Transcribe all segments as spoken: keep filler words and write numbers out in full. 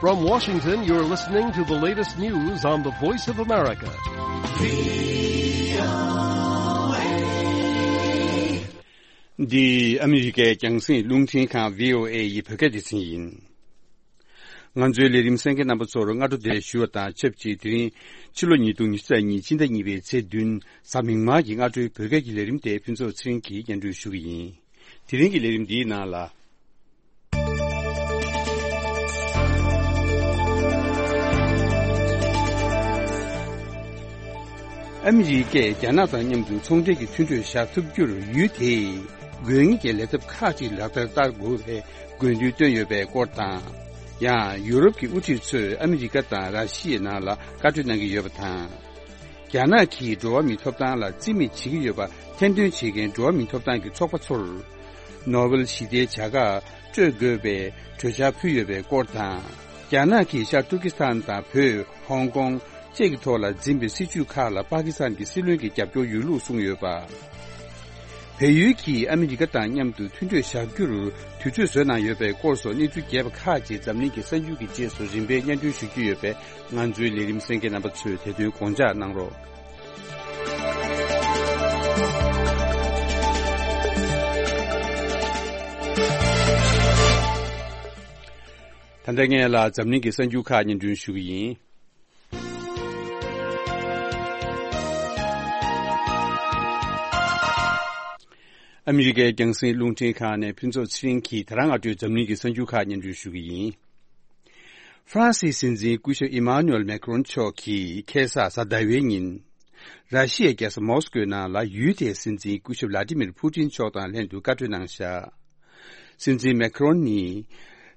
From Washington, you're listening to the latest news on the Voice of America. འདི་ཨ་མི་རི་ཀའི་རྒྱང་སྲིང་རླུང་འཕྲིན་ཁང་བྷི་ཨོ་ཨེ་ཡི་བོད་སྐད་སྡེ་ཚན་ཡིན། ང་ཚོའི་ལས་རིམ་གསན་མཁན་རྣམ་པ་ཚོར་སྔ་དྲོ་བདེ་ལེགས་ཞུ་བ་དང་ཆབས་ཅིག་དེ་རིང་ཕྱི་ལོ་ཉིས་སྟོང་ཉི་ཤུ་རྩ་གཉིས་ཕྱི་ཟླ་གཉིས་པའི་ཚེས་བདུན་གཟའ་མིག་དམར་གྱི་སྔ་དྲོའི་བོད་སྐད་ཀྱི་ལས་རིམ་དེ་ཕུན་ཚོགས་ཚེ་རིང་གིས་སྙན་སྒྲོན་ཞུ་གི་ཡིན། དེ་རིང་གི་ལས་རིམ་འདིའི་ནང་ལ། ཨ་མི་རི་ཀས་རྒྱ་ནག་དང་མཉམ་དུ་ཚོང་འབྲེལ་གྱི་མཐུན་གྲོས་བཞག་ཐུབ་རྒྱུར་ཡུལ་དེས་དགོས་ངེས་ཀྱི་ལས་ཐབས་ཁག་ཅིག་ལག་བསྟར་བསྟར་དགོས་པའི་དགོས་འདུན་བཏོན་ཡོད་པའི་སྐོར་དང་། ཡང་ཡུ་རོབ་ཀྱི་དབུ་ཁྲིད་ཚོས་ཨ་མི་རི་ཀ་དང་ར་ཤི་ཡའི་ནང་ལ་བཀའ་གྲོས་གནང་གི་ཡོད་པ་དང་། རྒྱ་ནག་གིས་འགྲོ་བ་མིའི་ཐོབ་ཐང་ལ་བརྩི་མེད་བྱེད་ཀྱི་ཡོད་པ་ཐེར་འདོན་བྱེད་མཁན་འགྲོ་བ་མིའི་ཐོབ་ཐང་གི་ཚོགས་པ་ཚོར། ནོ་བེལ་ཞི་བདེའི་བྱ་དགའ་སྤྲོད་དགོས་པའི་གྲོས་འཆར་ཕུལ་ཡོད་པའི་སྐོར་དང་། རྒྱ་ནག་གིས་ཤར་ཏུར་ཀི་སི་ཐན་དང་བོད། ཧོང་ཀོང་བཅས་ཀྱི་ཐོག་ལ་འཛིན་པའི་སྲིད་བྱུས་ཁག་ལ་པ་ཀི་སི་ཐན་གྱི་སྲིད་བློན་གྱི་རྒྱབ་སྐྱོར་ཡོད་ལུགས་གསུངས་ཡོད་པ། བལ་ཡུལ་གྱིས་ཨ་མི་རི་ཀ་དང་མཉམ་དུ་མཐུན་གྲོས་བཞག་རྒྱུར་དུས་ཚོད་བཟོས་གནང་ཡོད་པའི་སྐོར་སོགས་གནས་ཚུལ་རྒྱས་པ་ཁག་ཅིག་འཛམ་གླིང་གི་གསར་འགྱུར་གྱི་རྗེས་སུ་རིམ་པས་སྙན་སྒྲོན་ཞུ་རྒྱུ་ཡོད་པས། ང་ཚོའི་ལས་རིམ་གསན་མཁན་རྣམ་པ་ཚོས་དེ་དོན་དགོངས་འཇགས་གནང་རོགས། ད་ལྟ་ངས་ལ་འཛམ་གླིང་གི་གསར་འགྱུར་ཁག་སྙན་སྒྲོན་ཞུ་གི་ཡིན། ཨ་མི་རི་ཀའི་རྒྱང་སྲིང་རླུང་འཕྲིན་ཁང་ནས་ཕུན་ཚོགས་ཚེ་རིང་གིས་ད་རང་སྔ་དྲོའི་འཛམ་གླིང་གི་གསར་འགྱུར་ཁག་སྙན་སྒྲོན་ཞུ་གི་ཡིན། ཧྥ་རན་སིའི་སྲིད་འཛིན་སྐུ་ཞབས་ཨི་མཱ་ནུ་ཨེལ་མེ་ཁ་རོན་མཆོག་གིས་ཁ་སང་གཟའ་ཟླ་བའི་ཉིན། ར་ཤི་ཡའི་རྒྱལ་ས་མོ་སི་ཀོའི་ནང་ལ་ཡུལ་དེའི་སྲིད་འཛིན་སྐུ་ཞབས་ལ་ཏི་མིར་ཕུ་ཏིན་མཆོག་དང་ལྷན་དུ་བཀའ་གྲོས་གནང་བཞག་སྲིད་འཛིན་མེ་ཁ་རོན་ནི།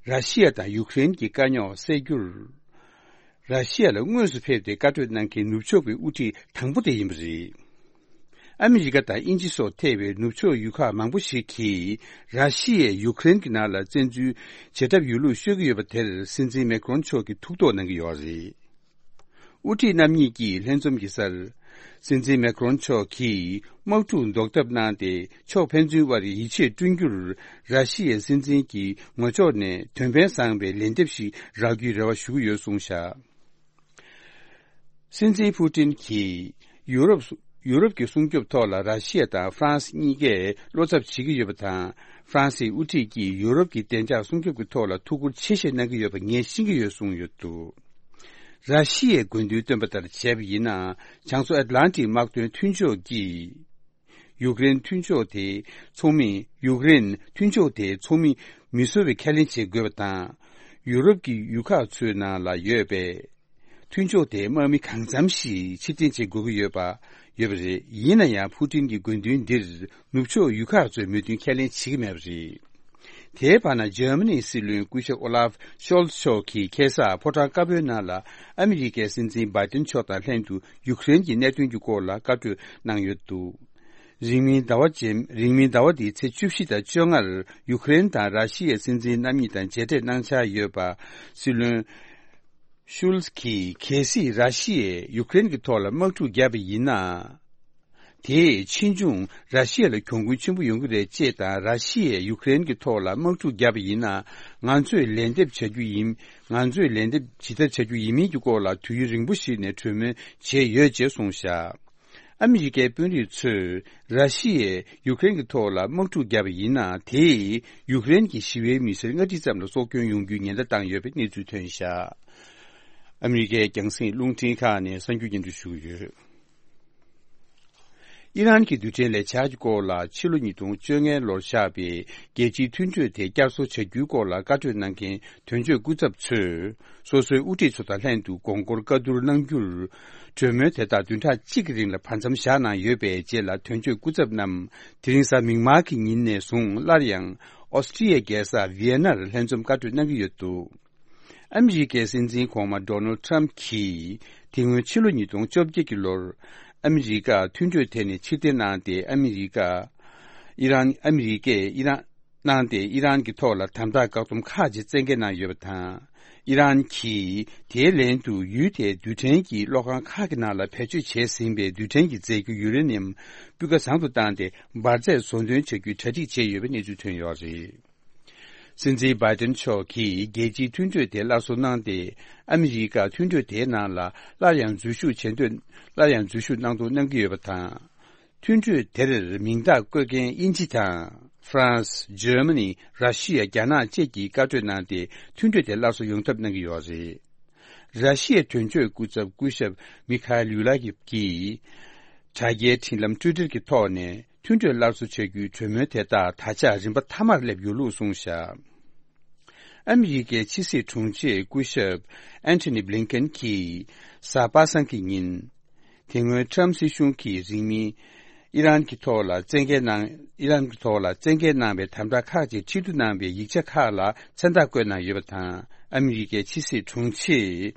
ར་ཤི་ཡ་དང་ཡུ་ཀེ་རེན་གྱི་དཀའ་རྙོག་སེལ་རྒྱུར། ར་ཤི་ཡ་ལ་དངོས་སུ་ཕེབས་ཏེ་བཀའ་གྲོས་གནང་མཁན་ནུབ་ཕྱོགས་ཀྱི་དབུ་ཁྲིད་དང་པོ་དེ་ཡིན་པ་རེད། ཨ་མི་རི་ཀ་དང་དབྱིན་ཇི་སོགས་ཐེ་བའི་ནུབ་ཕྱོགས་ཡུལ་ཁག་མང་པོ་ཞིག་གིས་ར་ཤི་ཡས་ཡུ་ཀེ་རེན་གྱི་ནང་ལ་བཙན་འཛུལ་བྱེད་ཐབས་ཡོད་ལུགས་ཤོད་ཀྱི་ཡོད་པ་དེར་སྲིད་འཛིན་མེ་ཁ་རོན་མཆོག་གིས་ཐུགས་དོགས་གནང་གི་ཡོད་རེད། དབུ་ཁྲིད་རྣམ་གཉིས་ཀྱིས་ལྷན་འཛོམས་ཀྱི་སར། སྲིད་འཛིན་མེ་ཁ་རོན་མཆོག་གིས་དམག་འཁྲུག་ཟློག་ཐབས་གནང་སྟེ་ཕྱོགས་ཕན་ཚུན་དབར་ཡིད་ཆེས་བསྐྲུན་རྒྱུར་ར་ཤི་ཡའི་སྲིད་འཛིན་གྱི་ངོ་ཕྱོགས་ནས་དོན་ཕན་བཟང་བའི་ལན་འདེབས་ཤིག་རག་རྒྱུའི་རེ་བ་ཞུ་གི་ཡོད་གསུངས་བཞག་སྲིད་འཛིན་ཕུ་ཏིན་གྱིས་ཡུ་རོབ་ཡུ་རོབ་ཀྱི་སྲུང་སྐྱོབ་ཐོག་ལ་ར་ཤི་ཡ་དང་ཧྥ་རན་སི་གཉིས་ཀས་བློ་འཚབ་བྱེད་ཀྱི་ཡོད་པ་དང་། ཧྥ་རན་སིའི་དབུ་ཁྲིད་ཀྱིས་ཡུ་རོབ་ཀྱི་བདེ་འཇགས་སྲུང་སྐྱོབ་ཀྱི་ཐོག་ལ་ཐུགས་ཁུར་ཆེ་བཞེས་གནང་གི་ཡོད་པ་ངས་ཤེས་ཀྱི་ཡོད་གསུངས་ཡོད་འདུག་ར་ཤི་ཡའི་དགོས་འདུན་བཏོན་པ་ལྟར་བྱས་པ་ཡིན་ན། བྱང་མཚོ་ཨེཊ་ལན་ཊིག་དམག་དོན་མཐུན་ཕྱོགས་ཀྱིས། ཡུཀ་རེན་མཐུན་ཕྱོགས་དེ་ཚོགས་མི། ཡུཀ་རེན་མཐུན་ཕྱོགས་དེ་ཚོགས་མི་མི་བཟོ་བའི་ཁས་ལེན་བྱེད་དགོས་པ་དང་། ཡུ་རོབ་ཀྱི་ཡུལ་ཁག་ཚོའི་ནང་ལ་ཡོད་པའི་མཐུན་ཕྱོགས་དེའི་དམག་མི་གང་འཚམ་ཞིག་ཕྱིར་འཐེན་བྱེད་དགོས་ཀྱི་ཡོད་པ། ཡོད་པ་རེད། ཡིན་ན་ཡང་ཕུ་ཏིན་གྱི་དགོས་འདུན་འདིར་ནུབ་ཕྱོགས་ཡུལ་ཁག་ཚོས་མོས་མཐུན་ཁས་ལེན་བྱེད་ཀྱི་མེད་པ་རེད། དེའི་བར་ན་འཇར་མ་ནིའི་སྲིད་བློན་སྐུ་ཞབས་ཨོ་ལཱབ་ཤོལ་ཚ་མཆོག་གིས་ཁ་སང་ཕོ་བྲང་དཀར་པོའི་ནང་ལ་ཨ་མི་རི་ཀའི་སྲིད་འཛིན་བྷའི་ཏིན་མཆོག་དང་ལྷན་དུ་ཡུཀ་རེན་གྱི་གནད་དོན་གྱི་སྐོར་ལ་བཀའ་གྲོས་གནང་ཡོད་འདུག་རིང་མིན་ཟླ་བ་རྗེས། རིང་མིན་ཟླ་བ་འདིའི་ཚེས་བཅུ་བཞི་དང་བཅོ་ལྔར་ཡུཀ་རེན་དང་ར་ཤི་ཡའི་སྲིད་འཛིན་རྣམ་གཉིས་དང་མཇལ་འཕྲད་གནང་འཆར་ཡོད་པ། སྲིད་བློན་ཤུལ་ཚ་གིས་གལ་སྲིད་ར་ཤི་ཡས་ཡུཀ་རེན་གྱི་ཐོག་ལ་དམག་འཁྲུག་བརྒྱབ་པ་ཡིན་ན། དེས་ཕྱིས་འབྱུང་ར་ཤི་ཡ་ལ་གྱོང་གུན་ཆེན་པོ་ཡོང་གི་རེད་ཅེས་དང་། ར་ཤི་ཡས་ཡུཀ་རེན་གྱི་ཐོག་ལ་དམག་འཁྲུག་བརྒྱབ་པ་ཡིན་ན། ང་ཚོས་ལན་འདེབས་བྱ་རྒྱུ་ཡིན། ང་ཚོས་ལན་འདེབས་ཇི་ལྟར་བྱ་རྒྱུ་ཡིན་མིན་གྱི་སྐོར་ལ་དུས་ཡུན་རིང་པོ་ཞིག་ནས་གྲོས་མོལ་བྱས་ཡོད་ཅེས་གསུངས་བཞག་ཨ་མི་རི་ཀའི་དཔོན་རིགས་ཚོས་ར་ཤི་ཡས་ཡུཀ་རེན་གྱི་ཐོག་ལ་དམག་འཁྲུག་བརྒྱབ་པ་ཡིན་ན། དེས་ཡུཀ་རེན་གྱི་ཞི་བའི་མི་སེར་ལྔ་ཁྲི་ཙམ་ལ་སྲོག་སྐྱོན་ཡོང་རྒྱུའི་ཉེན་བརྡ་བཏང་ཡོད་པའི་གནས་ཚུལ་ཐོན་བཞག་ཨ་མི་རི་ཀའི་རྒྱང་སྲིང་རླུང་འཕྲིན་ཁང་ནས་གསར་འགྱུར་སྙན་སྒྲོན་ཞུ་གི་ཡོད། ཨི་རན་གྱི་རྡུལ་ཕྲན་ལས་འཆར་གྱི་སྐོར་ལ་ཕྱི་ལོ་ཉིས་སྟོང་བཅོ་ལྔའི་ལོར་བཞག་པའི་རྒྱལ་སྤྱིའི་མཐུན་གྲོས་དེ་བསྐྱར་གསོ་བྱ་རྒྱུའི་སྐོར་ལ་བཀའ་གྲོས་གནང་མཁན་དོན་གཅོད་སྐུ་ཚབ་ཚོས་སོ་སོའི་དབུ་ཁྲིད་ཚོ་དང་ལྷན་དུ་དགོངས་སྐོར་བཀའ་བསྡུར་གནང་རྒྱུར། གྲོས་མོལ་དེ་དག་བདུན་ཕྲག་གཅིག་གི་རིང་ལ་བར་མཚམས་བཞག་གནང་ཡོད་པའི་རྗེས་ལ། དོན་གཅོད་སྐུ་ཚབ་རྣམས་དེ་རིང་གཟའ་མིག་དམར་གྱི་ཉིན་ནས་བཟུང་སླར་ཡང་ཨོ་སི་ཀྲི་ཡའི་རྒྱལ་ས་ཝི་ཡེ་ནར་ལྷན་འཛོམས་བཀའ་གྲོས་གནང་གི་ཡོད་འདུག་ཨ་མི་རི་ཀའི་སྲིད་འཛིན་གོང་མ་ཌོ་ནལ་ཊམ་གྱིས་དེ་སྔོན་ཕྱི་ལོ་ཉིས་སྟོང་བཅོ་བརྒྱད་ཀྱི་ལོར་ཨ་མི་རི་ཀ་མཐུན་གྲོས་དེ་ནས་ཕྱིར་འཐེན་གནང་སྟེ། ཨ་མི་རི་ཀ་ཨི་རན། ཨ་མི་རི་ཀས་ཨི་རན། གནང་སྟེ། ཨི་རན་གྱི་ཐོག་ལ་དམ་དྲག་བཀག་སྡོམ་ཁག་ཅིག་བཙན་འགེལ་གནང་ཡོད་པ་དང་། ཨི་རན་གྱིས་དེའི་ལན་དུ་ཡུལ་དེའི་རྡུལ་ཕྲན་གྱི་གློག་ཁང་ཁག་གི་ནང་ལ་བེད་སྤྱོད་བྱས་ཟིན་པའི་རྡུལ་ཕྲན་གྱི་རྫས་འགྱུར་ཡུ་རེ་ནི་ཡམ་སྤུས་ཀ་བཟང་དུ་བཏང་སྟེ། འབར་རྫས་བཟོ་འདོན་བྱ་རྒྱུའི་གྲ་སྒྲིག་བྱས་ཡོད་པའི་གནས་ཚུལ་ཐོན་ཡོད་རེད། སྲིད་འཛིན་བྷའི་ཏིན་མཆོག་གིས་རྒྱལ་སྤྱིའི་མཐུན་གྲོས་དེ་སླར་གསོ་གནང་སྟེ། ཨ་མི་རི་ཀ་མཐུན་གྲོས་དེའི་ནང་ལ་སླར་ཡང་འཛུལ་ཞུགས་བྱེད་འདོད། སླར་ཡང་འཛུལ་ཞུགས་གནང་འདོད་གནང་གི་ཡོད་པ་དང་། མཐུན་གྲོས་དེར་མིང་རྟགས་བཀོད་མཁན་དབྱིན་ཇི་དང་། ཧྥ་རན་སི། འཇར་མ་ནི། ར་ཤི་ཡ། རྒྱ་ནག་བཅས་ཀྱིས་བཀའ་གྲོས་གནང་སྟེ། མཐུན་གྲོས་དེ་སླར་གསོ་ཡོང་ཐབས་གནང་གི་ཡོད་རེད། ར་ཤི་ཡའི་དོན་གཅོད་སྐུ་ཚབ་སྐུ་ཞབས་མི་ཁ་ལིའུ་ལ་གིས། དྲ་རྒྱའི་འཕྲིན་ལམ་ཊུའི་ཊར་གྱི་ཐོག་ནས། མཐུན་གྲོས་སླར་གསོ་བྱ་རྒྱུའི་གྲོས་མོལ་དེ་དག་ད་ཆ་རིམ་པ་མཐའ་མར་སླེབས་ཡོད་ལུགས་གསུངས་བཞག་ཨ་མི་རི་ཀའི་ཕྱི་སྲིད་དྲུང་ཆེ་སྐུ་ཞབས་ཨན་ཐོ་ནི་བྷི་ལིན་ཀེན་གྱིས་གཟའ་པ་སངས་ཀྱི་ཉིན། དེ་སྔོན་ཊམ་སྲིད་གཞུང་གིས་རིང་མིན། ཨི་རན་གྱི་ཐོག་ལ་བཙན་འགེལ་གནང་། ཨི་རན་གྱི་ཐོག་ལ་བཙན་འགེལ་གནང་བའི་དམ་དྲག་ཁག་ཅིག་ཁྲིད་བསྡུ་གནང་བའི་ཡིག་ཆ་ཁག་ལ་མཚན་རྟགས་བཀོད་གནང་ཡོད་པ་དང་། ཨ་མི་རི་ཀའི་ཕྱི་སྲིད་དྲུང་ཆེས།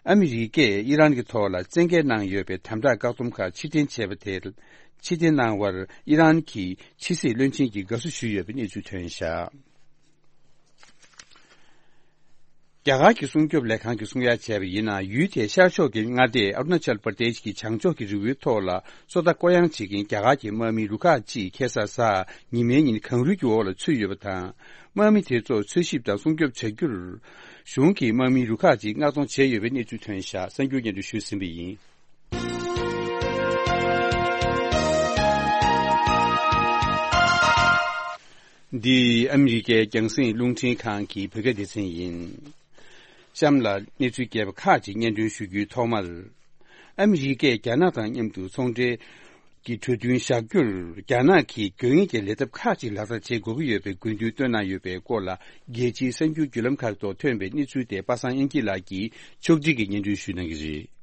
ཨ་མི་རི་ཀས་ཨི་རན་གྱི་ཐོག་ལ་བཙན་འགེལ་གནང་ཡོད་པའི་དམ་དྲག་བཀག་སྡོམ་ཁག་ཕྱིར་འཐེན་བྱས་པ་དེར། ཕྱིར་འཐེན་གནང་བར་ཨི་རན་གྱི་ཕྱི་སྲིད་བློན་ཆེན་གྱིས་དགའ་བསུ་ཞུས་ཡོད་པའི་གནས་ཚུལ་ཐོན་བཞག་རྒྱ་གར་གྱི་སྲུང་སྐྱོབ་ལས་ཁང་གིས་གསུང་ཡ་བྱས་པ་ཡིན་ན། ཡུལ་དེའི་ཤར་ཕྱོགས་ཀྱི་མངའ་སྡེ་ཨ་རུ་ན་ཅལ་པར་དེཤ་གྱི་བྱང་ཕྱོགས་ཀྱི་རི་བོའི་ཐོག་ལ་སོ་ལྟ་བསྐོ་གཡེང་བྱེད་མཁན་རྒྱ་གར་གྱི་དམག་མི་རུ་ཁག་ཅིག་ཁ་སང་གཟའ་ཉི་མའི་ཉིན་གངས་རུད་ཀྱི་འོག་ལ་ཚུད་ཡོད་པ་དང་། དམག་མི་དེ་ཚོ་འཚོལ་ཞིབ་དང་སྲུང་སྐྱོབ་བྱ་རྒྱུར། གཞུང་གིས་དམག་མི་རུ་ཁག་ཅིག་མངགས་གཏོང་བྱས་ཡོད་པའི་གནས་ཚུལ་ཐོན་བཞག་གསར་འགྱུར་སྙན་སྒྲོན་ཞུས་ཟིན་པ་ཡིན། འདི་ཨ་མི་རི་ཀའི་རྒྱང་སྲིང་རླུང་འཕྲིན་ཁང་གི་བོད་སྐད་སྡེ་ཚན་ཡིན། གཤམ་ལ་གནས་ཚུལ་རྒྱས་པ་ཁག་ཅིག་སྙན་སྒྲོན་ཞུ་རྒྱུའི་ཐོག་མར། ཨ་མི་རི་ཀས་རྒྱ་ནག་དང་མཉམ་དུ་ཚོང་འབྲེལ་གྱི་གྲོས་མཐུན་བཞག་རྒྱུར། རྒྱ་ནག་གིས་དགོས་ངེས་ཀྱི་ལས་ཐབས་ཁག་ཅིག་ལག་བསྟར་བྱེད་དགོས་ཀྱི་ཡོད་པའི་དགོས་འདུན་བཏོན་གནང་ཡོད་པའི་སྐོར་ལ། རྒྱལ་སྤྱིའི་གསར་འགྱུར་བརྒྱུད་ལམ་ཁག་ཐོག་ཐོན་པའི་གནས་ཚུལ་དེ་པ་སངས་དབྱངས་སྐྱིད་ལགས་ཀྱིས་ཕྱོགས་སྒྲིག་གིས་སྙན་སྒྲོན་ཞུ་གནང་གི་རེད།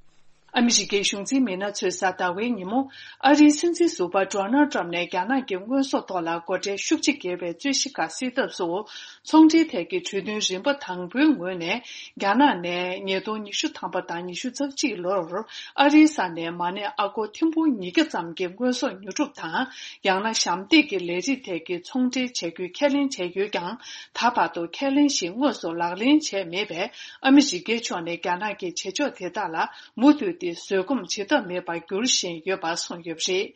ཨ་མི་རི་ཀའི་གཞུང་འཛིན་མི་སྣ་ཚོས་གཟའ་ཟླ་བའི་ཉིན་མོ། ཨ་རིའི་སྲིད་འཛིན་ཟུར་པ་ཌོ་ནལ་ཊམ་ནས་རྒྱ་ནག་གི་དངོས་ཟོག་ཐོག་ལ་སྒོ་ཁྲལ་ཤུགས་ཆེ་བརྒྱབ་པའི་རྩོད་གཞི་ཁག་སེལ་ཐབས་སུ། ཚོང་འབྲེལ་ཐད་ཀྱི་གྲོས་མཐུན་རིམ་པ་དང་པོའི་ངོས་ནས། རྒྱ་ནག་ནས་ཉིས་སྟོང་ཉི་ཤུ་ཐམ་པ་དང་ཉི་ཤུ་རྩ་གཅིག་ལོར་ཨ་རིའི་ས་ནས་མ་གནས་ཨ་སྒོར་ཐེར་འབུམ་ཉིས་བརྒྱ་ཙམ་གྱི་དངོས་ཟོག་ཉོ་སྒྲུབ་དང་། ཡང་ན་ཞབས་འདེགས་ཀྱི་ལས་རིགས་ཐད་ཀྱི་ཚོང་འབྲེལ་བྱ་རྒྱུའི་ཁས་ལེན་བྱས་ཡོད་ཀྱང་། ད་བར་དུ་ཁས་ལེན་བཞིན་དངོས་སུ་ལག་ལེན་བྱས་མེད་པས། ཨ་མི་རི་ཀའི་ཕྱོགས་ནས་རྒྱ་ནག་གི་བྱེད་ཕྱོགས་དེ་དག་ལ་མུ་མཐུད་དེ་བཟོད་སྒོམ་བྱེད་ཐབས་མེད་པར་འགྱུར་བཞིན་ཡོད་པ་གསུངས་ཡོད་པ་རེད།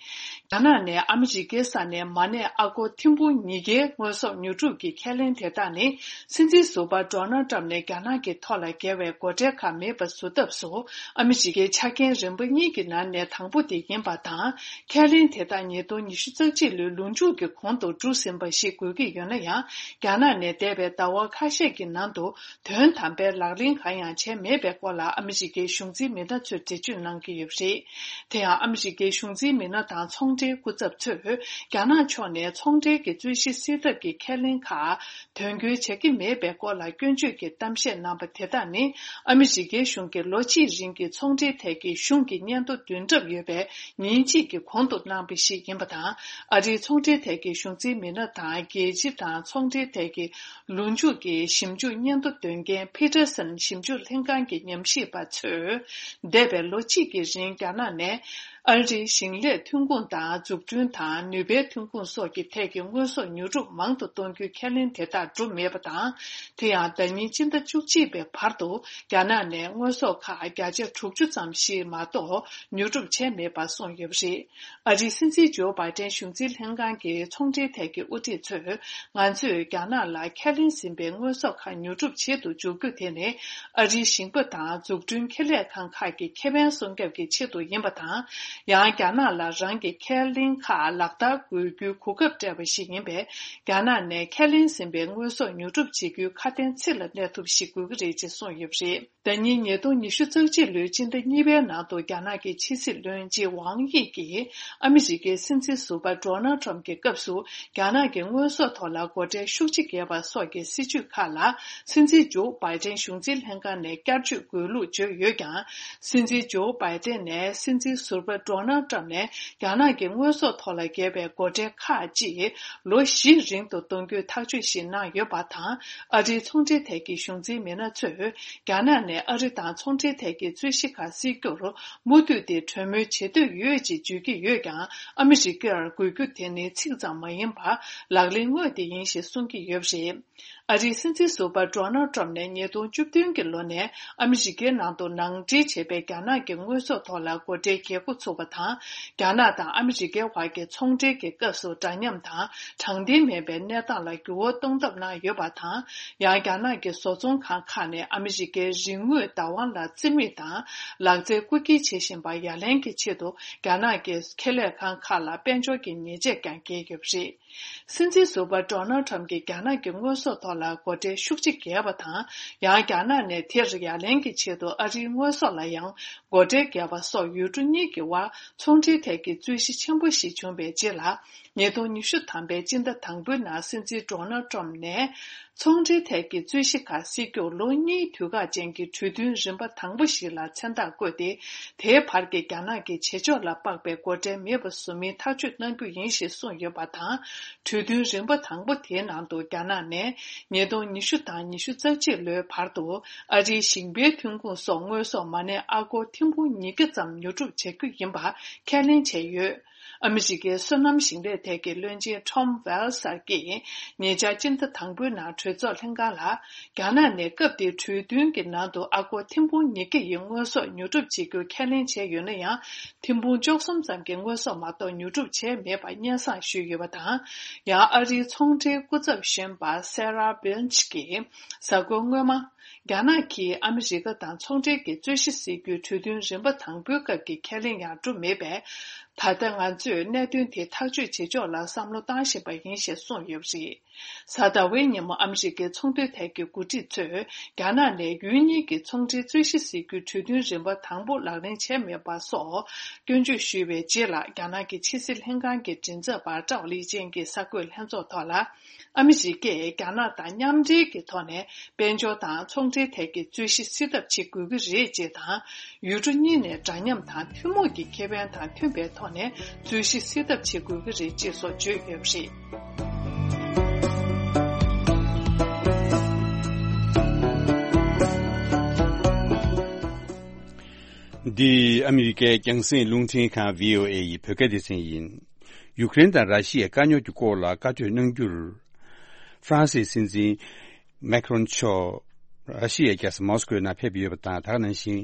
རྒྱ་ནག་ནས་ཨ་མི་རི་ཀའི་ས་ནས་མ་གནས་ཨ་སྒོར་ཐེར་འབུམ་ཉིས་བརྒྱའི་དངོས་ཟོག་ཉོ་སྒྲུབ་ཀྱི་ཁས་ལེན་དེ་དག་ནི། སྲིད་འཛིན་ཟུར་པ་ཌོ་ནལ་ཊམ་ནས་རྒྱ་ནག་གི་ཐོག་ལ་བཀལ་བའི་སྒོ་ཁྲལ་ཁག་མེད་པ་བཟོ་ཐབས་སུ། ཨ་མི་རི་ཀའི་ཆ་རྐྱེན་རིམ་པ་གཉིས་ཀྱི་ནང་ནས་དང་པོ་དེ་ཡིན་པ་དང་། ཁས་ལེན་དེ་དག་ཉིས་སྟོང་ཉི་ཤུ་རྩ་གཅིག་ལོའི་ལོ་མཇུག་གི་གོང་དུ་འགྲོ་ཟིན་པ་ཞིག་དགོས་ཀྱི་ཡོད་ན་ཡང་། རྒྱ་ནག་ནས་འདས་པའི་ཟླ་བ་ཁ་ཤས་ཀྱི་ནང་དུ། དོན་དམ་པའི་ལག་ལེན་གང་ཡང་བྱས་མེད་པའི་སྐོར་ལ་ཨ་མི་རི་ཀའི་གཞུང་འཛིན་མི་སྣ་ཚོས་འགྲེལ་བརྗོད་གནང་གི་ཡོད་པ་རེད། དེ་ཡང་ཨ་མི་རི་ཀའི་གཞུང་འཛིན་མི་སྣ་དང་ཚོང་འབྲེལ་སྐུ་ཚབ་ཚོས། རྒྱ་ནག་ཕྱོགས་ནས་ཚོང་འབྲེལ་གྱི་རྩོད་གཞི་སེལ་ཐབས་ཀྱི་ཁས་ལེན་ཁག་དོན་འཁྱོལ་བྱ་གི་མེད་པའི་སྐོར་ལ་སྐྱོན་བརྗོད་ཀྱི་གཏམ་བཤད་གནང་པ་དེ་དག་ནི། ཨ་མི་རི་ཀའི་གཞུང་གིས་ལོ་གཅིག་རིང་གི་ཚོང་འབྲེལ་ཐད་ཀྱི་གཞུང་གི་སྙན་ཐོ་བདུན་ལྡབ་ཡོད་པའི་ཉིན་གཅིག་གི་གོང་དུ་གནང་བ་ཞིག་ཡིན་པ་དང་། ཨ་རིའི་ཚོང་འབྲེལ་ཐད་ཀྱི་གཞུང་འཛིན་མི་སྣ་དང་། རྒྱལ་སྤྱི་དང་ཚོང་འབྲེལ་ཐད་ཀྱི་ལོ་མཇུག་གི་ཞིབ་འཇུག་སྙན་ཐོ་འདོན་མཁན་ཕི་ཊར་སན་ཞིབ་འཇུག་ལྷན་ཁང་གི་ཉམས་ཞིབ་པ་ཚོས། འདས་པའི་ལོ་གཅིག་གི་རིང་རྒྱ་ནག་ནས་ཨ་རིའི་ཞིང་ལས་ཐོན་ཁུངས་དང་། འཛུགས་སྐྲུན་དང་ནུས་པའི་ཐོན་ཁུངས་སོགས་ཀྱི་ཐད་ཀྱི་དངོས་ཟོག་ཉོ་སྒྲུབ་མང་དུ་གཏོང་རྒྱུའི་ཁས་ལེན་དེ་དག་གྲུབ་མེད་པ་དང་། དེ་ཡང་ཟླ་ཉིན་སྤྱི་ཟླ་བཅུ་གཅིག་པའི་བར་དུ་རྒྱ་ནག་ནས་དངོས་ཟོག་ཁག་བརྒྱ་ཆ་དྲུག་ཅུ་ཙམ་ཞིག་མ་གཏོགས་ཉོ་སྒྲུབ་བྱས་མེད་པ་གསུངས་ཡོད་པ་རེད། ཨ་རིའི་སྲིད་འཛིན་ཇོ་བྷའི་ཏན་གཞུང་འཛིན་ལྷན་ཁང་གི་ཚོང་འབྲེལ་ཐད་ཀྱི་དབུ་ཁྲིད་ཚོས། ང་ཚོས་རྒྱ་ནག་ལ་ཁས་ལེན་ཟིན་པའི་དངོས་ཟོག་ཁག་ཉོ་སྒྲུབ་བྱེད་དུ་འཇུག་རྒྱུ་དེ་ནི། ཨ་རིའི་ཞིང་པ་དང་འཛུགས་སྐྲུན་ཁེ་ལས་ཁང་ཁག་གི་ཁེ་ཕན་སྲུང་སྐྱོབ་ཀྱི་ཆེད་དུ་ཡིན་པ་དང་། ཡང་རྒྱ་ནག་ལ་རང་གི་ཁས་ལེན་ཁག་ལག་བསྟར་དགོས་རྒྱུའི་གོ་སྐབས་སྤྲད་པ་ཞིག་ཡིན་པས། རྒྱ་ནག་ནས་ཁས་ལེན་ཟིན་པའི་དངོས་ཟོག་ཉོ་སྒྲུབ་བྱེད་རྒྱུའི་ཁ་དན་ཚིག་ལ་གནས་ཐུབ་ཞིག་དགོས་ཀྱི་རེད་ཅེས་གསུངས་ཡོད་པ་རེད། ཟླ་ཉིན་ཉིས་སྟོང་ཉི་ཤུ་རྩ་གཅིག་ལོའི་སྤྱི་ཟླ་གཉིས་པའི་ནང་དུ་རྒྱ་ནག་གི་ཕྱི་སྲིད་བློན་ཆེན་ཝང་དབྱི་གིས་ཨ་མི་རི་ཀའི་སྲིད་འཛིན་ཟུར་པ་ཌོ་ནལ་ཊམ་གྱི་སྐབས་སུ་རྒྱ་ནག་གི་དངོས་ཟོག་ཐོག་ལ་སྒོ་ཁྲལ་ཤུགས་ཆེ་བརྒྱབ་པ་སོགས་ཀྱི་སྲིད་བྱུས་ཁག་ལ་སྲིད་འཛིན་ཇོ་བྷའི་ཏན་གཞུང་འཛིན་ལྷན་ཁང་ནས་བསྐྱར་བཅོས་དགོས་ལུགས་བརྗོད་ཡོད་ཀྱང་། སྲིད་འཛིན་ཇོ་བྷའི་ཏན་ནས་སྲིད་འཛིན་ཟུར་པ་ཌོ་ནལ་ཊམ་ནས་རྒྱ་ནག་གི་དངོས་ཟོག་ཐོག་ལ་བརྒྱབ་པའི་སྒོ་ཁྲལ་ཁག་ཅིག་ལོ་བཞི་རིང་དུ་གཏོང་རྒྱུའི་ཐག་གཅོད་ཞིག་གནང་ཡོད་པ་དང་། ཨ་རིའི་ཚོང་འབྲེལ་ཐད་ཀྱི་གཞུང་འཛིན་མི་སྣ་ཚོས། རྒྱ་ནག་ནས་ཨ་རི་དང་ཚོང་འབྲེལ་ཐད་ཀྱི་རྩོད་གཞི་ཁག་སེལ་རྒྱུར་མུ་མཐུད་དེ་གྲོས་མོལ་བྱེད་འདོད་ཡོད་ཅེས་བརྗོད་ཀྱི་ཡོད་ཀྱང་། ཨ་མི་རི་ཀར་དགོས་རྒྱུ་དེ་ནི་ཚིག་ཙམ་མ་ཡིན་པར་ལག་ལེན་དངོས་དེ་ཡིན་ཞེས་གསུང་གི་ཡོད་པ་རེད། ཨ་རིའི་སྲིད་འཛིན་ཟུར་པ་ཌོ་ནལ་ཊམ་ནས་ཉིས་སྟོང་བཅུ་བདུན་གྱི་ལོ་ནས་ཨ་མི་རི་ཀའི་ནང་དུ་ནང་འདྲེན་བྱས་པའི་རྒྱ་ནག་གི་དངོས་ཟོག་ཐོག་ལ་སྒོ་ཁྲལ་བརྒྱད་དགུ་ཚུད། ཚུགས་པ་དང་། རྒྱ་ནག་དང་ཨ་མི་རི་ཀའི་བར་གྱི་ཚོང་འབྲེལ་གྱི་སྐབས་སུ་འདྲ་མཉམ་དང་དྲང་བདེན་མེད་པའི་གནས་སྟངས་ལ་འགྱུར་བ་གཏོང་ཐབས་གནང་ཡོད་པ་དང་། ཡང་རྒྱ་ནག་གི་བཟོ་ཚོང་ཁང་ཁག་ནས་ཨ་མི་རི་ཀའི་རིག་དངོས་བདག་དབང་ལ་རྩིས་མེད་དང་ལག་རྩལ་རྐུ་འཁྱེར་བྱེད་བཞིན་པ་ཡ་ལན་གྱི་ཆེད་དུ་རྒྱ་ནག་གི་ཁེ་ལས་ཁང་ཁག་ལ་དཔལ་འབྱོར་གྱི་ཉེས་ཆད་ཀྱང་འགེལ་ཡོད་པ་རེད། སྲིད་འཛིན་ཟུར་པ་ཌོ་ནལ་ཊམ་གྱིས་རྒྱ་ནག་གི་དངོས་ཟོག་ཐོག་ལ་སྒོ་ཁྲལ་ཤུགས་ཆེ་བརྒྱབ་པ་དང་། ཡང་རྒྱ་ནག་ནས་དེར་ཡ་ལན་གྱི་ཆེད་དུ་ཨ་རིའི་དངོས་ཟོག་ལ་ཡང་སྒོ་ཁྲལ་བརྒྱབ་པ་སོགས་ཡུལ་གྲུ་གཉིས་ཀྱི་དབར་ཚོང་འབྲེལ་ཐད་ཀྱི་རྩོད་གཞི་ཆེན་པོ་ཞིག་བྱུང་བའི་རྗེས་ལ། ཉིས་སྟོང་ཉི་ཤུ་ཐམ་པའི་སྤྱི་ཟླ་དང་པོའི་ནང་སྲིད་འཛིན་ཌོ་ནལ་ཊམ་ནས་ཚོང་འབྲེལ་ཐད་ཀྱི་རྩོད་གཞི་ཁག་སེལ་རྒྱུར་ལོ་གཉིས་དུས་བཀག་ཅན་གྱི་གྲོས་མཐུན་རིམ་པ་དང་པོ་ཞིག་ལ་མཚན་རྟགས་བཀོད་དེ། དེའི་བར་གྱི་རྒྱ་ནག་གི་བྱེད་ཕྱོགས་ལ་དཔག་པའི་སྒོ་ཁྲལ་མེད་པ་བཟོ་མིན་ཐག་གཅོད་གནང་རྒྱུ་ཡིན་ཞེས་གསུངས་ཡོད་པ་དང་། གྲོས་མཐུན་རིམ་པ་དང་པོ་དེའི་ནང་དུ་རྒྱ་ནག་ནས་ཉིས་སྟོང་ཉི་ཤུ་དང་ཉི་ཤུ་རྩ་གཅིག་ལོའི་བར་དུ་ཨ་རིའི་ཞིང་པའི་ཐོན་ཁུངས་སོགས་དངོས་ཟོག་མ་སྣ་ཨ་སྒོར་ཐེར་འབུམ་ཉིས་བརྒྱ་ཙམ་ཉོ་སྒྲུབ་བྱ་རྒྱུ་ཡིན་པ་ཁས་ལེན་བྱས་ཡོད། ཨ་མི་རི་ཀའི་སོ་ནམ་ཞིང་ལས་ཐད་ཀྱི་བློན་ཆེན་ཊོམ་ཝེལ་སར་གྱིས་ཉེ་ཆར་སྤྱི་ཟླ་དང་པོའི་ནང་གྲོས་ཚོགས་ལྷན་ཁང་ལ། རྒྱ་ནག་ནས་སྐབས་དེའི་གྲོས་མཐུན་གྱི་ནང་དུ་ཨ་སྒོར་ཐེར་འབུམ་ཉིས་བརྒྱ་ཡི་དངོས་ཟོག་ཉོ་སྒྲུབ་བྱེད་རྒྱུ་ཁས་ལེན་བྱས་ཡོད་ན་ཡང་། ཐེར་འབུམ་བཅུ་གསུམ་ཙམ་གྱི་དངོས་ཟོག་མ་གཏོགས་ཉོ་སྒྲུབ་བྱས་མེད་པ་སྙན་སེང་ཞུས་ཡོད་པ་དང་། ཡང་ཨ་རིའི་ཚོང་འབྲེལ་སྐུ་ཚབ་གཞོན་པ་སེ་ར་བྷིལ་ཆི་གིས་གཟའ་འཁོར་སྔོན་མ། རྒྱ་ནག་གིས་ཨ་མི་རི་ཀ་དང་ཚོང་འབྲེལ་གྱི་རྩོད་གཞི་སེལ་རྒྱུའི་གྲོས་མཐུན་རིམ་པ་དང་པོའི་སྐབས་ཀྱི་ཁས་ལེན་ཡང་གྲུབ་མེད་པས། ད་ལྟ་ང་ཚོས་གནད་དོན་དེ་ཐག་གཅོད་བྱེད་ཕྱོགས་ལ་བསམ་བློ་བཏང་བཞིན་པ་ཡིན་ཞེས་གསུངས་ཡོད་པ་རེད། གཟའ་ཟླ་བའི་ཉིན་མོ་ཨ་མི་རི་ཀའི་ཚོང་དོན་ཐད་ཀྱི་འགོ་ཁྲིད་ཚོས་རྒྱ་ནག་ནས་ཡུལ་གཉིས་ཀྱི་ཚོང་འབྲེལ་རྩོད་གཞི་སེལ་རྒྱུའི་གྲོས་མཐུན་རིམ་པ་དང་པོ་ལག་ལེན་བྱས་མེད་པ་སོགས་སྐྱོན་བརྗོད་ཞུས་པའི་རྗེས་ལ། རྒྱ་ནག་གི་ཕྱི་སྲིད་ལྷན་ཁང་གི་མགྲིན་ཚབ་པ་ཀྲའོ་ལི་ཅན་གྱིས་གསར་འགོད་ལྷན་ཚོགས་ཐོག་ལ། ཨ་མི་རི་ཀས་རྒྱ་ནག་དང་མཉམ་འབྲེལ་གྱི་ཐོག་ནས་དཔལ་འབྱོར་དང་ཚོང་འབྲེལ་ཐད་ཀྱི་རྩོད་གཞི་སེལ་ཐབས་བྱེད་དགོས་ཀྱི་རེད་ཅེས་དང་། ཡུལ་གྲུ་གཉིས་ནས་འདྲ་མཉམ་དང་ཐུན་མོང་གི་ཁེ་ཕན་དང་མཐུན་པའི་ཐོག་ནས་རྩོད་གཞི་སེལ་ཐབས་བྱེད་དགོས་ཀྱི་རེད་ཅེས་སོགས་བརྗོད་ཡོད་པ་རེད། འདི་ཨ་མི་རི་ཀའི་རྒྱང་སྲིང་རླུང་འཕྲིན་ཁང་བྷི་ཨོ་ཨེ་ཡི་བོད་སྐད་སྡེ་ཚན་ཡིན། ཡུཀ་རེན་དང་ར་ཤི་ཡའི་དཀའ་རྙོག་གི་སྐོར་ལ་བཀའ་གྲོས་གནང་རྒྱུར། ཧྥ་རན་སིའི་སྲིད་འཛིན་མེག་རོན་མཆོག་ར་ཤི་ཡའི་རྒྱལ་ས་མོ་སི་ཀོའི་ནང་ཕེབས་ཡོད་པ་དང་། དེ་ག་ནང་བཞིན་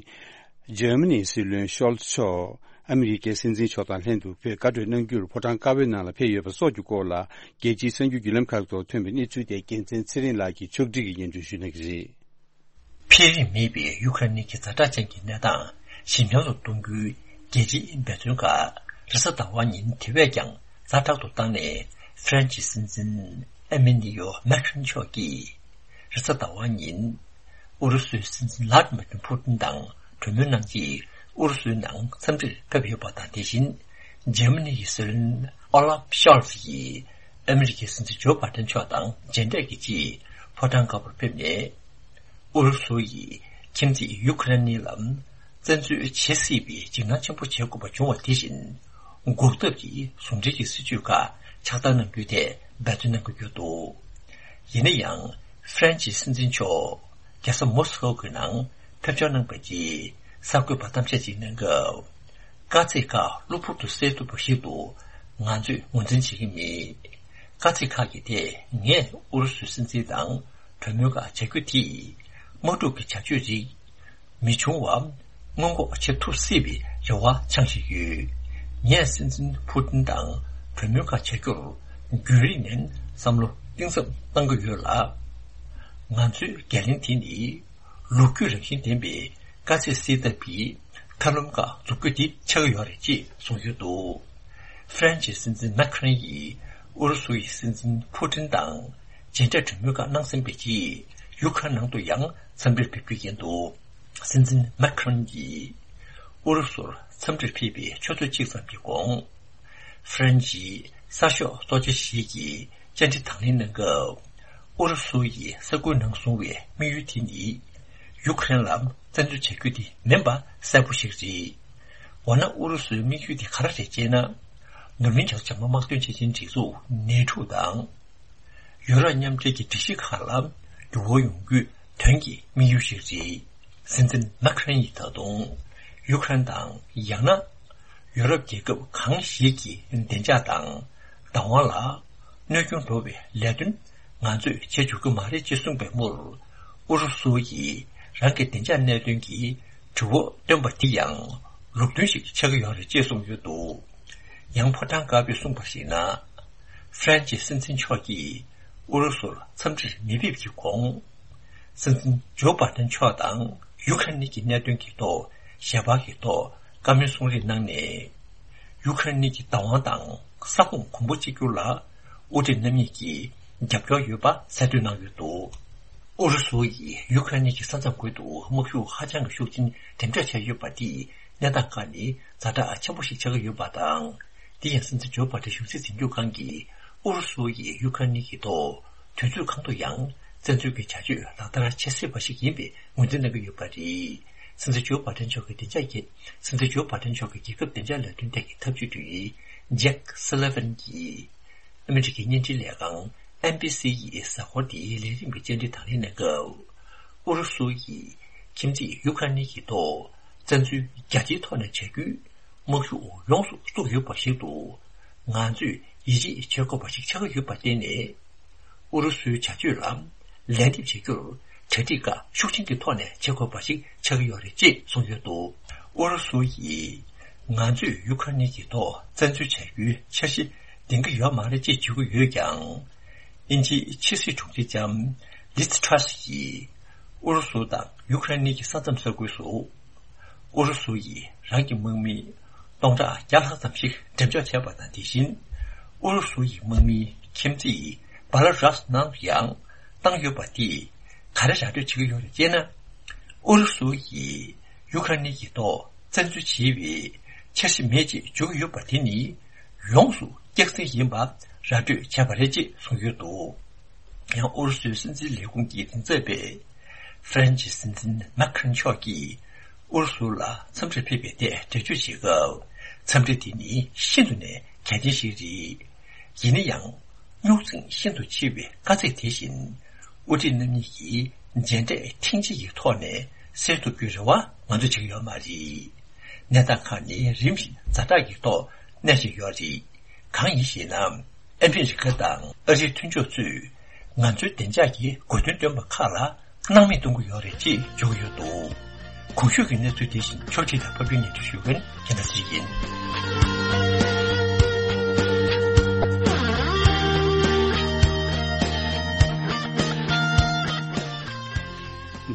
འཇར་མ་ནིའི་སྲིད་བློན་ཤོལ་ཚ་མཆོག་ཨ་མི་རི་ཀའི་སྲིད་འཛིན་མཆོག་དང་ལྷན་དུ་བོད་བཀའ་གྲོས་གནང་རྒྱུར་ཕོ་བྲང་དཀར་པོའི་ནང་ལ་ཕེབས་ཡོད་པ་སོགས་ཀྱི་སྐོར་ལ། རྒྱལ་སྤྱིའི་གསར་འགྱུར་བརྒྱུད་ལམ་ཁག་ཐོག་ཐོན་པའི་གནས་ཚུལ་དེ་རྒྱལ་མཚན་ཚེ་རིང་ལགས་ཀྱིས་ཕྱོགས་སྒྲིག་གིས་སྙན་སྒྲོན་ཞུ་གནང་གི་རེད། འཕེལ་རིམ་མེད་པའི་ཡུ་ཁ་རེན་གྱི་ཛ་དྲག་ཅན་གྱི་གནས་སྟངས་ཞི་འཇམ་དུ་གཏོང་རྒྱུའི་རྒྱལ་སྤྱིའི་འབད་བརྩོན་ཁག་རེས་གཟའ་ཟླ་བ་ཉིན་དེ་བས་ཀྱང་ཛ་དྲག་ཏུ་བཏང་ནས། ཧྥ་རན་སིའི་སྲིད་འཛིན་ཨེ་མེ་ནི་ཡོ་མེག་རོན་མཆོག་གིས་རེས་གཟའ་ཟླ་བ་ཉིན་ཨུ་རུ་སུའི་སྲིད་འཛིན་ལྷ་ཌི་མིར་ཕུ་ཏིན་དང་གྲོས་མོལ་གནང་རྗེས། ཨུ་རུ་སུའི་ནང་འཚམས་འདྲིར་ཕེབས་ཡོད་པ་དང་། དེ་བཞིན་འཇར་མ་ནི་ཡི་སྲིད་བློན་ཨོ་ལབ་ཤོལ་ཚ་ཡིས་ཨ་མི་རི་ཀའི་སྲིད་འཛིན་ཇོ་བྷ་ཏན་མཆོག་དང་མཇལ་འཕྲད་ཀྱི་ཆེད་ཕོ་བྲང་དཀར་པོར་ཕེབས་ནས། ཨུ་རུ་སུ་ཡིས་ཁྱིམ་མཚེས་ཡུ་ཁ་རེན་ནི་ལ་བཙན་འཛུལ་བྱེད་སྲིད་པའི་འཇིགས་སྣང་ཆེན་པོ་བྱེད་དགོས་པ་བྱུང་བ་དེ་བཞིན། འགོག་ཐབས་ཀྱི་ཟུང་འབྲེལ་གྱི་སྲིད་ཇུས་ཁག་ཕྱག་བསྟར་གནང་རྒྱུའི་ཐད་འབད་བརྩོན་གནང་གི་ཡོད་འདུག་ཡིན་ན་ཡང་། ཧྥ་རན་སིའི་སྲིད་འཛིན་མཆོག་རྒྱལ་ས་མོ་སི་ཀོ་གི་ནང་ཕེབས་འབྱོར་གནང་བའི་རྗེས། གསར་འགོད་པར་གཏམ་བཤད་ཅིག་གནང་སྐབས། དཀའ་ཚེགས་ཁག་གློ་བུར་དུ་སེལ་ཐུབ་པ་ཞིག་ཏུ་ང་ཚོས་ངོས་འཛིན་བྱེད་ཀྱི་མེད། དཀའ་ཚེགས་ཁག་གི་ཐད་ངས་ཨུ་རུ་སུའི་སྲིད་འཛིན་དང་གྲོས་མོལ་ཁག་བྱ་རྒྱུ་དེས། དམག་འཁྲུག་གི་བྱ་སྤྱོད་ཅིག་མི་འབྱུང་བ་སྔོན་འགོག་བྱེད་ཐུབ་སྲིད་པའི་རེ་བ་འཆང་བཞིན་ཡོད། ངས་སྲིད་འཛིན་ཕུ་ཏིན་དང་གྲོས་མོལ་ཁག་བྱ་རྒྱུར་རྒྱུན་རིང་ནས་བསམ་བློ་གཏིང་ཟབ་གཏང་གི་ཡོད་ལ། ང་ཚོའི་འགན་ལེན་དེ་ནི་ལོ་རྒྱུས་རང་བཞིན་ལྡན་པའི་དཀའ་ཚེགས་སེལ་ཐབས་ཀྱི་མཐའ་ལམ་ཁག་འཛུགས་རྒྱུ་དེ་ཆགས་ཀྱི་ཡོད་རེད་ཅེས་གསུངས་ཡོད་འདུག་ཧྥ་རན་སིའི་སྲིད་འཛིན་མེག་རོན་ཡིས་ཨུ་རུ་སུ་ཡི་སྲིད་འཛིན་ཕུ་ཏིན་དང་མཇལ་འཕྲད་གྲོས་མོལ་ཁག་གནང་ཟིན་པའི་རྗེས། ཡུ་ཁ་རེན་ནང་དུ་ཡང་འཚམས་འདྲིར་ཕེབས་རྒྱུ་ཡིན་འདུག་སྲིད་འཛིན་མེག་རོན་གྱིས་ཨུ་རུ་སུར་འཚམས་འདྲིར་ཕེབས་པའི་ཆུ་ཚོད་གཅིག་ཙམ་གྱི་གོང་། ཧྥ་རན་སིའི་གསར་ཤོག་གཙོ་ཆེ་ཞིག་གིས་བཅར་འདྲི་དང་ལེན་གནང་སྐབས། ཨུ་རུ་སུ་ཡིས་ས་ཁུལ་ནང་བཟུང་བའི་དམིགས་ཡུལ་དེ་ནི། ཡུ་ཁ་རེན་ལ་བཙན་འཛུལ་བྱ་རྒྱུ་དེ་མིན་པ་གསལ་པོ་ཞིག་རེད། འོ་ན། ཨུ་རུ་སུའི་དམིགས་ཡུལ་དེ་ག་རེ་རེད་ཅེ་ན། ནུབ་གླིང་བྱང་བྱང་མ་དམག་དོན་ཆེད་ཆེན་སྒྲིག་འཛུགས་ནེ་ཊོ་དང་། ཡུ་རོབ་མཉམ་འབྲེལ་གྱི་སྒྲིག་གཞི་ཁག་ལ་འགྱུར་བ་ཡོང་རྒྱུའི་དོན་གྱི་དམིགས་ཡུལ་ཞིག་རེད། སྲིད་འཛིན་མེག་རོན་ཡིས་ད་དུང་ཡུ་ཁ་རེན་དང་། ཡང་ན་ཡུ་རོབ་རྒྱལ་ཁབ་གང་ཞིག་གི་བདེ་འཇགས་དང་བདག་དབང་ལ་གནོད་སྐྱོན་འགྲོ་བའི་ལས་དོན་ང་ཚོས་བྱེད་ཆོག་གི་མ་རེད་ཅེས་གསུངས་པའི་མུར། ཨུ་རུ་སུ་ཡིས་རང་གི་བདེ་འཇགས་གནད་དོན་གྱི་དྲི་བ་བཏོན་པ་འདི་ཡང་། ལུགས་མཐུན་ཞིག་ཆགས་ཀྱི་ཡོད་རེད་ཅེས་གསུངས་ཡོད་འདུག། ཡང་ཕོ་བྲང་དཀར་པོས་གསུངས་པར་གཞིགས་ན། ཧྥ་རན་ཇིའི་སྲིད་འཛིན་མཆོག་གིས་ཨུ་རུ་སུར་འཚམས་འདྲིར་མི་ཕེབས་ཀྱི་གོང་། སྲིད་འཛིན་ཇོ་བྷ་ཏན་མཆོག་དང་ཡུ་ཁ་རེན་གྱི་གནད་དོན་གྱི་ཐོག་ཞལ་པར་གྱི་ཐོག་བཀའ་མོལ་གསུང་རེས་གནང་ནས། ཡུ་ཁ་རེན་གྱི་བདག་དབང་དང་ས་ཁོངས་གོང་བུ་གཅིག་གྱུར་ལ་དབུ་ཁྲིད་རྣམ་གཉིས་ཀྱིས་རྒྱབ་སྐྱོར་ཡོད་པ་གསལ་སྟོན་གནང་ཡོད་འདུག། ཨུ་རུ་སུ་ཡིས་ཡུ་ཁ་རེན་གྱི་ས་མཚམས་ཁུལ་དུ་དམག་ཤུགས་ཧ་ཅང་གི་ཤུགས་ཆེན་འགྲེམས་འཇོག་བྱས་ཡོད་པ་དེས་གནས་སྟངས་ཁག་ནི་ཛ་དྲག་ཆེན་པོ་ཞིག་ཆགས་ཀྱི་ཡོད་པ་དང་། དེ་ཡང་སྲིད་འཛིན་ཇོ་བྷ་ཏན་གཞུང་སྲིད་འཛིན་སྐྱོང་ཁང་གིས་ཨུ་རུ་སུ་ཡིས་ཡུ་ཁ་རེན་གྱི་ཐོག་དུས་ཚོད་གང་དུ་ཡང་བཙན་འཛུལ་གྱི་བྱ་སྤྱོད་ལག་བསྟར་བྱེད་སྲིད་པ་ཞིག་ཡིན་པའི་ངོས་འཛིན་གནང་གི་ཡོད་པ་རེད། སྲིད་འཛིན་ཇོ་བྷ་ཏན་མཆོག་གི་བདེ་འཇགས་ཀྱི། སྲིད་འཛིན་ཇོ་བྷ་ཏན་མཆོག་གི་རྒྱལ་ཁབ་བདེ་འཇགས་ལས་དོན་ཐད་ཀྱི་ཐབས་ཇུས་དྲུང་ཡིག་ཇེག་སུ་ལི་ཝན་གྱིས་ཨ་མི་རི་ཀའི་བརྙན་འཕྲིན་ལས་ཁང་ཨེན་བྷི་སི་ཡི་གཟའ་འཁོར་འདིའི་ལས་རིམ་གྱི་བཅར་འདྲི་དང་ལེན་གནང་སྐབས། ཨུ་རུ་སུ་ཡིས་ཁྱིམ་མཚེས་ཡུ་ཁ་རེན་གྱི་ཐོག་བཙན་འཛུལ་རྒྱ་ཆེའི་ཐོག་ནས་བྱ་རྒྱུའི་དམག་ཤུགས་ཡོངས་སུ་བཙུགས་ཡོད་པ་ཞིག་ཏུ། ང་ཚོས་ཡིད་ཆེས་བྱེད་དགོས་པ་ཞིག་ཆགས་ཀྱི་ཡོད་པར་བརྟེན་ནས། ཨུ་རུ་སུའི་བྱ་སྤྱོད་ལ་ལན་འདེབས་བྱེད་རྒྱུར་གྲ་སྒྲིག་ཁག་ཤུགས་ཆེན་གྱི་ཐོག་ནས་བྱེད་དགོས་པ་ཞིག་ཆགས་ཀྱི་ཡོད་རེད་ཅེས་གསུངས་ཡོད་འདུག། ཨུ་རུ་སུ་ཡིས་ང་ཚོས་ཡུ་ཁ་རེན་གྱི་ཐོག་བཙན་འཛུལ་བྱ་རྒྱུའི་འཆར་གཞི་འདིང་གི་ཡོད་མ་རེད་ཅེས་བརྗོད་ཀྱི་ཡོད་ཀྱང་། དབྱིན་ཇིའི་ཕྱི་སྲིད་དྲུང་ཆེ་ལྕམ་ལིཛ་ཊྲ་སི་ཡིས་ཨུ་རུ་སུ་དང་ཡུ་ཁ་རེན་གྱི་ས་མཚམས་ས་ཁུལ་སུ། ཨུ་རུ་སུ་ཡིས་རང་གི་དམག་མི་སྟོང་ཕྲག་བརྒྱ་ལྷག་ཙམ་ཞིག་འགྲེམས་འཇོག་བྱས་པ་དང་། དེ་བཞིན་ཨུ་རུ་སུ་ཡི་དམག་མིའི་ཁྱིམ་མཚེས་བྷ་ལ་རུ་སི་ནང་དུ་ཡང་བཏང་ཡོད་པ་དེས་ག་རེ་ར་སྤྲོད་བྱེད་ཀྱི་ཡོད་རེད་ཅེ་ན། ཨུ་རུ་སུ་ཡིས་ཡུ་ཁ་རེན་གྱི་ཐོག་བཙན་འཛུལ་བྱེད་པའི་འཆར་གཞི་མེད་ཅེས་བརྗོད་ཀྱི་ཡོད་པ་དེ་ནི་ཡོངས་སུ་སྐྱག་རྫུན་ཡིན་པ་ར་སྤྲོད་བྱས་པ་རེད་ཅེས་གསུངས་ཡོད་འདུག། ཡང་ཨུ་རུ་སུའི་སྲིད་འཛིན་ལས་ཁུངས་ཀྱི་མགྲིན་ཚབ་པས། ཧྥ་རན་ཇིའི་སྲིད་འཛིན་མཱ་ཁི་རོན་མཆོག་གིས་ཨུ་རུ་སུ་ལ་འཚམས་འདྲིར་ཕེབས་པའི་ཐད་འགྲེལ་བརྗོད་བྱེད་སྐབས། འཚམས་འདྲི་འདི་ནི་ཤིན་ཏུ་ནས་གལ་ཆེན་ཞིག་རེད། ཡིན་ན་ཡང་། རྙོག་འཛིང་ཤིན་ཏུ་ཆེ་བའི་དཀའ་ཚེགས་དེ་བཞིན། དབུ་ཁྲིད་རྣམ་གཉིས་ཀྱིས་མཇལ་འཕྲད་ཐེངས་གཅིག་གི་ཐོག་ནས་སེལ་ཐུབ་རྒྱུའི་རེ་བ་ང་ཚོས་བྱེད་ཀྱི་ཡོད་མ་རེད། གནས་སྟངས་ཁག་ནི་རིམ་བཞིན་ཛ་དྲག་གི་ཐོག་གནས་བཞིན་ཡོད་རེད། གང་ཡིན་ཞེ་ན། ཨ་མི་རི་ཀ་དང་ཨ་རིའི་མཐུན་ཕྱོགས་ཚོས་ང་ཚོའི་བདེ་འཇགས་ཀྱི་དགོས་འདུན་བཏོན་པ་ཁག་ལ་སྣང་མེད་གཏོང་གི་ཡོད་རེད་ཅེས་བརྗོད་ཀྱི་ཡོད་འདུག། གོང་ཞུས་ཀྱི་གནས་ཚུལ་དེ་བཞིན་ཕྱོགས་སྒྲིག་དང་ཕབ་སྒྱུར་སྙན་སྒྲོན་ཞུ་མཁན་རྒྱལ་མཚན་ཡིན།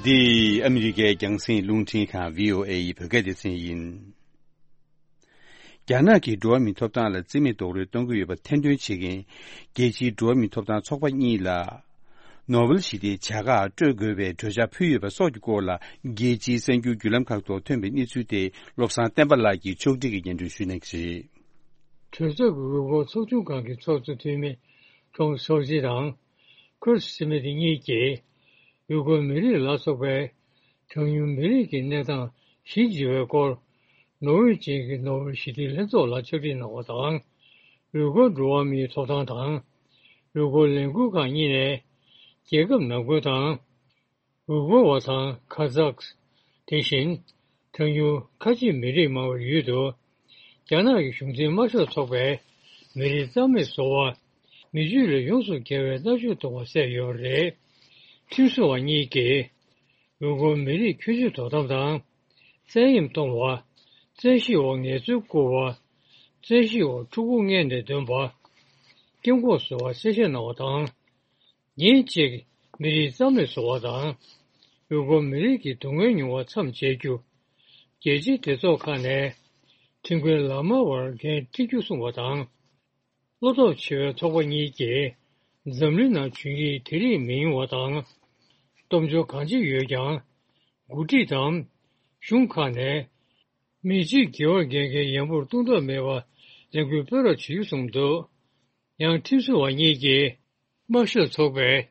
འདི་ཨ་མི་རི་ཀའི་རྒྱང་སྲིང་རླུང་འཕྲིན་ཁང་བྷི་ཨོ་ཨེ་ཡི་བོད་སྐད་སྡེ་ཚན་ཡིན། རྒྱ་ནག་གིས་འགྲོ་བ་མིའི་ཐོབ་ཐང་ལ་བརྩི་མེད་རྡོག་རོལ་གཏོང་གི་ཡོད་པ་ཐེར་འདོན་བྱེད་མཁན་རྒྱལ་སྤྱིའི་འགྲོ་བ་མིའི་ཐོབ་ཐང་ཚོགས་པ་གཉིས་ལ། ནོ་བེལ་ཞི་བདེའི་བྱ་དགའ་སྤྲོད་དགོས་པའི་གྲོས་འཆར་ཕུལ་ཡོད་པ་སོགས་ཀྱི་སྐོར་ལ། རྒྱལ་སྤྱིའི་གསར་འགྱུར་བརྒྱུད་ལམ་ཁག་ཐོག་ཐོན་པའི་གནས་ཚུལ་དེ། བློ་བཟང་བསྟན་པ་ལགས་ཀྱིས་ཕྱོགས་སྒྲིག་གིས་སྙན་སྒྲོན་ཞུ་གནང་གི་རེད། གྲོས་ཚོགས་ཀྱི་འོས་འཁོར་ཚོགས་ཆུང་ཁང་གི་ཚོགས་གཙོ་འཐུས་མི་ཀྲོང་སོ་ཅི་དང་ཁུར་སི་མི་ཏི་གཉིས་ཀྱིས། ཡུ་གུར་མི་རིགས་ལ་སོགས་པའི་གྲངས་ཉུང་མི་རིགས་ཀྱི་གནས་སྟངས་གཞི་འཛིན་པའི་སྐོར། ནོར་ཝེ་ཅན་གྱི་ནོ་བེལ་ཞི་བདེའི་ལྷན་ཚོགས་ལ་ཕྱག་བྲིས་གནང་བ་དང་། ཡུ་གུར་འགྲོ་བ་མིའི་ཐོབ་ཐང་དང་། ཡུ་གུར་ལས་འགུལ་ཁང་གཉིས་ནས་རྒྱལ་ཁབ་ནང་ཁུལ་དང་། ཡུ་གུར་བ་དང་ཁ་ཛག་དེ་བཞིན་གྲངས་ཉུང་ཁ་ཆེ་མི་རིགས་མང་བའི་ཡུལ་དུ། རྒྱ་ནག་གི་གཞུང་འཛིན་དམར་ཤོག་ཚོགས་པས་མི་རིགས་རྩ་མེད་བཟོ་བ། མི་སྤྱོད་ལས་ཡོངས་སུ་འགལ་བའི་མནར་གཅོད་གཏོང་བ་བསལ་ཡོད་པ་རེད། ཁྲིམས་བཟོ་བ་གཉིས་ཀྱིས། ཡུ་གུར་མི་རིགས་ཁྱོན་བསྡོམས་དོ་དམ་དང་། བཙན་གཡེམ་གཏོང་བ། བཙན་ཤེད་འོག་ངལ་རྩོལ་བསྐུར་བ། བཙན་ཤེད་འོག་ཕྲུ་གུ་མངལ་ནས་འདོན་པ། སྐྱབས་མགོན་ཟེར་བ་གསལ་བཤད་གནང་བ་དང་། ཉིན་གཅིག་མི་རིགས་རྩ་མེད་བཟོ་བ་དང་། ཡུ་གུར་མི་རིགས་ཀྱི་སྡུག་བསྔལ་མྱོང་བ་མཚམས་འཇལ་རྒྱུ། རྒྱལ་སྤྱིའི་སྡེ་ཚོགས་ཁག་ནས་ཁྲིམས་འགལ་ལག་དམར་བར་འགན་འཁྲི་རྒྱུ་གསུངས་པ་དང་། བློ་སྟོབས་ཆེ་བའི་ཚོགས་པ་གཉིས་ཀྱིས་འཛམ་གླིང་ནང་བྱུང་ཡིག་དེ་རིགས་མི་ཡོང་བ་དང་། སྟོབས་འབྱོར་གང་ཅི་ཡོད་ཀྱང་། འགོ་ཁྲིད་དང་། གཞུང་ཁག་ནས་མི་གཅིག་དགེ་བར་འགལ་མཁན་ཡན་པོར་གཏོང་ཐབས་མེད་པ་ལས་འགུལ་སྤེལ་རོགས་བྱེད་རྒྱུ་གསུངས་འདུག། ཡང་ཁྲིམས་བཟོ་བ་གཉིས་ཀྱིས། དམར་ཤོག་ཚོགས་པས་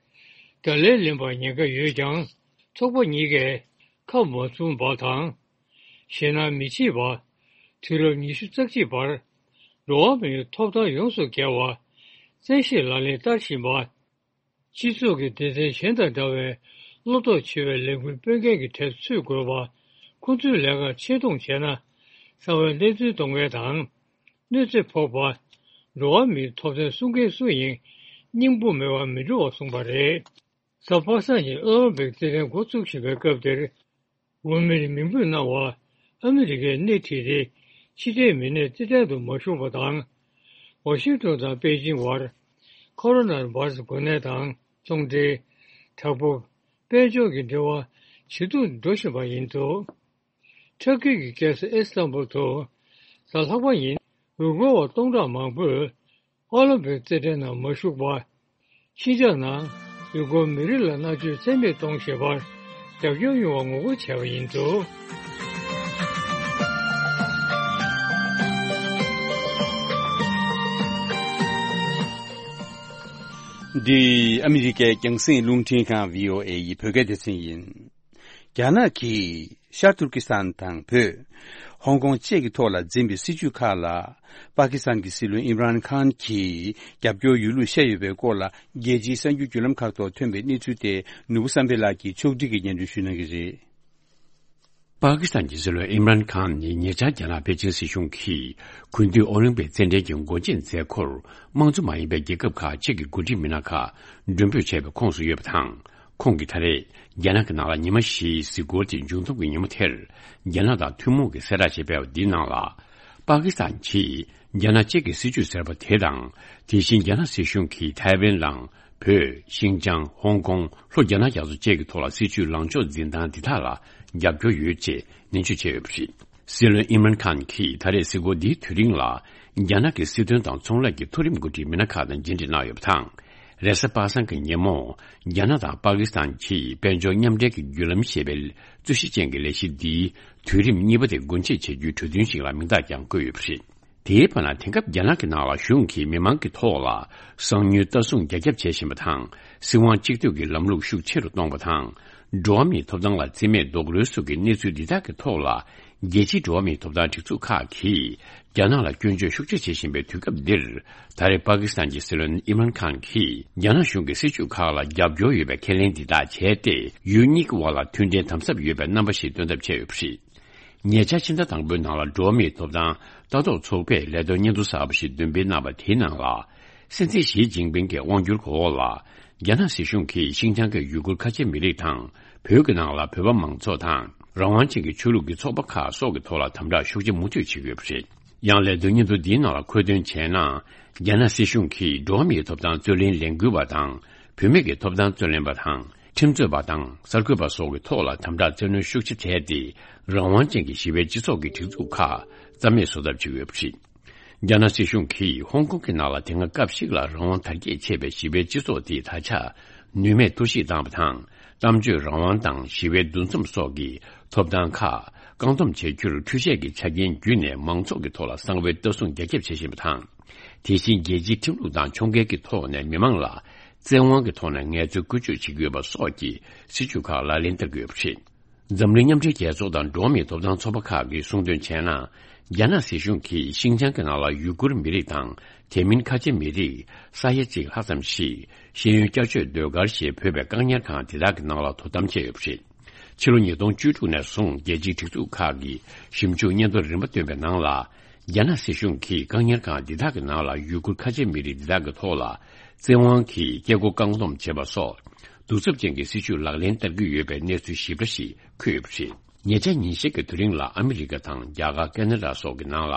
བརྡ་ལན་ལེན་པར་ཉེན་ཁ་ཡོད་ཀྱང་། ཚོགས་པ་གཉིས་ཀས་ཁ་མ་བཙུམ་པ་དང་། ཞེད་སྣང་མི་བྱེད་པར། དུས་རབས་ཉི་ཤུ་རྩ་གཅིག་པར། འགྲོ་བ་མིའི་ཐོབ་ཐང་ཡོངས་སུ་འགལ་བ། བཙན་ཤེད་ལག་ལེན་བསྟར་བཞིན་པ། སྤྱི་ཚོགས་ཀྱི་སྡེ་ཚན་གཞན་དང་འདྲ་བའི་བློ་སྟོབས་ཆེ་བའི་ལས་འགུལ་སྤེལ་མཁན་གྱི་གྲས་སུ་ཚུད་དགོས་པ། ཁོ་ཚོའི་ལས་ཀར་ཆེ་མཐོང་བྱས་ན། གསང་བའི་བསླབ་ཚན་གཏོང་མཁན་དང་། གནོད་འཚེ་ཕོག་པ། འགྲོ་བ་མིའི་ཐོབ་ཐང་སྲུང་མཁན་སུ་ཡིན། སྙིང་པོ་མེད་པར་མི་འགྲོ་བར་གསུངས་པ་རེད། གཟའ་པ་སངས་ཉིན་ཨོ་ལིམ་པིག་རྩེད་འགྲན་འགོ་བཙུགས་བཞིན་པའི་སྐབས་དེར། འོས་མིར་མིང་འབོད་གནང་བ། ཨ་མི་རི་ཀའི་སྣེ་ཁྲིད་དེ་ཕྱི་འབྲེལ་མི་སྣས་རྩེད་འགྲན་དུ་མ་ཞུགས་པ་དང་། ཝ་ཤིང་ཏོན་དང་པེ་ཅིང་བར་ཁོ་རོ་ན་བྷ་རུ་སི་འགོས་ནད་དང་ཚོང་འབྲེལ། དྲག་པོ། དཔལ་འབྱོར་གྱི་འབྲེལ་བ་ཇེ་སྡུག་འགྲོ་བཞིན་པ་ཡིན་འདུག་ཊར་ཀི་གི་རྒྱལ་ས་ཨི་སི་ཐན་བུལ་དུ་གཟའ་ལྷག་པ་ཉིན་ཡུལ་སྐོར་བ་སྟོང་ཕྲག་མང་པོས་ཨོ་ལིམ་པིག་རྩེད་འགྲན་ནང་མ་ཞུགས་པར། ཤིན་ཅང་ནང་ཡུལ་སྐོར་མི་རིགས་ལ་མནར་གཅོད་རྩ་མེད་གཏོང་ཞེས་པར་རྒྱབ་སྐྱོར་ཡོང་བ་ངོ་རྒོལ་བྱས་པ་ཡིན་འདུག་འདི་ཨ་མི་རི་ཀའི་རྒྱང་སྲིང་རླུང་འཕྲིན་ཁང་བྷི་ཨོ་ཨེ་ཡི་བོད་སྐད་སྡེ་ཚན་ཡིན། རྒྱ་ནག་གིས་ཤར་ཏུར་ཀི་སི་ཐན་དང་བོད། ཧོང་ཀོང་བཅས་ཀྱི་ཐོག་ལ་འཛིན་པའི་སྲིད་ཇུས་ཁག་ལ། པ་ཀི་སི་ཐན་གྱི་སྲིད་བློན་ཨིམ་རཱན་ཁཱན་གྱིས་རྒྱབ་སྐྱོར་ཡོད་ལུགས་བཤད་ཡོད་པའི་སྐོར་ལ། རྒྱལ་སྤྱིའི་གསར་འགྱུར་བརྒྱུད་ལམ་ཁག་ཐོག་ཐོན་པའི་གནས་ཚུལ་དེ། ནོར་བུ་བསམ་འཕེལ་ལགས་ཀྱིས་ཕྱོགས་སྒྲིག་གིས་སྙན་སྒྲོན་ཞུ་གནང་གི་རེད། པ་ཀི་སི་ཐན་གྱི་སྲིད་བློན་ཨིམ་རཱན་ཁཱན་ནི་ཉེ་ཆར་རྒྱ་ནག་པེ་ཅིང་སྲིད་གཞུང་གིས་གུང་སྡེའི་ཨོ་ལིམ་པིག་རྩེད་འགྲན་གྱི་སྒོ་འབྱེད་མཛད་སྒོར་དམངས་གཙོ་མ་ཡིན་པའི་རྒྱལ་ཁབ་ཁག་ཅིག་གི་འགོ་ཁྲིད་མི་སྣ་ཁག་མགྲོན་འབོད་བྱས་པའི་ཁོངས་སུ་ཡོད་པ་དང་། ཁོང་གིས་ད་རེས་རྒྱ་ནག་གི་ནང་ལ་ཉི་མ་བཞིའི་གཟིགས་སྐོར་དེ་མཇུག་བསྡོམས་ཀྱི་ཉིན་མོ་དེར། རྒྱ་ནག་དང་ཐུན་མོང་གི་གསལ་བསྒྲགས་ཞེས་སྤེལ་བ་འདིའི་ནང་ལ། པ་ཀི་སི་ཐན་གྱིས་རྒྱ་ནག་གཅིག་གི་སྲིད་ཇུས་ཟེར་བ་དེ་དང་། དེ་བཞིན་རྒྱ་ནག་སྲིད་གཞུང་གིས་ཐའེ་ཝན་དང་། བོད། ཤིན་ཅང་། ཧོང་ཀོང་། ལྷོ་རྒྱ་ནག་རྒྱ་མཚོ་བཅས་ཀྱི་ཐོག་ལ་སྲིད་ཇུས་ལངས་ཕྱོགས་འཛིན་སྟངས་འདི་དག་ལ་རྒྱབ་སྐྱོར་ཡོད་ཅེས་ནན་བརྗོད་བྱས་ཡོད་པ་རེད། སྲིད་བློན་ཨིམ་རཱན་ཁཱན་གྱིས་ད་རེས་གཟིགས་སྐོར་འདིའི་དུས་རིང་ལ། རྒྱ་ནག་གི་སྲིད་དོན་དང་ཚོང་ལས་ཀྱི་མཐོ་རིམ་འགོ་ཁྲིད་མི་སྣ་ཁག་དང་མཇལ་འཕྲད་གནང་ཡོད་པ་དང་། རེས་གཟའ་པ་སངས་ཀྱི་ཉིན་མོ། རྒྱ་ནག་དང་པ་ཀི་སི་ཐན་གྱིས་དཔལ་འབྱོར་མཉམ་འབྲེལ་གྱི་བརྒྱུད་ལམ་ཞེས་པའི་རྩོད་གཞི་ཅན་གྱི་ལས་གཞི་འདིའི་དུས་རིམ་གཉིས་པ་དེ་སྒོ་འབྱེད་བྱ་རྒྱུའི་གྲོས་མཐུན་ཞིག་ལ་མིང་རྟགས་ཀྱང་བཀོད་ཡོད་པ་རེད། དེའི་བར་ན། དེང་སྐབས་རྒྱ་ནག་གི་ནང་ལ་གཞུང་གིས་མི་མང་གི་ཐོག་ལ་གསང་ཉུལ་ལྟ་སྲུང་རྒྱ་ཁྱབ་བྱེད་བཞིན་པ་དང་། སྲིད་དབང་གཅིག་སྡུད་ཀྱི་ལམ་ལུགས་ཤུགས་ཆེ་རུ་གཏོང་བ་དང་། འགྲོ་བ་མིའི་ཐོབ་ཐང་ལ་བརྩི་མེད་རྡོག་རོལ་སོགས་ཀྱི་གནས་ཚུལ་འདི་དག་གི་ཐོག་ལ། རྒྱལ་སྤྱིའི་འགྲོ་བ་མིའི་ཐོབ་ཐང་སྒྲིག་འཛུགས་ཁག་གིས་རྒྱ་ནག་ལ་སྐྱོན་བརྗོད་ཤུགས་ཆེ་བྱེད་བཞིན་པའི་དུས་སྐབས་འདིར། ད་རེས་པ་ཀི་སི་ཐན་གྱི་སྲིད་བློན་ཨིམ་རཱན་ཁཱན་གྱིས་རྒྱ་ནག་གཞུང་གི་སྲིད་ཇུས་ཁག་ལ་རྒྱབ་སྐྱོར་ཡོད་པའི་ཁས་ལེན་འདི་དག་བྱས་ཏེ། ཡུལ་གཉིས་ཀྱི་དབར་ལ་མཐུན་འབྲེལ་དམ་ཟབ་ཡོད་པའི་རྣམ་པ་ཞིག་སྟོན་ཐབས་བྱས་ཡོད་པ་རེད། ཉེ་ཆར་ཕྱི་ཟླ་དང་པོའི་ནང་ལ་འགྲོ་བ་མིའི་ཐོབ་ཐང་ལྟ་རྟོག་ཚོགས་པས་ལས་དོན་སྙན་ཐོ་གསར་པ་ཞིག་འདོན་སྤེལ་གནང་བ་དེའི་ནང་ལ། སྲིད་འཛིན་ཞི་ཅིན་ཕིང་གི་དབང་སྒྱུར་འོག་ལ། རྒྱ་ནག་སྲིད་གཞུང་གིས་ཤིན་ཅང་གི་ཡུ་གུར་ཁ་ཆེ་མི་རིགས་དང་། བོད་ཀྱི་ནང་ལ་བོད་པ་མང་ཚོགས་དང་། རང་དབང་ཅན་གྱི་ཆོས་ལུགས་ཀྱི་ཚོགས་པ་ཁག་སོགས་ཀྱི་ཐོག་ལ་དམ་དྲག་ཤུགས་ཆེ་མུ་མཐུད་བྱེད་ཀྱི་ཡོད་པ་རེད། ཡང་ལས་དོན་སྙན་ཐོ་འདིའི་ནང་ལ་འཁོད་དོན་བྱས་ན། རྒྱ་ནག་སྲིད་གཞུང་གིས་འགྲོ་བ་མིའི་ཐོབ་ཐང་རྩོད་ལེན་ལས་འགུལ་བ་དང་། བུད་མེད་ཀྱི་ཐོབ་ཐང་རྩོད་ལེན་པ་དང་། ཁྲིམས་རྩོད་པ་དང་གསར་འགོད་པ་སོགས་ཀྱི་ཐོག་ལ་དམ་དྲག་བཙན་གནོན་ཤུགས་ཆེ་བྱས་ཏེ། རང་དབང་ཅན་གྱི་ཞི་བའི་སྤྱི་ཚོགས་ཀྱི་སྒྲིག་འཛུགས་ཁག་རྩ་མེད་བཟོ་ཐབས་བྱེད་ཀྱི་ཡོད་པ་རེད། རྒྱ་ནག་སྲིད་གཞུང་གིས་ཧོང་ཀོང་གི་ནང་ལ་དེ་སྔ་སྐབས་ཤིག་ལ་རང་དབང་དར་རྒྱས་ཆེ་བའི་ཞི་བའི་སྤྱི་ཚོགས་དེ་ད་ཆ་ནུས་མེད་གཏོར་བཤིག་བཏང་བ་དང་། གཏམ་བརྗོད་རང་དབང་དང་ཞི་བའི་འདུ་འཛོམས་སོགས་ཀྱི་ཐོབ་ཐང་ཁག་བཀག་སྡོམ་བྱེད་རྒྱུར་འཕྲུལ་ཆས་ཀྱི་ཆ་རྐྱེན་བརྒྱུད་ནས་མང་ཚོགས་ཀྱི་ཐོག་ལ་གསང་བའི་ལྟ་སྲུང་རྒྱ་ཁྱབ་བྱེད་བཞིན་པ་དང་། དེ་བཞིན་རྒྱལ་སྤྱིའི་ཁྲིམས་ལུགས་དང་ཕྱོགས་འགལ་གྱི་ཐོག་ནས་མི་མང་ལ་བཙན་དབང་གི་ཐོག་ནས་ངལ་རྩོལ་བཀོལ་སྤྱོད་བྱེད་ཀྱི་ཡོད་པ་སོགས་ཀྱི་སྲིད་ཇུས་ཁག་ལག་ལེན་བསྟར་གྱི་ཡོད་པ་རེད། འཛམ་གླིང་མཉམ་འབྲེལ་རྒྱལ་ཚོགས་དང་འགྲོ་བ་མིའི་ཐོབ་ཐང་ཚོགས་པ་ཁག་གིས་གསུངས་དོན་བྱས་ན། རྒྱ་ནག་སྲིད་གཞུང་གིས་ཤིན་ཅང་གི་ནང་ལ་ཡུ་གུར་མི་རིགས་དང་དེ་མིན་ཁ་ཆེ་མི་རིགས་ས་ཡ་གཅིག་ལྷག་ཙམ་ཞིག་ཤེས་ཡོན་བསྐྱར་བཅོས་ཟློས་གར་ཞེས་འབོད་པའི་བཀག་ཉར་ཁང་དེ་དག་གི་ནང་ལ་དོ་དམ་བྱས་ཡོད་པ་རེད། ཕྱི་ལོ་ཉིས་སྟོང་བཅུ་དྲུག་ནས་བཟུང་རྒྱལ་སྤྱིའི་སྒྲིག་འཛུགས་ཁག་གིས་ཞིབ་འཇུག་སྙན་ཐོ་རིམ་པ་བཏོན་པའི་ནང་ལ། རྒྱ་ནག་སྲིད་གཞུང་གིས་བཀག་ཉར་ཁང་འདི་དག་གི་ནང་ལ་ཡུ་གུར་ཁ་ཆེ་མི་རིགས་འདི་དག་གི་ཐོག་ལ་བཙན་དབང་གིས་སྐྱེ་སྒོ་བཀག་སྡོམ་བྱེད་པ་སོགས་གདུག་རྩུབ་ཅན་གྱི་སྲིད་བྱུས་ལག་ལེན་བསྟར་གྱི་ཡོད་པའི་གནས་ཚུལ་ཞིབ་ཕྲ་ཞིག་འཁོད་ཡོད་པ་རེད། ཉེ་ཆར་ཉིན་ཤས་ཀྱི་དུས་རིང་ལ་ཨ་མི་རི་ཀ་དང་རྒྱ་གར། ཀེ་ན་ཌ་སོགས་ཀྱི་ནང་ལ་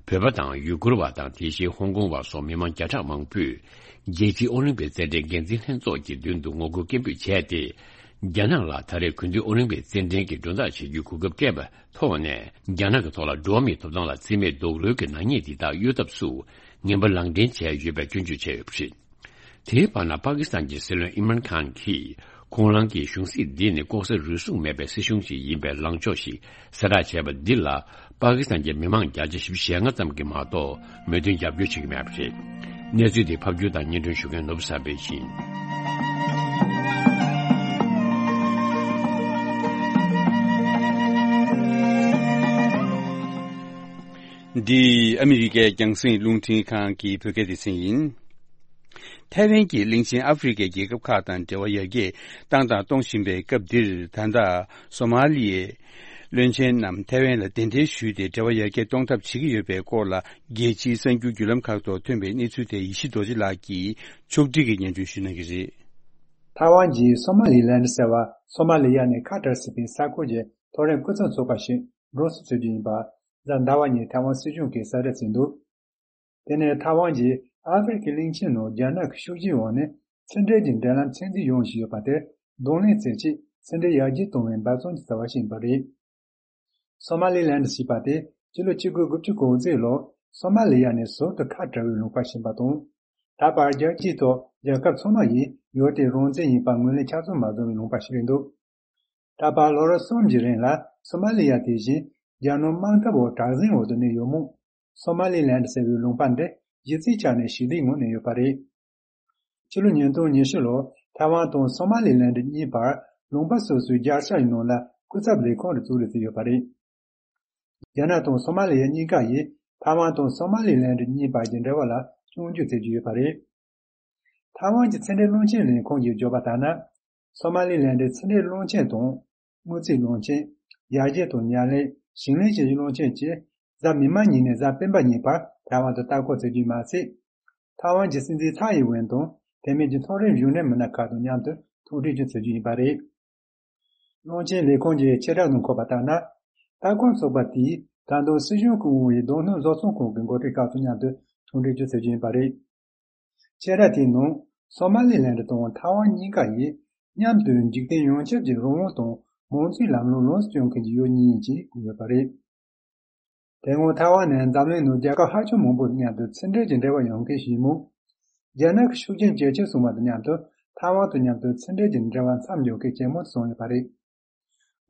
བོད་པ་དང་ཡུ་གུར་བ་དང་དེ་བཞིན་ཧོང་ཀོང་བ་སོགས་མི་མང་བརྒྱ་ཕྲག་མང་པོས་རྒྱལ་སྤྱིའི་ཨོ་ལིམ་པིག་རྩེད་འགྲན་འགན་འཛིན་ལྷན་ཚོགས་ཀྱི་མདུན་དུ་ངོ་རྒོལ་སྐད་འབོད་བྱས་ཏེ། རྒྱ་ནག་ལ་ད་རེས་གུང་སྡེའི་ཨོ་ལིམ་པིག་རྩེད་འགྲན་གྱི་མགྲོན་བདག་བྱེད་རྒྱུའི་གོ་སྐབས་སྤྲད་པ་ཐོག་ནས། རྒྱ་ནག་གི་ཐོག་ལ་འགྲོ་བ་མིའི་ཐོབ་ཐང་ལ་བརྩི་མེད་རྡོག་རོལ་གྱི་ནག་ཉེས་འདི་དག་གཡོལ་ཐབས་སུ་ངན་པ་ལག་འབྲེལ་བྱས་ཡོད་པའི་སྐྱོན་བརྗོད་བྱས་ཡོད་པ་རེད། དེའི་བར་ན། པ་ཀི་སི་ཐན་གྱི་སྲིད་བློན་ཨིམ་རཱན་ཁཱན་གྱིས་ཁོང་རང་གི་གཞུང་སྲིད་འདི་ནི་ལྐོག་ཟ་རུལ་སུངས་མེད་པའི་སྲིད་གཞུང་ཞིག་ཡིན་པའི་ལངས་ཕྱོགས་ཤིག་གསལ་བསྒྲགས་བྱས་པ་འདི་ལ། པ་ཀི་སི་ཐན་གྱི་མི་མང་བརྒྱ་ཆ་བཞི་བཅུ་ཞེ་ལྔ་ཙམ་གྱིས་མ་གཏོགས་མོས་མཐུན་རྒྱབ་སྐྱོར་བྱེད་ཀྱི་མེད་པ་རེད། གནས་ཚུལ་འདི་ཕབ་སྒྱུར་དང་སྙན་སྒྲོན་ཞུ་མཁན་ནོར་བུ་བསམ་འཕེལ་ཡིན། འདི་ཨ་མི་རི་ཀའི་རྒྱང་སྲིང་རླུང་འཕྲིན་ཁང་གི་བོད་སྐད་སྡེ་ཚན་ཡིན། ཐའེ་ཝན་གྱིས་གླིང་ཆེན་ཨ་ཧྥེ་རི་ཁའི་རྒྱལ་ཁབ་ཁག་དང་འབྲེལ་བ་ཡར་རྒྱས་བཏང་དང་གཏོང་བཞིན་པའི་སྐབས་འདིར། ད་ལྟ་སོ་མ་ལི་ཡའི་བློན་ཆེན་རྣམས་ཐའེ་ཝན་ལ་གདན་འདྲེན་ཞུས་ཏེ་འབྲེལ་བ་ཡར་རྒྱས་གཏོང་ཐབས་བྱེད་ཀྱི་ཡོད་པའི་སྐོར་ལ། རྒྱལ་སྤྱིའི་གསར་འགྱུར་བརྒྱུད་ལམ་ཁག་ཐོག་ཐོན་པའི་གནས་ཚུལ་དེ་ཡེ་ཤེས་རྡོ་རྗེ་ལགས་ཀྱིས་ཕྱོགས་སྒྲིག་གིས་སྙན་སྒྲོན་ཞུ་གནང་གི་རེད། ཐའེ་ཝན་གྱིས་སོ་མ་ལི་ལན་ཟེར་བ། སོ་མ་ལི་ཡ་ནས་ཁ་ཏར་ཟེར་བའི་ས་ཁུལ་གྱི་མཐོ་རིམ་སྐུ་ཚབ་ཚོགས་པ་ཞིག་ འགྲོ་སོང་བཙལ་རྒྱུ་ཡིན་པ། གཟའ་ཟླ་བ་ཉིན་ཐའེ་ཝན་སྲིད་གཞུང་གིས་གསལ་བསྒྲགས་བྱས་འདུག་དེ་ནས་ཐའེ་ཝན་གྱིས་ཨ་ཧྥེ་རི་ཁའི་གླིང་ཆེན་ནང་རྒྱ་ནག་གི་ཤུགས་རྐྱེན་འོག་ནས་ཕྱི་འབྲེལ་གྱི་འབྲེལ་ལམ་ཚད་འཛིན་ཡོང་བཞིན་ཡོད་པ་དེར་གདོང་ལེན་བྱེད་ཆེད་ཕྱི་འབྲེལ་ཡར་རྒྱས་གཏོང་བའི་འབད་བརྩོན་གྱི་རྩ་བ་ཞིག་ཡིན་པ་རེད། སོ་མ་ལི་ལན་ཌི་ཞེས་པ་དེ་ཕྱི་ལོ་ཆིག་སྟོང་དགུ་བརྒྱ་དགུ་བཅུ་གོ་གཅིག་ལོར་སོ་མ་ལི་ཡ་ནས་ཟུར་དུ་ཁ་བྲལ་བའི་ལུང་པ་ཞིག་ཡིན་པ་དང་། ད་བར་རྒྱལ་སྤྱིའི་ཐོག་རྒྱལ་ཁབ་ཚང་མ་ཡིས་ཡུལ་དེའི་རང་བཙན་ཡིན་པ་ངོས་ལེན་ཆ་ཚང་མ་བཟོ་བའི་ལུང་པ་ཞིག་རེད་འདུག་ད་བར་ལོ་རབས་གསུམ་གྱི་རིང་ལ་སོ་མ་ལི་ཡ་དེ་བཞིན་རྒྱ་ནག་དམག་འཐབ་འོག་དྲག་ཟིང་འོག་ཏུ་གནས་ཡོད་མོད། སོ་མ་ལི་ལན་ཌི་ཟེར་བའི་ལུང་པ་འདི་གཞི་རྩའི་ཆ་ནས་ཞི་བདེའི་ངང་གནས་ཡོད་པ་རེད། ཕྱི་ལོ་ཉིས་སྟོང་ཉི་ཤུ་ལོར་ཐའེ་ཝན་དང་སོ་མ་ལི་ལན་ཌི་གཉིས་བར་ལུང་པ་སོ་སོའི་རྒྱལ་ས་ཡི་ནང་ལ་སྐུ་ཚབ་ལས་ཁང་རེ་བཙུགས་རེས་བྱས་ཡོད་པ་རེད། རྒྱ་ནག་དང་སོ་མ་ལི་ཡ་གཉིས་ཀ་ཡིས་ཐའེ་ཝན་དང་སོ་མ་ལི་ལན་ཌི་གཉིས་བར་གྱི་འབྲེལ་བ་ལ་སྐྱོན་བརྗོད་བྱེད་ཀྱི་ཡོད་པ་རེད། ཐའེ་ཝན་གྱི་ཕྱི་འབྲེལ་བློན་ཆེན་ལས་ཁུངས་ཀྱིས་བརྗོད་པ་ལྟར་ན། སོ་མ་ལི་ལན་ཌིའི་ཕྱི་འབྲེལ་བློན་ཆེན་དང་། དངུལ་རྩིས་བློན་ཆེན། ཡར་རྒྱས་དང་མཉམ་ལས། ཞིང་ལས་བྱེད་ཀྱི་བློན་ཆེན་བཅས་གཟའ་མིག་དམར་ཉིན་ནས་གཟའ་སྤེན་པ་ཉིན་བར་ཐའེ་ཝན་དུ་ལྟ་སྐོར་བྱེད་རྒྱུ་མ་ཟད། ཐའེ་ཝན་གྱི་སྲིད་འཛིན་ཚའེ་ཡིན་ཝེན་དང་དེ་མིན་གྱི་མཐོ་རིམ་གཞུང་འབྲེལ་མི་སྣ་ཁག་དང་མཉམ་དུ་ཐུག་འཕྲད་ཀྱང་བྱེད་རྒྱུ་ཡིན་པ་རེད། བློན་ཆེན་ལས་ཁུངས་ཀྱི་ཕྱིར་བསྒྲགས་ནང་འཁོད་པ་ལྟར་ན། ལྟ་སྐོར་ཚོགས་པ་དེས་ད་དུང་སྲིད་གཞུང་སྐུ་དབང་བའི་རྡོ་སྣུམ་བཟོ་ཚོང་ཁང་གི་འགོ་ཁྲིད་ཁག་དང་མཉམ་དུ་ཐུག་འཕྲད་ཀྱང་བྱེད་རྒྱུ་ཡིན་པ་རེད། ཕྱིར་བསྒྲགས་དེའི་ནང་སོ་མ་ལི་ལན་ཌི་དང་ཐའེ་ཝན་གཉིས་ཀ་ཡིས་མཉམ་དུ་འཇིག་རྟེན་ཡོངས་ཁྱབ་ཀྱི་རང་དབང་དང་མང་གཙོའི་ལམ་ལུགས་ལོངས་སུ་སྤྱོད་མཁན་གྱི་ཡུལ་གཉིས་ཡིན་ཅེས་བཀོད་ཡོད་པ་རེད། དེ་སྔོན་ཐའེ་ཝན་ནི་འཛམ་གླིང་ནང་རྒྱལ་ཁབ་ཧ་ཅང་མང་པོ་དང་མཉམ་དུ་ཕྱི་འབྲེལ་གྱི་འབྲེལ་བ་ཡོད་མཁན་ཞིག་ཡིན་མོད། རྒྱ་ནག་གི་ཤུགས་རྐྱེན་ཇེ་ཆེར་སོང་བ་དང་མཉམ་དུ་ཐའེ་ཝན་དང་མཉམ་དུ་ཕྱི་འབྲེལ་གྱི་འབྲེལ་བ་མཚམས་འཇོག་གལ་ཆེན་མོ་སོང་ཡོད་པ་རེད།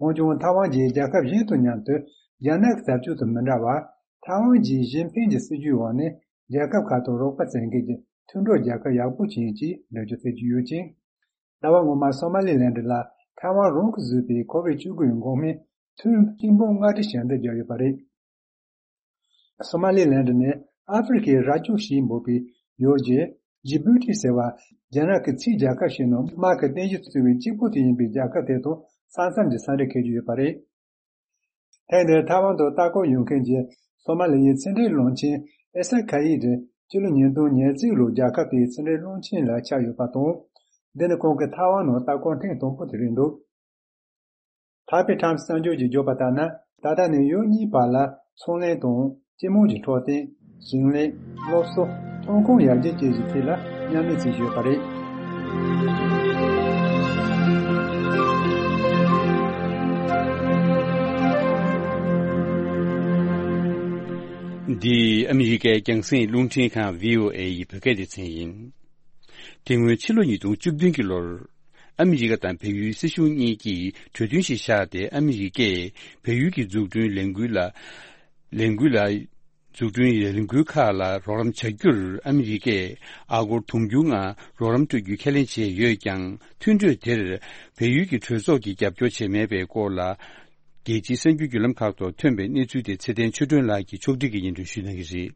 འོན་ཀྱང་ཐའེ་ཝན་གྱིས་རྒྱལ་ཁབ་གཞན་དང་མཉམ་དུ་རྒྱ་ནག་གི་བྱ་སྤྱོད་དང་མི་འདྲ་བར། ཐའེ་ཝན་གྱི་ཞི་ཅིན་ཕིང་གི་སྲིད་ཇུས་འོག་ནས་རྒྱལ་ཁབ་ཁག་དང་རོགས་པ་བཙལ་མཁན་གྱི་མཐུན་གྲོགས་རྒྱལ་ཁབ་ཡག་པོ་ཅིག་ཡིན་ཅེས་འགྲེལ་བརྗོད་བྱེད་ཀྱི་ཡོད་ཅིང་། ཟླ་བ་སྔོན་མར་སོ་མ་ལི་ལན་ཌི་ལ་ཐའེ་ཝན་རང་གིས་བཟོས་པའི་ཁོ་བིཌ་བཅུ་དགུ་ཡི་འགོག་སྨན་ཐུན་གཅིག་འབུམ་ལྔ་ཁྲི་ཞལ་འདེབས་བརྒྱབ་ཡོད་པ་རེད། སོ་མ་ལི་ལན་ཌི་ནི་ཨ་ཧྥེ་རི་ཁའི་རྭ་ཅོ་ཞེས་འབོད་པའི་ཡུལ་གྱི་ཇི་བུ་ཏི་ཟེར་བ། རྒྱ་ནག་གི་ཕྱིའི་རྒྱལ་ཁབ་ཞིག་ནང་དམག་གི་རྟེན་གཞི་བཟོ་བའི་གཅིག་པུ་དེ་ཡིན་པའི་རྒྱལ་ཁབ་དེ་དང་ས་མཚམས་ཀྱི་ས་འབྲེལ་འཁེལ་གྱི་ཡོད་པ་རེད། ཐེངས་འདིར་ཐའེ་ཝན་དུ་ལྟ་སྐོར་ཡོང་མཁན་གྱི་སོ་མ་ལི་ཡའི་ཕྱི་འབྲེལ་བློན་ཆེན་ཨེ་ས་ཁ་ཡི་དེ་སྤྱི་ལོ་ཉིས་སྟོང་ཉེར་གཅིག་ལོར་རྒྱལ་ཁབ་དེའི་ཕྱི་འབྲེལ་བློན་ཆེན་ལ་ཆགས་ཡོད་པ་དང་། འདི་ནི་ཁོང་གིས་ཐའེ་ཝན་ནང་ལྟ་སྐོར་ཐེངས་དང་པོ་དེ་རེད་འདུག་ཐའེ་པེ་ཊའེམ་སི་གསར་འགྱུར་གྱིས་བརྗོད་པ་ལྟར་ན། ད་ལྟ་ནས་ཡུལ་གཉིས་བར་ལ་ཚོང་ལས་དང་སྤྱི་དམངས་ཀྱི་འཕྲོད་བསྟེན། ཞིང་ལས། སློབ་གསོ། ཐོན་ཁུངས་ཡར་རྒྱས་བཅས་ཀྱི་ཐད་ལ་མཉམ་ལས་བྱེད་བཞིན་ཡོད་པ་རེད། འདི་ཨ་མི་རི་ཀའི་རྒྱང་སྲིང་རླུང་འཕྲིན་ཁང་བྷི་ཨོ་ཨེ་ཡི་བོད་སྐད་སྡེ་ཚན་ཡིན། དེ་སྔོན་ཕྱི་ལོ་ཉིས་སྟོང་བཅུ་བདུན་གྱི་ལོར། ཨ་མི་རི་ཀ་དང་བལ་ཡུལ་སྲིད་གཞུང་གཉིས་ཀྱིས་གྲོས་མཐུན་ཞིག་བཞག་སྟེ། ཨ་མི་རི་ཀས་བལ་ཡུལ་གྱི་འཛུགས་སྐྲུན་ལས་འགུལ་ལ། ལས་འགུལ་ལ། འཛུགས་སྐྲུན་ལས་འགུལ་ཁག་ལ་རོགས་རམ་བྱ་རྒྱུར་ཨ་མི་རི་ཀས་ཨ་སྒོར་དུང་ཕྱུར་ལྔ་རོགས་རམ་སྤྲོད་རྒྱུ་ཁས་ལེན་བྱས་ཡོད་ཀྱང་། མཐུན་གྲོས་དེར་བལ་ཡུལ་གྱི་གྲོས་ཚོགས་ཀྱིས་རྒྱབ་སྐྱོར་བྱས་མེད་པའི་སྐོར་ལ། རྒྱལ་སྤྱིའི་གསར་འགྱུར་བརྒྱུད་ལམ་ཁག་ཐོག་ཐོན་པའི་གནས་ཚུལ་དེ་ཚེ་བརྟན་ཆོས་སྒྲོན་ལགས་ཀྱིས་ཕྱོགས་སྒྲིག་གིས་སྙན་སྒྲོན་ཞུ་གནང་གི་རེད།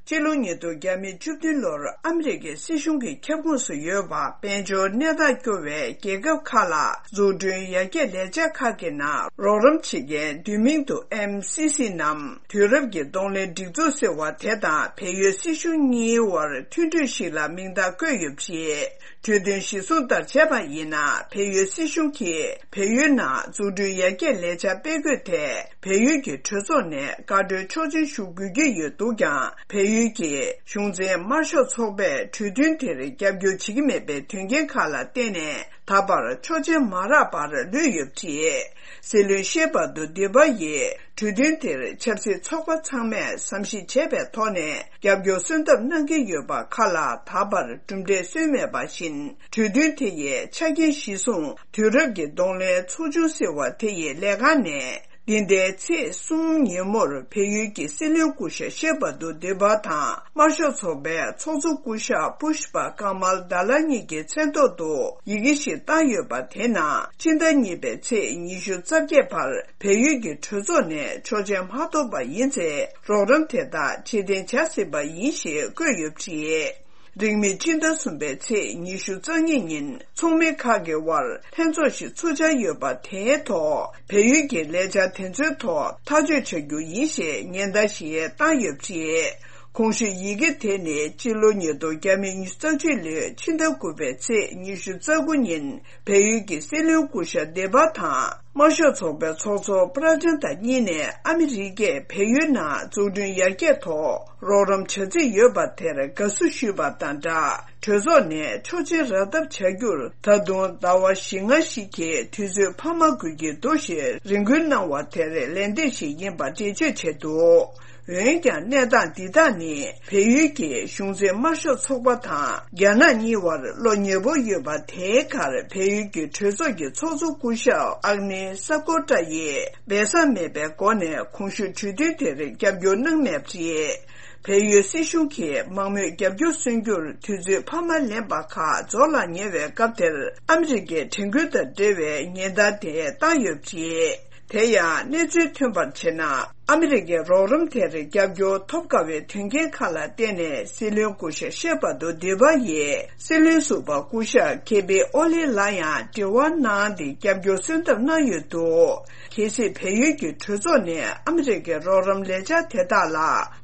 ཕྱི་ལོ་ཉིས་སྟོང་བརྒྱ་མེད་བཅུ་བདུན་ལོར་ཨ་མི་རི་ཀའི་སྲིད་གཞུང་གི་ཁྱབ་ཁོངས་སུ་ཡོད་པ་དཔལ་འབྱོར་གནས་སྟངས་སྐྱོ་བའི་རྒྱལ་ཁབ་ཁག་ལ་འཛུགས་སྐྲུན་ཡར་རྒྱས་ལས་འཆར་ཁག་གི་ནང་རོགས་རམ་བྱེད་མཁན་བསྡུས་མིང་དུ་ཨེམ་སི་སི་ནམ། དུས་རབས་ཀྱི་གདོང་ལེན་སྒྲིག་འཛུགས་ཟེར་བ་དེ་དང་བལ་ཡུལ་སྲིད་གཞུང་གཉིས་དབར་མཐུན་གྲོས་ཤིག་ལ་མིང་རྟགས་བཀོད་ཡོད་པ་རེད། གྲོས་མཐུན་གཞིར་བཟུང་ལྟར་བྱས་པ་ཡིན་ན། བལ་ཡུལ་སྲིད་གཞུང་གིས་བལ་ཡུལ་ནང་འཛུགས་སྐྲུན་ཡར་རྒྱས་ལས་འཆར་སྤེལ་དགོས་ཐད། བལ་ཡུལ་གྱི་གྲོས་ཚོགས་ནས་བཀའ་འཁྲོལ་ཆོག་མཆན་ཞུ་དགོས་ཀྱི་ཡོད་འདུག་ཀྱང་། བལ་ཡུལ་གྱི་གཞུང་འཛིན་དམར་ཤོག་ཚོགས་པས་གྲོས་མཐུན་དེར་རྒྱབ་སྐྱོར་བྱེད་ཀྱི་མེད་པའི་དོན་རྐྱེན་ཁག་ལ་བརྟེན་ནས། ད་བར་ཆོག་མཆན་མ་རག་པར་ལུས་ཡོད་པ་རེད། སྲིད་བློན་ཤེ་བྷ་དུ་དི་བྷ་ཡིས་གྲོས་མཐུན་དེར་ཆབ་སྲིད་ཚོགས་པ་ཚང་མས་བསམ་གཞིག་བྱས་པའི་ཐོག་ནས། རྒྱབ་སྐྱོར་སོན་ཐབས་གནང་གི་ཡོད་པ་ཁག་ལ་ད་བར་གྲུབ་འབྲས་སོན་མེད་པ་བཞིན། གྲོས་མཐུན་དེ་ཡི་ཆ་རྐྱེན་གཞིར་བཟུང་དུས་རབས་ཀྱི་གདོང་ལེན་ཚོགས་ཆུང་ཟེར་བ་དེ་ཡི་ལས་ཁང་ནས། འདི་ཟླའི་ཚེས་གསུམ་ཉིན་མོར་བལ་ཡུལ་གྱི་སྲིད་བློན་སྐུ་ཞབས་ཤེ་བྷ་དུ་དི་བྷ་དང་། དམར་ཤོག་ཚོགས་པའི་ཚོགས་གཙོ་སྐུ་ཞབས་པུཤ་པ་ཀ་མལ་དཱ་ལ་གཉིས་ཀྱི་མཚན་ཐོག་ཏུ་ཡི་གེ་ཞིག་བཏང་ཡོད་པ་དེ་ནང་། ཕྱི་ཟླ་གཉིས་པའི་ཚེས་ཉི་ཤུ་རྩ་བརྒྱད་བར་བལ་ཡུལ་གྱི་གྲོས་ཚོགས་ནས་ཆོག་མཆན་མ་ཐོབ་པ་ཡིན་ཚེ། རོགས་རམ་དེ་དག་ཕྱིར་འཐེན་བྱ་སྲིད་པ་ཡིན་ཞེས་བཀོད་ཡོད་པ་རེད། རིང་མིན་ཕྱི་ཟླ་གསུམ་པའི་ཚེས་ཉི་ཤུ་རྩ་གཉིས་ཉིན། ཚོགས་མི་ཁག་གི་དབར་ལྷན་ཚོགས་ཤིག་ཚུགས་འཆར་ཡོད་པ་དེའི་ཐོག་བལ་ཡུལ་གྱི་ལས་འཆར་དེ་ཚོའི་ཐོག་ཐག་གཅོད་བྱ་རྒྱུ་ཡིན་ཞེས་ཉེན་བརྡ་ཞིག་བཏང་ཡོད་པ་རེད། གོང་ཞུས་ཡི་གེ་དེ་ནི་སྤྱི་ལོ་ཉིས་སྟོང་ཉི་ཤུ་རྩ་གཅིག་ལོའི་ཕྱི་ཟླ་དགུ་པའི་ཚེས་ཉི་ཤུ་རྩ་དགུ་ཉིན་བལ་ཡུལ་གྱི་སྲིད་བློན་སྐུ་ཞབས་སྡེ་པ་དང་། དམར་ཤོག་ཚོགས་པའི་ཚོགས་གཙོ་པྲ་ཅན་ད་གཉིས་ནས་ཨ་མི་རི་ཀས་བལ་ཡུལ་ནང་འཛུགས་སྐྲུན་ཡར་རྒྱས་ཐོག་རོགས་རམ་བྱ་རྩིས་ཡོད་པ་དེར་དགའ་བསུ་ཞུས་པ་དང་སྦྲགས། གྲོས་ཚོགས་ནས་ཆོག་མཆན་རག་ཐབས་བྱ་རྒྱུར་ད་དུང་ཟླ་བ་བཞི་ལྔ་ཞིག་གི་དུས་ཚོད་འཕར་མ་དགོས་ཀྱི་འདུག་ཞེས་རེ་སྐུལ་གནང་བ་དེར་ལན་འདེབས་ཤིག་ཡིན་པ་འགྲེལ་བརྗོད་བྱས་འདུག་འོན་ཀྱང་གནས་སྟངས་འདི་དག་ནི་བལ་ཡུལ་གྱི་གཞུང་འཛིན་དམར་ཤོག་ཚོགས་པ་དང་རྒྱ་ནག་གཉིས་བར་བློ་ཉེ་པོ་ཡོད་པ་དེའི་ཁར་བལ་ཡུལ་གྱི་གྲོས་ཚོགས་ཀྱི་ཚོགས་གཙོ་སྐུ་ཞབས་ཨག་ནི་ས་ཀོ་ཀྲ་ཡིས་སྦས་གསང་མེད་པའི་སྒོ་ནས་གོང་ཞུས་གྲོས་མཐུན་དེར་རྒྱབ་སྐྱོར་གནང་མེད་པ་རེད། བལ་ཡུལ་སྲིད་གཞུང་གིས་མང་མོས་རྒྱབ་སྐྱོར་སོན་རྒྱུར་དུས་ཚོད་འཕར་མ་ལེན་པ་ཁག་རྫོགས་ལ་ཉེ་བའི་སྐབས་དེར་ཨ་མི་རི་ཀའི་དྲན་སྐུལ་དང་འབྲེལ་བའི་ཉེན་བརྡ་དེ་བཏང་ཡོད་པ་རེད། དེ་ཡང་གནས་ཚུལ་ཐོན་པར་བྱས་ན། ཨ་མི་རི་ཀའི་རོགས་རམ་དེར་རྒྱབ་སྐྱོར་ཐོབ་དཀའ་བའི་དོན་རྐྱེན་ཁག་ལ་བརྟེན་ནས་སྲིད་བློན་སྐུ་ཞབས་ཤེ་པ་དོ་སྡེ་པ་ཡིས་སྲིད་བློན་ཟུར་པ་སྐུ་ཞབས་ཁེ་པི་ཨོ་ལི་ལ་ཡང་དྲི་བ་གནང་སྟེ་རྒྱབ་སྐྱོར་གསོལ་འདེབས་གནང་ཡོད་འདུག་གལ་སྲིད་བལ་ཡུལ་གྱི་གྲོས་ཚོགས་ནས་ཨ་མི་རི་ཀའི་རོགས་རམ་ལས་འཆར་དེ་དག་ལ་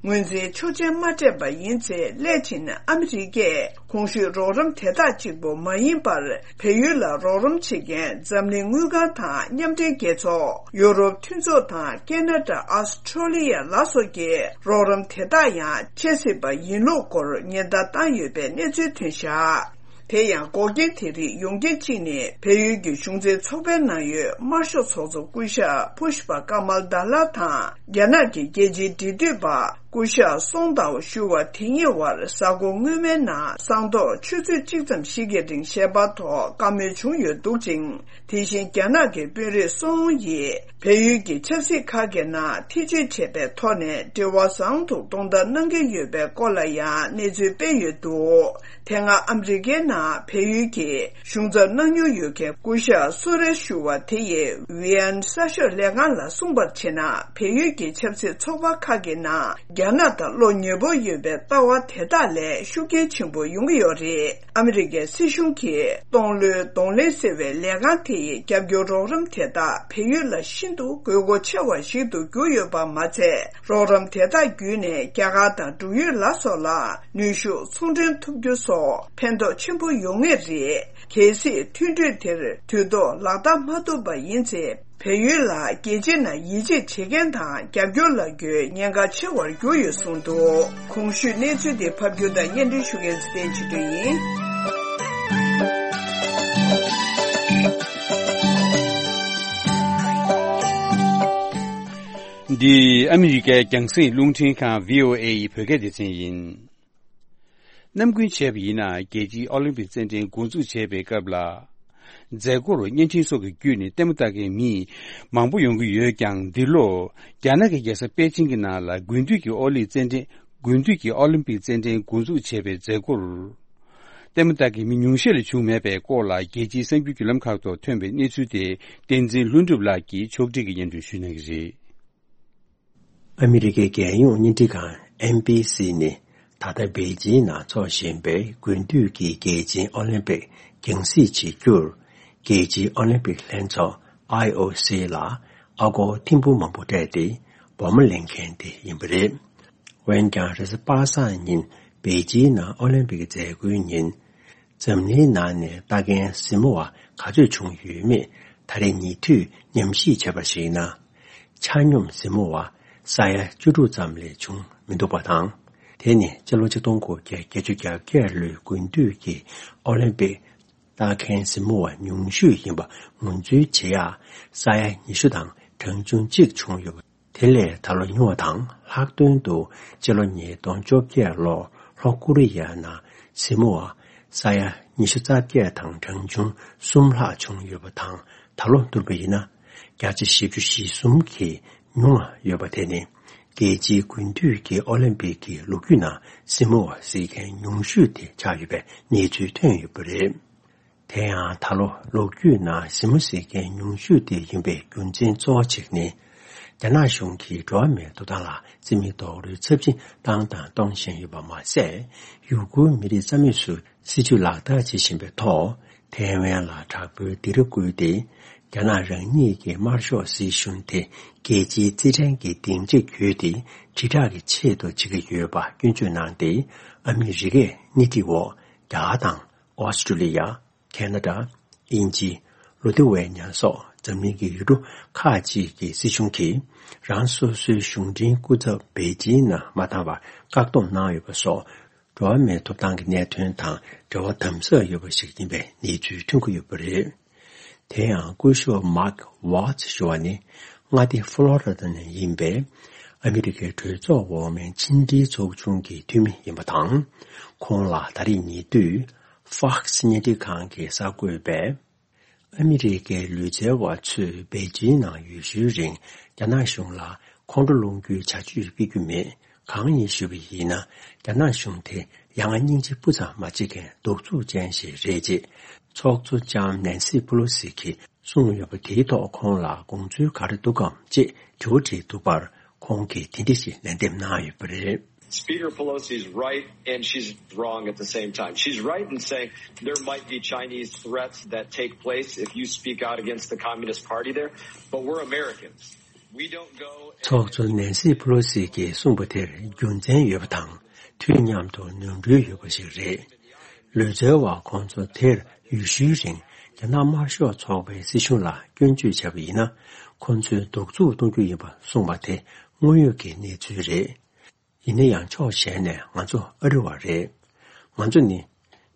ངོས་འཛིན་ཆོག་མཆན་མ་སྤྲད་པ་ཡིན་ཚེ། སླད་ཕྱིན་ཨ་མི་རི་ཀས་གོང་ཞུས་རོགས་རམ་དེ་དག་གཅིག་པུ་མ་ཡིན་པར། བལ་ཡུལ་ལ་རོགས་རམ་བྱེད་མཁན་འཛམ་གླིང་དངུལ་ཁང་དང་མཉམ་འབྲེལ་རྒྱལ་ཚོགས། ཡོ་རོབ་མཐུན་ཚོགས་དང་ཁེ་ན་ཌ། ཨོ་སི་ཁྲོ་ལི་ཡ་ལ་སོགས་ཀྱི་རོགས་རམ་དེ་དག་ཡང་སྤྱད་སྲིད་པ་ཡིན་ལུགས་སྐོར་ཉེན་བརྡ་བཏང་ཡོད་པའི་གནས་ཚུལ་ཐོན་བཞག་དེ་ཡང་འགོག་རྐྱེན་དེ་རིགས་ཡོང་རྐྱེན་གཅིག་ནི། བལ་ཡུལ་གྱི་གཞུང་འཛིན་ཚོགས་པའི་ནང་ཡོད་དམར་ཤོག་ཚོགས་གཙོ་སྐུ་ཞབས་ཕུ་ཤ་པ་ཀ་མལ་དཱ་ལ་དང་། རྒྱ་ནག་གི་རྒྱལ་སྤྱིའི་འབྲེལ་མཐུད་པ། སྐུ་ཞབས་སོང་ཏའོ་ཞུ་བ་དེ་གཉིས་བར་གཟའ་འཁོར་སྔོན་མའི་ནང་སང་ཐོག་ཆུ་ཚོད་གཅིག་ཙམ་ཞིག་གི་རིང་ཞལ་པར་ཐོག་བཀའ་མོལ་བྱུང་ཡོད་འདུག་ཅིང་། དེ་བཞིན་རྒྱ་ནག་གི་དཔོན་རིགས་སུའུ་ཡིས་བལ་ཡུལ་གྱི་ཆབ་སྲིད་ཁག་གི་ནང་ཐེ་བྱུས་བྱས་པའི་ཐོག་ནས་འབྲེལ་བ་བཟང་དུ་གཏོང་ཐབས་གནང་གི་ཡོད་པའི་སྐོར་ལ་ཡང་གནས་ཚུལ་སྤེལ་ཡོད་འདུག་དེ་སྔ་ཨ་མི་རི་ཀའི་ནང་བལ་ཡུལ་གྱི་གཞུང་ཚབ་གནང་མྱོང་ཡོད་མཁན་སྐུ་ཞབས་སུ་རེ་ཞུ་བ་དེ་ཡིས་ཝི་ཡན་གསར་ཤོག་ལས་ཁང་ལ་གསུངས་པར་བྱས་ན། བལ་ཡུལ་གྱི་ཆབ་སྲིད་ཚོགས་པ་ཁག་གི་ནང་རྒྱ་ནག་དང་བློ་ཉེ་པོ་ཡོད་པའི་ལྟ་བ་དེ་དག་ལས་ཤུགས་རྐྱེན་ཆེན་པོ་ཡོང་གི་ཡོད་རེད། ཨ་མི་རི་ཀའི་སྲིད་གཞུང་གིས་སྟོང་ལོའི་གདོང་ལེན་ཟེར་བའི་ལས་ཁང་དེ་ཡི་རྒྱབ་སྐྱོར་རོགས་རམ་དེ་དག་བལ་ཡུལ་ལ་ཤིན་ཏུ་དགོས་མཁོ་ཆེ་བ་ཞིག་ཏུ་གྱུར་ཡོད་པ་མ་ཚད། རོགས་རམ་དེ་དག་བརྒྱུད་ནས་རྒྱ་གར་དང་འབྲུག་ཡུལ་ལ་སོགས་ལ་ནུས་ཤུགས་ཚོང་འབྲེལ་ཐུབ་རྒྱུ་སོགས་ཕན་ཐོགས་ཆེན་པོ་ཡོང་ངེས་རེད། གལ་སྲིད་མཐུན་གྲོས་དེར་དུས་ཐོག་ལག་བསྟར་མ་ཐུབ་པ་ཡིན་ཚེ། བལ་ཡུལ་ལ་རྒྱལ་སྤྱིའི་ནང་ཡིད་ཆེས་བྱེད་མཁན་དང་རྒྱབ་སྐྱོར་ལ་རྒོལ་ཉེན་ཁ་ཆེ་བར་གྱུར་ཡོད་གསུངས་འདུག་གོང་ཞུས་གནས་ཚུལ་འདི་ཕབ་སྒྱུར་དང་སྙན་སྒྲོན་ཞུ་མཁན་ཚེ་བརྟན་ཆོས་སྒྲོན་ཡིན། འདི་ཨ་མི་རི་ཀའི་རྒྱང་སྲིང་རླུང་འཕྲིན་ཁང་བྷི་ཨོ་ཨེ་ཡི་བོད་སྐད་སྡེ་ཚན་ཡིན། ནམ་རྒྱུན་བྱས་པ་ཡིན་ན། རྒྱལ་སྤྱིའི་ཨོ་ལིམ་པིག་རྩེད་འགྲན་འགོ་འཛུགས་བྱས་པའི་སྐབས་ལ། མཛད་སྒོར་བརྙན་འཕྲིན་སོགས་ཀྱི་བརྒྱུད་ནས་ལྟད་མོ་ལྟ་མཁན་མི་མང་པོ་ཡོང་གི་ཡོད་ཀྱང་། འདི་ལོ་རྒྱ་ནག་གི་རྒྱལ་ས་པེ་ཅིང་གི་ནང་ལ་དགུན་དུས་ཀྱི་ཨོ་ལིམ་རྩེད་འགྲན། དགུན་དུས་ཀྱི་ཨོ་ལིམ་པིག་རྩེད་འགྲན་འགོ་འཛུགས་བྱས་པའི་མཛད་སྒོར། ལྟད་མོ་ལྟ་མཁན་མི་ཉུང་ཤས་ལས་བྱུང་མེད་པའི་སྐོར་ལ། རྒྱལ་སྤྱིའི་གསར་འགྱུར་བརྒྱུད་ལམ་ཁག་ཐོག་ཐོན་པའི་གནས་ཚུལ་དེ། བསྟན་འཛིན་ལྷུན་གྲུབ་ལགས་ཀྱིས་ཕྱོགས་སྒྲིག་གིས་སྙན་སྒྲོན་ཞུ་གནང་གི་རེད། ཨ་མི་རི་ཀའི་རྒྱལ་ཡོངས་བརྙན་འཕྲིན་ཁང་ཨེན་བྷི་སི་ནས། ད་ལྟ་པེ་ཅིང་ནང་འཚོགས་བཞིན་པའི་དགུན་དུས་ཀྱི་རྒྱལ་སྤྱིའི་ཨོ་ལིམ་པིག་རྒྱང་སྲིང་བྱེད་རྒྱུར། རྒྱལ་སྤྱིའི་ཨོ་ལིམ་པིག་ལྷན་ཚོགས་ཨའི་ཨོ་སི་ལ་ཨ་སྒོར་ཐེར་འབུམ་མང་པོ་སྤྲད་དེ་སྦོམ་ལེན་མཁན་དེ་ཡིན་པ་རེད། འོན་ཀྱང་། རེས་གཟའ་པ་སངས་ཉིན་པེ་ཅིང་ནང་ཨོ་ལིམ་པིག་མཛད་སྒོའི་ཉིན། འཛམ་གླིང་ནང་ནས་ལྟ་མཁན་གཟིགས་མོ་བ་ག་ཚོད་བྱུང་ཡོད་མེད་ད་རེས་ཉེ་དུས་ཉམས་ཞིབ་བྱས་པར་གཞིགས་ན། ཆ་སྙོམས་གཟིགས་མོ་བ་ས་ཡ་བཅུ་དྲུག་ཙམ་ལས་བྱུང་མི་འདུག་པ་དང་། དེ་ནི་སྤྱི་ལོ་ཆིག་སྟོང་དགུ་བརྒྱ་བརྒྱད་ཅུ་གྱ་བརྒྱད་ལོའི་དགུན་དུས་ཀྱི་ཨོ་ལིམ་པིག་ལྟ་མཁན་གཟིགས་མོ་བ་ཉུང་ཤོས་ཡིན་པ་ངོས་འཛིན་བྱེད་ཡག་ས་ཡ་ཉི་ཤུ་དང་གྲངས་ཆུང་གཅིག་བྱུང་ཡོད་པ། དེ་ལས་ད་ལོ་ཉུང་བ་དང་། ལྷག་དོན་དུ་སྤྱི་ལོ་ཉིས་སྟོང་བཅོ་བརྒྱད་ལོར་ལྷོ་ཀོ་རི་ཡ་ནང་གཟིགས་མོ་བ་ས་ཡ་ཉི་ཤུ་རྩ་བརྒྱད་དང་གྲངས་ཆུང་གསུམ་ལྷག་བྱུང་ཡོད་པ་དང་། ད་ལོ་བསྡུར་བ་ཡིན་ན་བརྒྱ་ཆ་བཞི་བཅུ་ཞེ་གསུམ་གྱིས་ཉུང་བ་ཡོད་པ་དེ་ནི། རྒྱལ་སྤྱིའི་དགུན་དུས་ཀྱི་ཨོ་ལིམ་པིག་གི་ལོ་རྒྱུས་ནང་གཟིགས་མོ་བ་གཟིགས་མཁན་ཉུང་ཤོས་དེ་ཆགས་ཡོད་པའི་གནས་ཚུལ་ཐོན་ཡོད་པ་རེད། དེ་ཡང་ད་ལོ་ལོ་རྒྱུས་ནང་གཟིགས་མོ་གཟིགས་མཁན་ཉུང་ཤོས་དེ་ཡིན་པའི་རྒྱུ་མཚན་གཙོ་བོ་གཅིག་ནི། རྒྱ་ནག་གཞུང་གིས་འགྲོ་བ་མིའི་ཐོབ་ཐང་ལ་རྩིས་མེད་རྡོག་རོལ་ཚབས་ཆེན་བཏང་དང་གཏོང་བཞིན་ཡོད་པ་མ་ཟད། ཡུ་གུར་མི་རིགས་རྩ་མེད་བཟོ་སྲིད་ཇུས་ལག་བསྟར་བྱེད་བཞིན་པའི་ཐོག་ཐའེ་ཝན་ལ་དྲག་པོའི་སྡིགས་ར་བསྐུལ་ཏེ། རྒྱ་ནག་རང་ཉིད་ཀྱི་དམར་ཤོག་སྲིད་གཞུང་དེ་རྒྱལ་སྤྱིའི་རྩིས་ཕྲན་གྱི་སྡིངས་ཆ་བརྒྱུད་དེ་དྲིལ་བསྒྲགས་ཀྱི་ཆེད་དུ་བྱེད་ཀྱི་ཡོད་པ་སྐྱོན་བརྗོད་གནང་སྟེ། ཨ་མི་རི་ཀས་སྣེ་ཁྲིད་འོག་རྒྱ་གར་དང་། ཨོ་སི་ཀྲུ་ལི་ཡ། ཁེ་ན་ཌ། དབྱིན་ཇི། ལུ་ཐི་ཝེ་ཉ་སོགས་འཛམ་གླིང་གི་ཡུལ་གྲུ་ཁག་ཅིག་གི་སྲིད་གཞུང་གིས་རང་སོ་སོའི་གཞུང་འབྲེལ་སྐུ་ཚབ་པེ་ཅིང་ནང་མ་བཏང་བར་བཀག་སྡོམ་གནང་ཡོད་པ་སོགས། འགྲོ་བ་མིའི་ཐོབ་ཐང་གི་གནད་དོན་དང་འབྲེལ་བ་དམ་ཟབ་ཡོད་པ་ཞིག་ཡིན་པའི་གནས་ཚུལ་ཐོན་གྱི་ཡོད་པ་རེད། དེ་ཡང་སྐུ་ཞབས་མཱག་ཝཱ་ཚི་ཞུ་བ་ནི་མངའ་སྡེ་ཧྥ་ལོ་རི་ཌ་ནས་ཡིན་པའི་ཨ་མི་རི་ཀའི་གྲོས་ཚོགས་འོག་མའི་ཕྱི་འབྲེལ་ཚོགས་ཆུང་གི་འཐུས་མི་ཡིན་པ་དང་། ཁོང་ལ་ད་རེས་ཉེ་དུས་ཧྥོག་སི་བརྙན་འཕྲིན་ཁང་གི་གསར་འགོད་པས། ཨ་མི་རི་ཀའི་ལུས་རྩལ་བ་ཚོས་པེ་ཅིང་ནང་ཡུལ་ཤུལ་རིང་རྒྱ་ནག་གཞུང་ལ་ཁོང་ཁྲོ་སློང་རྒྱུའི་བྱ་སྤྱོད་སྤེལ་རྒྱུ་མེད། གང་ཡིན་ཞུས་པ་ཡིན་ན། རྒྱ་ནག་གཞུང་དེ་ཡ་ང་སྙིང་རྗེ་སྤུ་ཙམ་མ་བྱེད་མཁན་གདུག་རྩུབ་ཅན་ཞིག་རེད་ཅེས་ཚོགས་གཙོ་ལྕམ་ནན་སི་པེ་ལོ་སི་གིས་གསུངས་ཡོད་པ་དེའི་ཐོག་ཁོང་ལ་དགོངས་ཚུལ་ག་རེ་འདུག་གམ་ཅེས་དྲི་བ་དྲིས་འདུག་པར། ཁོང་གིས་དེ་འདྲ་ཞིག་ལན་འདེབས་གནང་ཡོད་པ་རེད། Speaker Pelosi's right and she's wrong at the same time. She's right in saying there might be Chinese threats that take place if you speak out against the Communist Party there, but we're Americans. We don't go and ཚོགས་གཙོ་ནན་སི་པེ་ལོ་སི་གིས་གསུངས་པ་དེར་རྒྱུ་མཚན་ཡོད་པ་དང་། དུས་མཉམ་དུ་ནོར་འཁྲུལ་ཡོད་པ་ཞིག་རེད། ལུས་རྩལ་བ་ཁོང་ཚོ་དེར་ཡུལ་ཤུལ་རིང་རྒྱ་ནག་དམར་ཤོག་ཚོགས་པའི་སྲིད་གཞུང་ལ་སྐྱོན་བརྗོད་བྱས་པ་ཡིན་ན། ཁོང་ཚོས་གདུག་རྩུབ་གཏོང་རྒྱུ་ཡིན་པ་གསུངས་པ་དེ་དངོས་ཡོད་ཀྱི་གནས་ཚུལ་རེད། ཡིན་ན་ཡང་ཕྱོགས་གཞན་ནས་ང་ཚོ་ཨ་རི་བ་རེད། ང་ཚོ་ནི་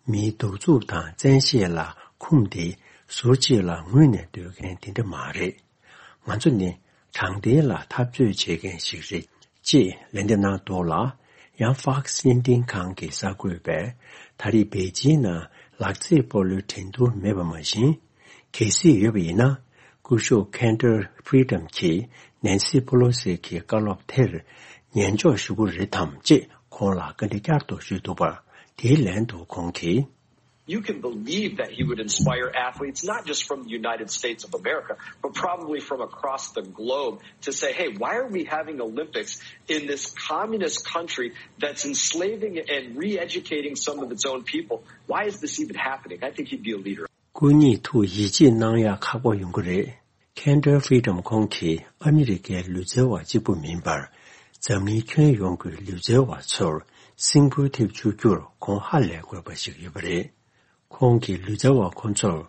མིའི་གདུག་རྩུབ་དང་བཙན་ཤེད་ལ་འཁུམས་ཏེ་ཟུར་གཅིག་ལ་ངུས་ནས་སྡོད་མཁན་དེ་འདྲ་མ་རེད། ང་ཚོ་ནི་དྲང་བདེན་ལ་འཐབ་རྩོད་བྱེད་མཁན་ཞིག་རེད། ཅེས་ལན་འདེབས་གནང་འདུག་ལ། ཡང་ཧྥོག་སི་བརྙན་འཕྲིན་ཁང་གི་གསར་འགོད་པས་ད་རེས་པེ་ཅིང་ནང་ལག་རྩེད་སྤོ་ལོའི་འགྲན་བསྡུར་མེད་པ་མ་བཞིན། གལ་སྲིད་ཡོད་པ་ཡིན་ན། སྐུ་ཞབས་ཁེན་ཌར་ཕི་རི་ཌམ་གྱིས་ནན་སི་པེ་ལོ་སི་གི་བཀའ་སློབ་དེར་ཉན་འཇོག་ཞུ་གི་རེད་དམ་ཅེས་ཁོང་ལ་བཀའ་འདྲི་བསྐྱར་དུ་ཞུས་འདུག་པར། དེའི་ལན་དུ་ཁོང་གིས། You can believe that he would inspire athletes, not just from the United States of America, but probably from across the globe, to say, hey, why are we having Olympics in this communist country that's enslaving and re educating some of its own people? Why is this even happening? I think he'd be a leader. སྐུ་ཉིད་ཐུགས་ཡིད་ཆེས་གནང་ཡག་ཁག་པོ་ཡོང་གི་རེད། ཁེན་ཌར་ཕི་རི་ཌམ་ཁོང་གིས་ཨ་མི་རི་ཀའི་ལུས་རྩལ་བ་གཅིག་པུ་མིན་པར། འཛམ་གླིང་ཁྱོན་ཡོངས་ཀྱི་ལུས་རྩལ་བ་ཚོར་སེམས་འགུལ་ཐེབས་བཅུག་རྒྱུར་ཁོང་ཧ་ལས་དགོས་པ་ཞིག་ཡོད་པ་རེད། ཁོང་གིས་ལུས་རྩལ་བ་ཁོ་ཚོར།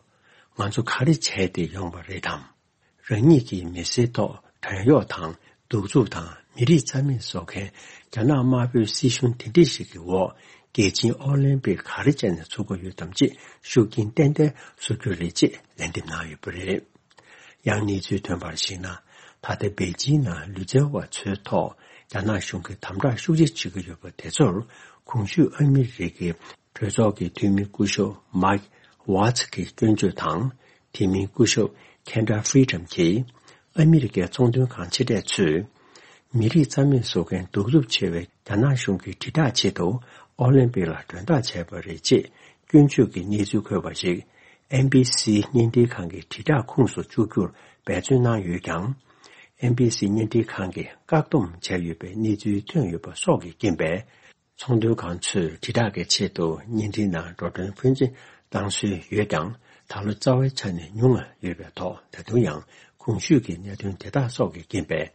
ང་ཚོ་ག་རེ་བྱས་ཏེ་ཡོང་བ་རེད་དམ། རང་ཉིད་ཀྱི་མི་ཚེའི་ཐོག་བྲན་གཡོག་དང་གདུག་རྩུབ་དང་མི་རིགས་རྩ་མེད་བཟོ་མཁན་རྒྱ་ནག་དམར་པོའི་སྲིད་གཞུང་དེ་འདྲ་ཞིག་གི་འོག་རྒྱལ་སྤྱིའི་ཨོ་ལིམ་པིག་ག་རེ་བྱས་ནས་ཚུགས་ཀྱི་ཡོད་དམ་ཅེས་ཤུགས་རྐྱེན་ཏན་ཏན་བཟོ་རྒྱུ་རེད་ཅེས་ལན་འདེབས་གནང་ཡོད་པ་རེད། ཡང་གནས་ཚུལ་ཐོན་པར་གཞིགས་ན། ད་ལྟ་པེ་ཅིང་ནང་ལུས་རྩལ་བ་ཚོའི་ཐོག་རྒྱ་ནག་གཞུང་གིས་དམ་དྲག་ཤུགས་ཆེ་བྱེད་ཀྱི་ཡོད་པ་དེ་ཚོར་གོང་ཞུས་ཨ་མི་རི་ཀའི་གྲོས་ཚོགས་ཀྱི་འཐུས་མི་སྐུ་ཞབས་མཱིག་ཝཱ་ཚི་གིས་སྐྱོན་བརྗོད་དང་། དེ་མིན་སྐུ་ཞབས་ཁེན་ཌར་ཕི་རི་ཌམ་གྱིས་ཨ་མི་རི་ཀའི་ཚོང་དོན་ཁང་ཆེ་གྲས་ཚོས་མི་རིགས་རྩ་མེད་བཟོ་མཁན་གདུག་རྩུབ་ཆེ་བའི་རྒྱ་ནག་གཞུང་གི་དྲིལ་བསྒྲགས་ཆེད་དུ་ཨོ་ལིམ་པིག་ལ་མགྲོན་བདག་བྱས་པ་རེད་ཅེས་སྐྱོན་བརྗོད་ཀྱི་གནས་ཚུལ་འཁོད་པ་ཞིག་ཨེན་བི་སི་བརྙན་འཕྲིན་ཁང་གི་དྲིལ་བསྒྲགས་ཁོངས་སུ་བཅུག་རྒྱུར་འབད་བརྩོན་གནང་ཡོད་ཀྱང་། ཨེན་བི་སི་བརྙན་འཕྲིན་ཁང་གིས་བཀག་སྡོམ་བྱས་ཡོད་པའི་གནས་ཚུལ་ཐོན་ཡོད་པ་སོགས་ཀྱི་རྐྱེན་པས། ཚོང་དོན་ཁང་ཚོས་དྲིལ་བསྒྲགས་ཀྱི་ཆེད་དུ་བརྙན་འཕྲིན་ནང་འགྲོ་གྲོན་ཕོན་ཆེ་བཏང་སྲོལ་ཡོད་ཀྱང་། ད་ལོ་རྩ་བའི་ཆ་ནས་ཉུང་བ་ཡོད་པའི་ཐོག་ད་དུང་ཡང་གོང་ཞུས་ཀྱི་གནད་དོན་དེ་དག་སོགས་ཀྱི་རྐྱེན་པས།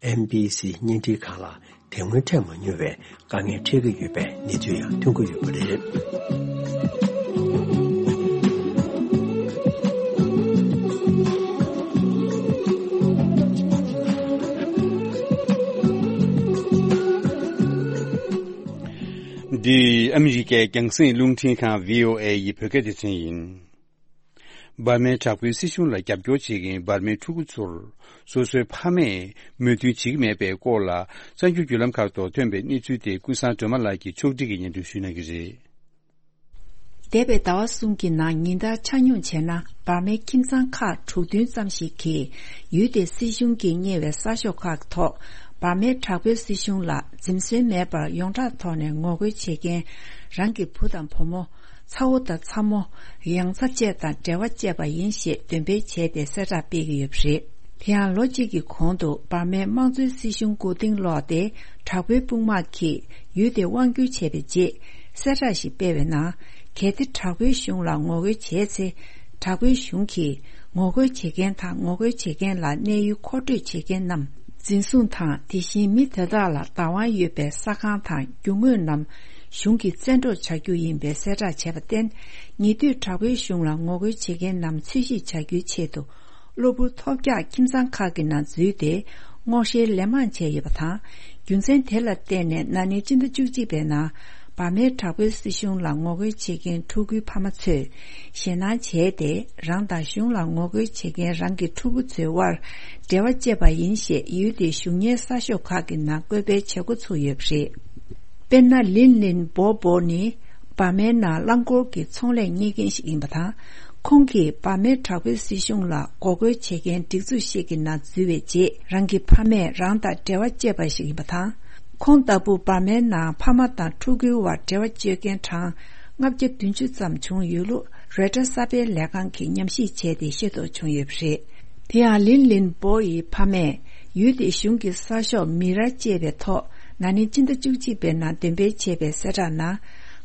ཨེན་བི་སི་བརྙན་འཕྲིན་ཁང་ལ་དེ་སྔོན་འཕྲད་མ་མྱོང་བའི་དཀའ་ངལ་འཕྲད་ཀྱི་ཡོད་པའི་གནས་ཚུལ་ཡང་ཐོན་གྱི་ཡོད་པ་རེད། འདི་ཨ་མི་རི་ཀའི་རྒྱང་སྲིང་རླུང་འཕྲིན་ཁང་བྷི་ཨོ་ཨེ་ཡི་བོད་སྐད་སྡེ་ཚན་ཡིན། འབར་མའི་དྲག་པོའི་སྲིད་གཞུང་ལ་རྒྱབ་སྐྱོར་བྱེད་མཁན་འབར་མའི་ཕྲུ་གུ་ཚོར་སོ་སོའི་ཕ་མས་མོས་མཐུན་བྱེད་ཀྱི་མེད་པའི་སྐོར་ལ། གསར་འགྱུར་བརྒྱུད་ལམ་ཁག་ཐོག་ཐོན་པའི་གནས་ཚུལ་དེ་ཀུན་བཟང་སྒྲོལ་མ་ལགས་ཀྱིས་ཕྱོགས་སྒྲིག་གིས་སྙན་སྒྲོན་ཞུ་གནང་གི་རེད། འདས་པའི་ཟླ་བ་གསུམ་གྱི་ནང་ཉིན་ལྟར་ཆ་སྙོམས་བྱས་ན། འབར་མའི་ཁྱིམ་ཚང་ཁག་དྲུག་བདུན་ཙམ་ཞིག་གིས་ཡུལ་དེའི་སྲིད་གཞུང་གིས་གཉེར་བའི་གསར་ཤོག་ཁག་ཐོག་འབར་མའི་དྲག་པོའི་སྲིད་གཞུང་ལ་འཛེམ་ཟོན་མེད་པར་ཡོངས་གྲགས་ཐོག་ནས་ངོ་རྒོལ་བྱེད་མཁན་རང་གི་བུ་དང་བུ་མོ། ཚ་བོ་དང་ཚ་མོ། ཡང་ཚ་བཅས་དང་འབྲེལ་བ་བཅད་པ་ཡིན་ཞེས་འདོན་སྤེལ་བྱས་ཏེ་གསལ་བསྒྲགས་སྤེལ་གྱི་ཡོད་པ་རེད། དེ་ཡང་ལོ་གཅིག་གི་གོང་དུ་འབར་མའི་དམངས་གཙོའི་སྲིད་གཞུང་མགོ་རྟིང་སློག་སྟེ། དྲག་པོའི་དཔུང་དམག་གིས་ཡུལ་དེ་དབང་བསྒྱུར་བྱས་པའི་རྗེས། གསལ་བསྒྲགས་ཤིག་སྤེལ་བའི་ནང་། གལ་ཏེ་དྲག་པོའི་གཞུང་ལ་ངོ་རྒོལ་བྱས་ཚེ། དྲག་པོའི་གཞུང་གིས་ ངོ་རྒོལ་བྱེད་མཁན་དང་ངོ་རྒོལ་བྱེད་མཁན་ལ་གནས་ཡུལ་མཁོ་སྤྲོད་བྱེད་མཁན་རྣམས་འཛིན་བཟུང་དང་། དེ་བཞིན་མི་དེ་དག་ལ་བདག་དབང་ཡོད་པའི་ས་ཁང་དང་རྒྱུ་དངོས་རྣམས་གཞུང་གིས་བཙན་འཕྲོག་བྱ་རྒྱུ་ཡིན་པའི་གསལ་བསྒྲགས་བྱས་པར་བརྟེན། ཉེ་དུས་དྲག་པོའི་གཞུང་ལ་ངོ་རྒོལ་བྱེད་མཁན་རྣམས་འཚོལ་ཞིབ་བྱ་རྒྱུའི་ཆེད་དུ། གློ་བུར་ཐོལ་རྒྱག་ཁྱིམ་ཚང་ཁག་གི་ནང་འཛུལ་ཏེ། སྔོག་བཤེར་ལན་མང་བྱས་ཡོད་པ་དང་། རྒྱུ་མཚན་དེ་ལ་བརྟེན་ནས་ན་ནིང་སྤྱི་ཟླ་བཅུ་གཅིག་པའི་ནང་། འབར་མའི་དྲག་པོའི་སྲིད་གཞུང་ལ་ངོ་རྒོལ་བྱེད་མཁན་ཕྲུ་གུའི་ཕ་མ་ཚོས་ཞེད་སྣང་བྱས་ཏེ། རང་དང་གཞུང་ལ་ངོ་རྒོལ་བྱེད་མཁན་རང་གི་ཕྲུ་གུ་ཚོའི་དབར་འབྲེལ་བ་བཅད་པ་ཡིན་ཞེས་ཡུལ་དེའི་གཞུང་གཉེར་གསར་ཤོག་ཁག་གི་ནང་བཀོད་སྤེལ་བྱེད་འགོ་ཚུགས་ཡོད་པ་རེད། དཔེར་ན། ལིན་ལིན་པོ་པོ་ནི་འབར་མའི་ནང་རླངས་འཁོར་གྱི་ཚོང་ལས་གཉེར་མཁན་ཞིག་ཡིན་པ་དང་། ཁོང་གིས་འབར་མའི་དྲག་པོའི་སྲིད་གཞུང་ལ་འགོག་རྒོལ་བྱེད་མཁན་སྒྲིག་འཛུགས་ཤིག་གི་ནང་འཛུལ་བའི་རྗེས། རང་གི་ཕ་མས་རང་དང་འབྲེལ་བ་བཅད་པ་ཞིག་ཡིན་པ་དང་། ཁོང་ལྟ་བུ་འབར་མའི་ནང་ཕ་མ་དང་ཕྲུ་གུའི་དབར་འབྲེལ་བ་གཅོད་མཁན་གྲངས་ལྔ་བརྒྱ་བདུན་ཅུ་ཙམ་བྱུང་ཡོད་ལུགས་རོའི་ཊར་གསར་སྤེལ་ལས་ཁང་གིས་ཉམས་ཞིབ་བྱས་ཏེ་ཤེས་རྟོགས་བྱུང་ཡོད་པ་རེད། དེ་ཡང་ལིན་ལིན་པོ་ཡི་ཕ་མས་ཡུལ་དེའི་གཞུང་གི་གསར་ཤོག་མི་ར་ཅེས་པའི་ཐོག་ན་ནིང་སྤྱི་ཟླ་བཅུ་གཅིག་པའི་ནང་འདོན་སྤེལ་བྱས་པའི་གསལ་བསྒྲགས་ནང་།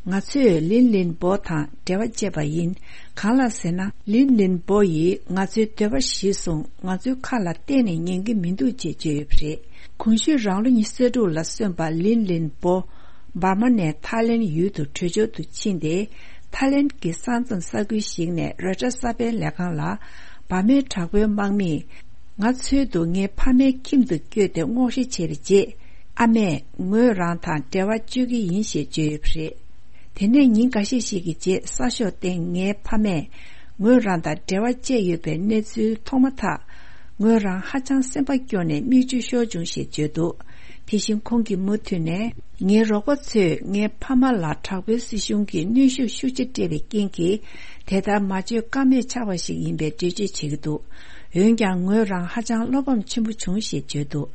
ང་ཚོས་ལིན་ལིན་པོ་དང་འབྲེལ་བ་བཅད་པ་ཡིན། གང་ལགས་ཟེར་ན། ལིན་ལིན་པོ་ཡིས་ང་ཚོའི་འདོད་པ་གཞིར་བཟུང་ང་ཚོའི་ཁ་ལ་གཏན་ནས་ཉན་གྱི་མི་འདུག་ཅེས་བརྗོད་ཡོད་པ་རེད། གོང་ཞུས་རང་ལོ་ཉི་ཤུ་རྩ་དྲུག་ལ་སོན་པ་ལིན་ལིན་པོ། འབར་མ་ནས་ཐའི་ལེན་ཡུལ་དུ་བྲོས་བྱོལ་དུ་ཕྱིན་ཏེ། ཐའི་ལེན་གྱི་ས་མཚམས་ས་ཁུལ་ཞིག་ནས་རོའི་ཊར་གསར་སྤེལ་ལས་ཁང་ལ། འབར་མའི་དྲག་པོའི་དམག་མིས། ང་འཚོལ་དུ་ངའི་ཕ་མའི་ཁྱིམ་དུ་བསྐྱོད་དེ་སྔོག་བཤེར་བྱས་པའི་རྗེས། ཨ་མས་ངོས་རང་དང་འབྲེལ་བ་གཅོད་ཀྱི་ཡིན་ཞེས་བརྗོད་ཡོད་པ་རེད། དེ་ནས་ཉིན་འགའ་ཤས་ཤིག་གི་རྗེས། གསར་ཤོག་སྟེང་ངའི་ཕ་མས་ངོས་རང་དང་འབྲེལ་བ་བཅད་ཡོད་པའི་གནས་ཚུལ་མཐོང་མ་ཐག། ངོས་རང་ཧ་ཅང་སེམས་པ་སྐྱོ་ནས་མིག་ཆུ་ཤོར་བྱུང་ཞེས་བརྗོད་འདུག། དེ་བཞིན་ཁོང་གིས་མུ་མཐུད་ནས། ངའི་རོགས་པ་ཚོས་ངའི་ཕ་མ་ལ་དྲག་པོའི་སྲིད་གཞུང་གིས་གནོན་ཤུགས་ཤུགས་ཆེ་སྤྲད་པའི་རྐྱེན་གྱིས། དེ་ལྟར་མ་བྱེད་ཀ་མེད་ཆགས་པ་ཞིག་ཡིན་པའི་འགྲེལ་བརྗོད་བྱེད་ཀྱི་འདུག། འོན་ཀྱང་ངོས་རང་ཧ་ཅང་བློ་ཕམ་ཆེན་པོ་བྱུང་ཞེས་བརྗོད་འདུག།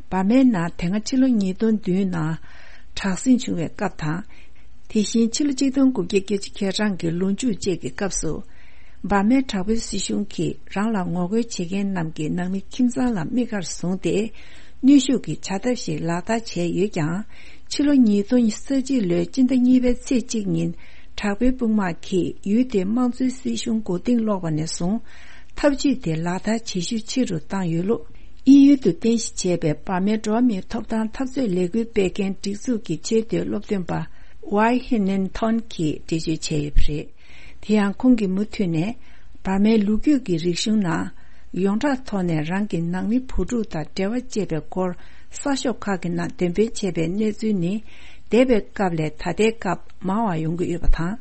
འབར་མའི་ནང་དེ་སྔ་ཕྱི་ལོ་ཉིས་སྟོང་བདུན་ནང་དྲག་ཟིང་བྱུང་བའི་སྐབས་དང་། དེ་བཞིན་ཕྱི་ལོ་གཅིག་སྟོང་དགུ་བརྒྱ་བརྒྱད་ཅུ་གྱ་གྲངས་ཀྱི་ལོ་མཇུག་བཅས་ཀྱི་སྐབས་སུ། འབར་མའི་དྲག་པོའི་སྲིད་གཞུང་གིས་རང་ལ་ངོ་རྒོལ་བྱེད་མཁན་རྣམས་ཀྱི་ནང་མི་ཁྱིམ་ཚང་ལ་དམིགས་བཀར་བཟུང་སྟེ། གནོན་ཤུགས་ཀྱི་བྱ་ཐབས་ཤིག་ལག་བསྟར་བྱས་ཡོད་ཀྱང་། ཕྱི་ལོ་ཉིས་སྟོང་ཉི་ཤུ་རྩ་གཅིག་ལོའི་སྤྱི་ཟླ་གཉིས་པའི་ཚེས་གཅིག་ཉིན། དྲག་པོའི་དཔུང་དམག་གིས་ཡུལ་དེའི་དམངས་གཙོའི་སྲིད་གཞུང་མགོ་རྟིང་སློག་པ་ནས་བཟུང་། ཐབས་ཇུས་དེ་ལག་བསྟར་བྱེད་ཤུགས་ཆེ་རུ་བཏང་ཡོད་ལུགས། དབྱིན་ཡུལ་དུ་རྟེན་གཞི་བྱས་པའི་འབར་མའི་འགྲོ་བ་མིའི་ཐོབ་ཐང་འཐབ་རྩོད་ལས་འགུལ་སྤེལ་མཁན་སྒྲིག་འཛུགས་ཀྱི་ཆེས་མཐོའི་སློབ་སྟོན་པ་ཝའི་ཧི་ནན་ཐོན་གྱིས་འགྲེལ་བརྗོད་བྱས་ཡོད་པ་རེད། དེ་ཡང་ཁོང་གིས་མུ་མཐུད་ནས། འབར་མའི་ལོ་རྒྱུས་ཀྱི་རིག་གཞུང་ནང་། ཡོངས་གྲགས་ཐོག་ནས་རང་གི་ནང་མི་བུ་ཕྲུག་དང་འབྲེལ་བ་བཅད་པའི་སྐོར་གསར་ཤོག་ཁག་གི་ནང་འདོན་སྤེལ་བྱས་པའི་གནས་ཚུལ་ནི། འདས་པའི་སྐབས་ལས་ད་ལྟའི་སྐབས་མང་བ་ཡོང་གི་ཡོད་པ་དང་།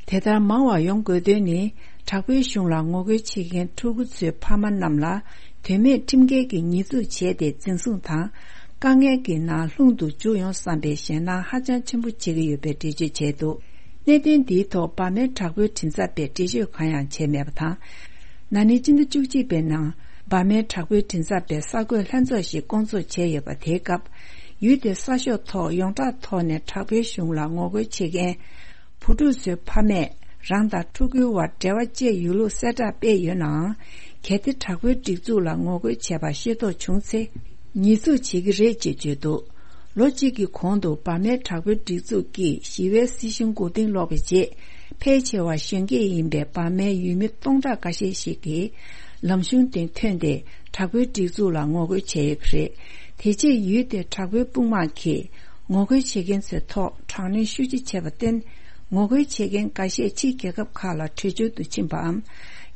དེ་ལྟར་མང་བ་ཡོང་དགོས་དོན་ནི། དྲག་པོའི་གཞུང་ལ་ངོ་རྒོལ་བྱེད་མཁན་ཕྲུ་གུ་ཚོའི་ཕ་མ་རྣམས་ལ། དོན་མེད་ཁྲིམས་འགལ་གྱི་ཉེས་འཛུགས་བྱས་ཏེ་འཛིན་བཟུང་དང་། དཀའ་ངལ་གྱི་ནང་ལྷུང་དུ་འཇུག་ཡོང་བསམ་པའི་ཞེད་སྣང་ཧ་ཅང་ཆེན་པོ་བྱེད་ཀྱི་ཡོད་པའི་འགྲེལ་བརྗོད་བྱས་འདུག། གནད་དོན་འདིའི་ཐོག་འབར་མའི་དྲག་པོའི་མགྲིན་ཚབ་པས་འགྲེལ་བརྗོད་གང་ཡང་བྱས་མེད་པ་དང་། ན་ནིང་སྤྱི་ཟླ་བཅུ་གཅིག་པའི་ནང་། འབར་མའི་དྲག་པོའི་མགྲིན་ཚབ་པས་གསར་འགོད་ལྷན་ཚོགས་ཤིག་བསྐོང་ཚོགས་བྱས་ཡོད་པ། དེའི་སྐབས། ཡུལ་དེའི་གསར་ཤོག་ཐོག་ཡོངས་གྲགས་ཐོག་ནས་དྲག་པོའི་གཞུང་ལ་ངོ་རྒོལ་བྱེད་མཁན། བུ་ཕྲུག་ཚོའི་ཕ་མས་རང་དང་ཕྲུ་གུའི་དབར་འབྲེལ་བ་བཅད་ཡོད་ལུགས་གསལ་བསྒྲགས་སྤེལ་ཡོད་ནའང་། གལ་ཏེ་དྲག་པོའི་སྒྲིག་འཛུགས་ལ་ངོ་རྒོལ་བྱས་པ་ཤེས་རྟོགས་བྱུང་ཚེ། ཉེས་འཛུགས་བྱེད་ཀྱི་རེད་ཅེས་བརྗོད་འདུག། ལོ་གཅིག་གི་གོང་དུ་འབར་མའི་དྲག་པོའི་སྒྲིག་འཛུགས་ཀྱིས་ཞི་བའི་སྲིད་གཞུང་མགོ་རྟིང་སློག་པའི་རྗེས། ཕལ་ཆེ་བ་གཞོན་སྐྱེས་ཡིན་པའི་འབར་མའི་ཡུལ་མི་སྟོང་ཕྲག་འགའ་ཤས་ཤིག་གིས་ལམ་གཞུང་སྟེང་ཐོན་ཏེ། དྲག་པོའི་སྒྲིག་འཛུགས་ལ་ངོ་རྒོལ་བྱས་ཡོད་པ་རེད། དེ་རྗེས་ཡུལ་དེའི་དྲག་པོའི་དཔུང་དམག་གིས་ངོ་རྒོལ་བྱེད་མཁན་ཚོའི་ཐོག་དྲག་གནོན་ཤུགས་ཆེ་བྱས་པར་བརྟེན། ངོ་རྒོལ་བྱེད་མཁན་འགའ་ཤས་ཕྱིའི་རྒྱལ་ཁབ་ཁག་ལ་བྲོས་བྱོལ་དུ་ཕྱིན་པའམ།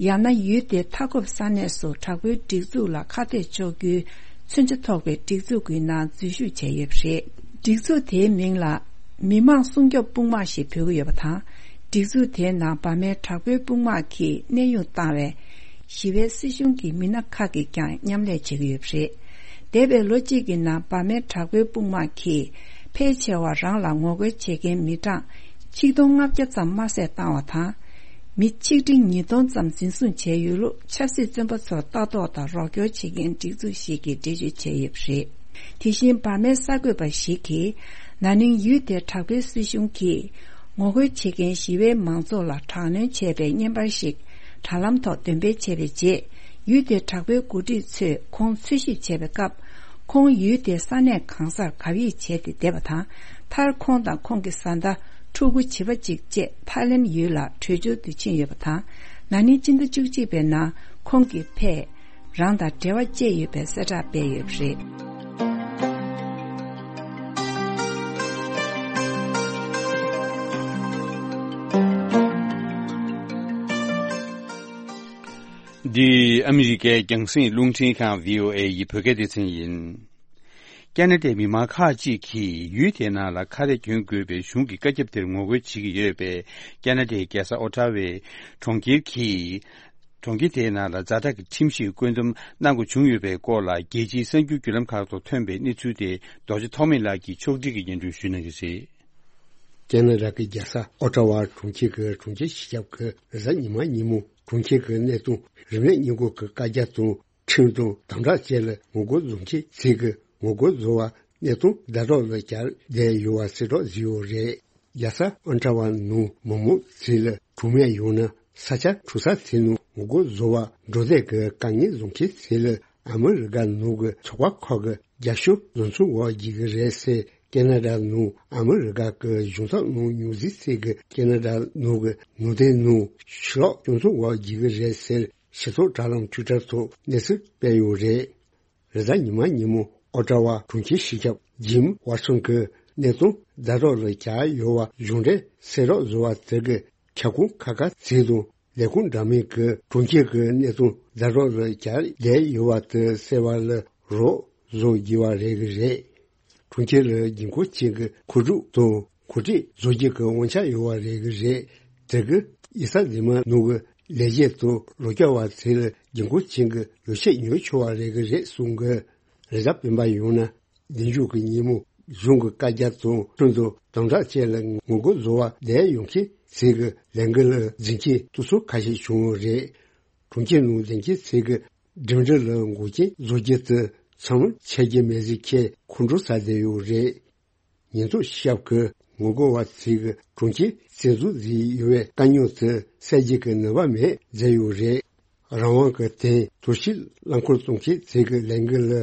ཡང་ན་ཡུལ་དེའི་མཐའ་འཁོབ་ས་གནས་སུ་དྲག་པོའི་སྒྲིག་འཛུགས་ལ་ཁ་གཏད་གཅོག་རྒྱུའི་མཚོན་ཆ་ཐོགས་པའི་སྒྲིག་འཛུགས་ཀྱི་ནང་འཛུལ་ཞུགས་བྱས་ཡོད་པ་རེད། སྒྲིག་འཛུགས་དེའི་མིང་ལ་མི་དམངས་སྲུང་སྐྱོབ་དཔུང་དམག་ཞེས་འབོད་ཀྱི་ཡོད་པ་དང་། སྒྲིག་འཛུགས་དེའི་ནང་འབར་མའི་དྲག་པོའི་དཔུང་དམག་གིས་གནས་དབྱུང་བཏང་བའི་ཞི་བའི་སྲིད་གཞུང་གི་མི་སྣ་ཁག་གིས་ཀྱང་མཉམ་ལས་བྱེད་ཀྱི་ཡོད་པ་རེད། འདས་པའི་ལོ་གཅིག་གི་ནང་འབར་མའི་དྲག་པོའི་དཔུང་དམག་གིས་ཕལ་ཆེ་བ་རང་ལ་ངོ་རྒོལ་བྱེད་མཁན་མི་གྲངས་ཆིག་སྟོང་ལྔ་བརྒྱ་ཙམ་དམར་བསད་བཏང་བ་དང་། མི་ཆིག་ཁྲི་ཉིས་སྟོང་ཙམ་འཛིན་བཟུང་བྱས་ཡོད་ལུགས་ཆབ་སྲིད་བཙོན་པ་ཚོར་ལྟ་རྟོག་དང་རོགས་སྐྱོར་བྱེད་མཁན་སྒྲིག་འཛུགས་ཤིག་གིས་འགྲེལ་བརྗོད་བྱས་ཡོད་པ་རེད། དེ་བཞིན་འབར་མའི་གསར་འགོད་པ་ཞིག་གིས། ན་ནིང་ཡུལ་དེའི་དྲག་པོའི་སྲིད་གཞུང་གིས་ངོ་རྒོལ་བྱེད་མཁན་ཞི་བའི་མང་ཚོགས་ལ་དྲག་གནོན་བྱས་པའི་བརྙན་པར་ཞིག་དྲ་ལམ་ཐོག་འདོན་སྤེལ་བྱས་པའི་རྗེས། ཡུལ་དེའི་དྲག་པོའི་འགོ་ཁྲིད་ཚོས་ཁོང་འཚོལ་ཞིབ་བྱས་པའི་སྐབས། ཁོང་ཡུལ་དེའི་ས་གནས་གང་སར་གབ་ཡིབ་བྱས་ཏེ་བསྡད་པ་དང་། མཐར་ཁོང་དང་ཁོང་གི་བཟའ་ཟླ་ཕྲུ་གུ་བྱིས་པ་གཅིག་བཅས་ཐའི་ལེན་ཡུལ་ལ་བྲོས་བྱོལ་དུ་ཕྱིན་ཡོད་པ་དང་། ན་ནིང་སྤྱི་ཟླ་བཅུ་གཅིག་པའི་ནང་ ཁོང་གིས་ཕར་རང་དང་འབྲེལ་བ་བཅད་ཡོད་པའི་གསལ་བསྒྲགས་སྤེལ་ཡོད་པ་རེད། འདི་ཨ་མི་རི་ཀའི་རྒྱང་སྲིང་རླུང་འཕྲིན་ཁང་བྷི་ཨོ་ཨེ་ཡི་བོད་སྐད་སྡེ་ཚན་ཡིན། ཁ་ན་ཌའི་མི་མང་ཁག་ཅིག་གིས་ཡུལ་དེའི་ནང་ལ་ཁ་རས་གྱོན་དགོས་པའི་གཞུང་གི་བཀའ་ཁྱབ་དེར་ངོ་རྒོལ་བྱེད་ཀྱི་ཡོད་པས། ཁ་ན་ཌའི་རྒྱལ་ས་ཨོ་ཊ་ཝའི་གྲོང་ཁྱེར་གྱིས་གྲོང་ཁྱེར་དེའི་ནང་ལ་ཛ་དྲག་གི་ཁྲིམས་ཞིག་བཀོད་འདོམས་གནང་དགོས་བྱུང་ཡོད་པའི་སྐོར་ལ། རྒྱལ་སྤྱིའི་གསར་འགྱུར་བརྒྱུད་ལམ་ཁག་ཏུ་ཐོན་པའི་གནས་ཚུལ་དེ་རྡོ་རྗེ་ཐོགས་མེད་ལགས་ཀྱིས་ཕྱོགས་སྒྲིག་གིས་སྙན་སྒྲོན་ཞུ་གནང་གི་རེད། ཁ་ན་ཌ་གི་རྒྱལ་ས་ཨོ་ཊ་ཝ་གྲོང་ཁྱེར་གྱི་གྲོང་ཁྱེར་སྤྱི་ཁྱབ་ཀྱིས་རེས་གཟའ་ཉི་མ་ཉིན་མོ་གྲོང་ཁྱེར་གྱི་གནས་སྟངས་རིམས་ནད་སྔོན་འགོག་གི་བཀའ་རྒྱ་དང་། ཁྲིམས་དང་དམ་དྲག་བཅས་ལ་ངོ་རྒོལ་བཟོ་མཁན་ཚོས་ཀྱི་ངོ་རྒོལ་བཟོ་བ་གནས་སྟངས་ཛ་དྲག་ལ་གྱར་བསྡད་ཡོད་པ་གསལ་བསྒྲགས་བཟོས་ཡོད་རེད། རྒྱལ་ས་ཨོ་ཊ་ཝ་ནང་མི་མང་ཚོས་ལ་གྲོང་མི་ཡོང་ན་ས་ཆ་གྲོང་གསེབ་དེ་ནང་ངོ་རྒོལ་བཟོ་བར་འགྲོ་བསྡད་ཀྱི་དཀའ་ངལ་བཟོ་མཁན་ཚོ་ལ་ཨ་མི་རི་ཀ་ནང་གི་ཚོགས་པ་ཁག་གིས་རྒྱབ་སྐྱོར་བཟོ་མཚམས་འོག་བསྒྱུར་གྱི་རེད་ཟེར། ཁ་ན་ཌ་ནང་ཨ་མི་རི་ཀ་གི་གཞུང་ཚབ་ནང་ཉུང་འཛིན་ཚོས་ཀྱི་ཁ་ན་ཌ་ནང་གི་ནང་བསྟན་ནང་ཕྱི་ལོགས་སྐྱོང་མཚམས་འོག་བསྒྱུར་གྱི་རེད་ཟེར། སྤྱི་ཚོགས་དྲ་ལམ་ཊུའི་ཊར་ཐོག་གནས་ཚུལ་སྤེལ་ཡོད་རེད། རེས་གཟའ་ཉི་མ་ཉིན་མོ་ཨོ་ཊ་ཝ་གྲོང་ཁྱེར་སྤྱི་ཁྱབ་ཇིམ་ཝར་སོན་གྱིས་གནས་སྟངས་ཛ་དྲག་ལ་གྱར་ཡོད་པ་གཞུང་འབྲེལ་གསལ་བསྒྲགས་བཟོས་པ་དེ་གིས་ཁྱབ་ཁོངས་ཁག་ཁག་ཅིག་དང་ལས་ཁུངས་འདྲ་མིན་གྱིས་གྲོང་ཁྱེར་གྱི་གནས་སྟངས་ཛ་དྲག་ལ་གྱར་བསྡད་ཡོད་པ་དེ་གསལ་བ་ལ་རོགས་བཟོ་དགོས་པ་རེད་ཀྱི་རེད། གྲོང་ཁྱེར་ལ་རྒྱལ་ཁབ་ཅིག་གི་མཁོ་སྒྲུབ་དང་གོ་སྒྲིག་བཟོ་རྒྱུ་གི་དབང་ཆ་ཡོད་པ་རེད་ཀྱི་རེད། དེ་གིས་ཡིག་ཚང་འཛིན་མ་ནང་གི་ལས་བྱེད་དང་ལོ་བསྐྱར་བ་ཚོ་ལ་རྒྱལ་ཁབ་ཅིག་གི་ཡོ་བྱད་ཉོ་ཆོག་པ་རེད་ཀྱི་རེད་གསུངས་ཀྱི། རེས་གཟའ་སྤེན་པ་ཡིན་ན་བདེ་འཇུག་གི་ཉིན་མོ་གཞུང་གི་བཀའ་རྒྱ་དང་ཁྲིམས་དང་དམ་དྲག་བཅས་ལ་ངོ་རྒོལ་བཟོ་བར་བསྡད་ཡོང་མཁན་ཚོ་གི་ལས་འགུལ་ལ་འཛིན་མཁན་སྡུག་ཚོགས་ཁ་ཤས་བྱུང་ཡོད་རེད། གྲོང་ཁྱེར་ནང་བསྡད་མཁན་ཚོ་གི་འགྲིམ་འགྲུལ་ལ་འགོག་རྐྱེན་བཟོ་རྒྱུ་དེ་ཚང་མ་ཆད་རྒྱུ་མེད་ཟེར་མཁན་ཁོང་ཁྲོ་ཟ་བསྡད་ཡོད་རེད། ཉེན་རྟོག་ཞབས་ཀྱིས་ངོ་རྒོལ་བ་ཚོས་གྲོང་ཁྱེར་བཙན་འཛུལ་བཟོས་ཡོད་པའི་དཀའ་རྙོག་དེ་སེལ་རྒྱུ་གི་ནུས་པ་མེད་མཛད་ཡོད་རེད། རང་དབང་གི་དོན་དུ་ཞིག་རླངས་འཁོར་གཏོང་མཁན་ཚོ་གི་ལས་འགུལ་ལ་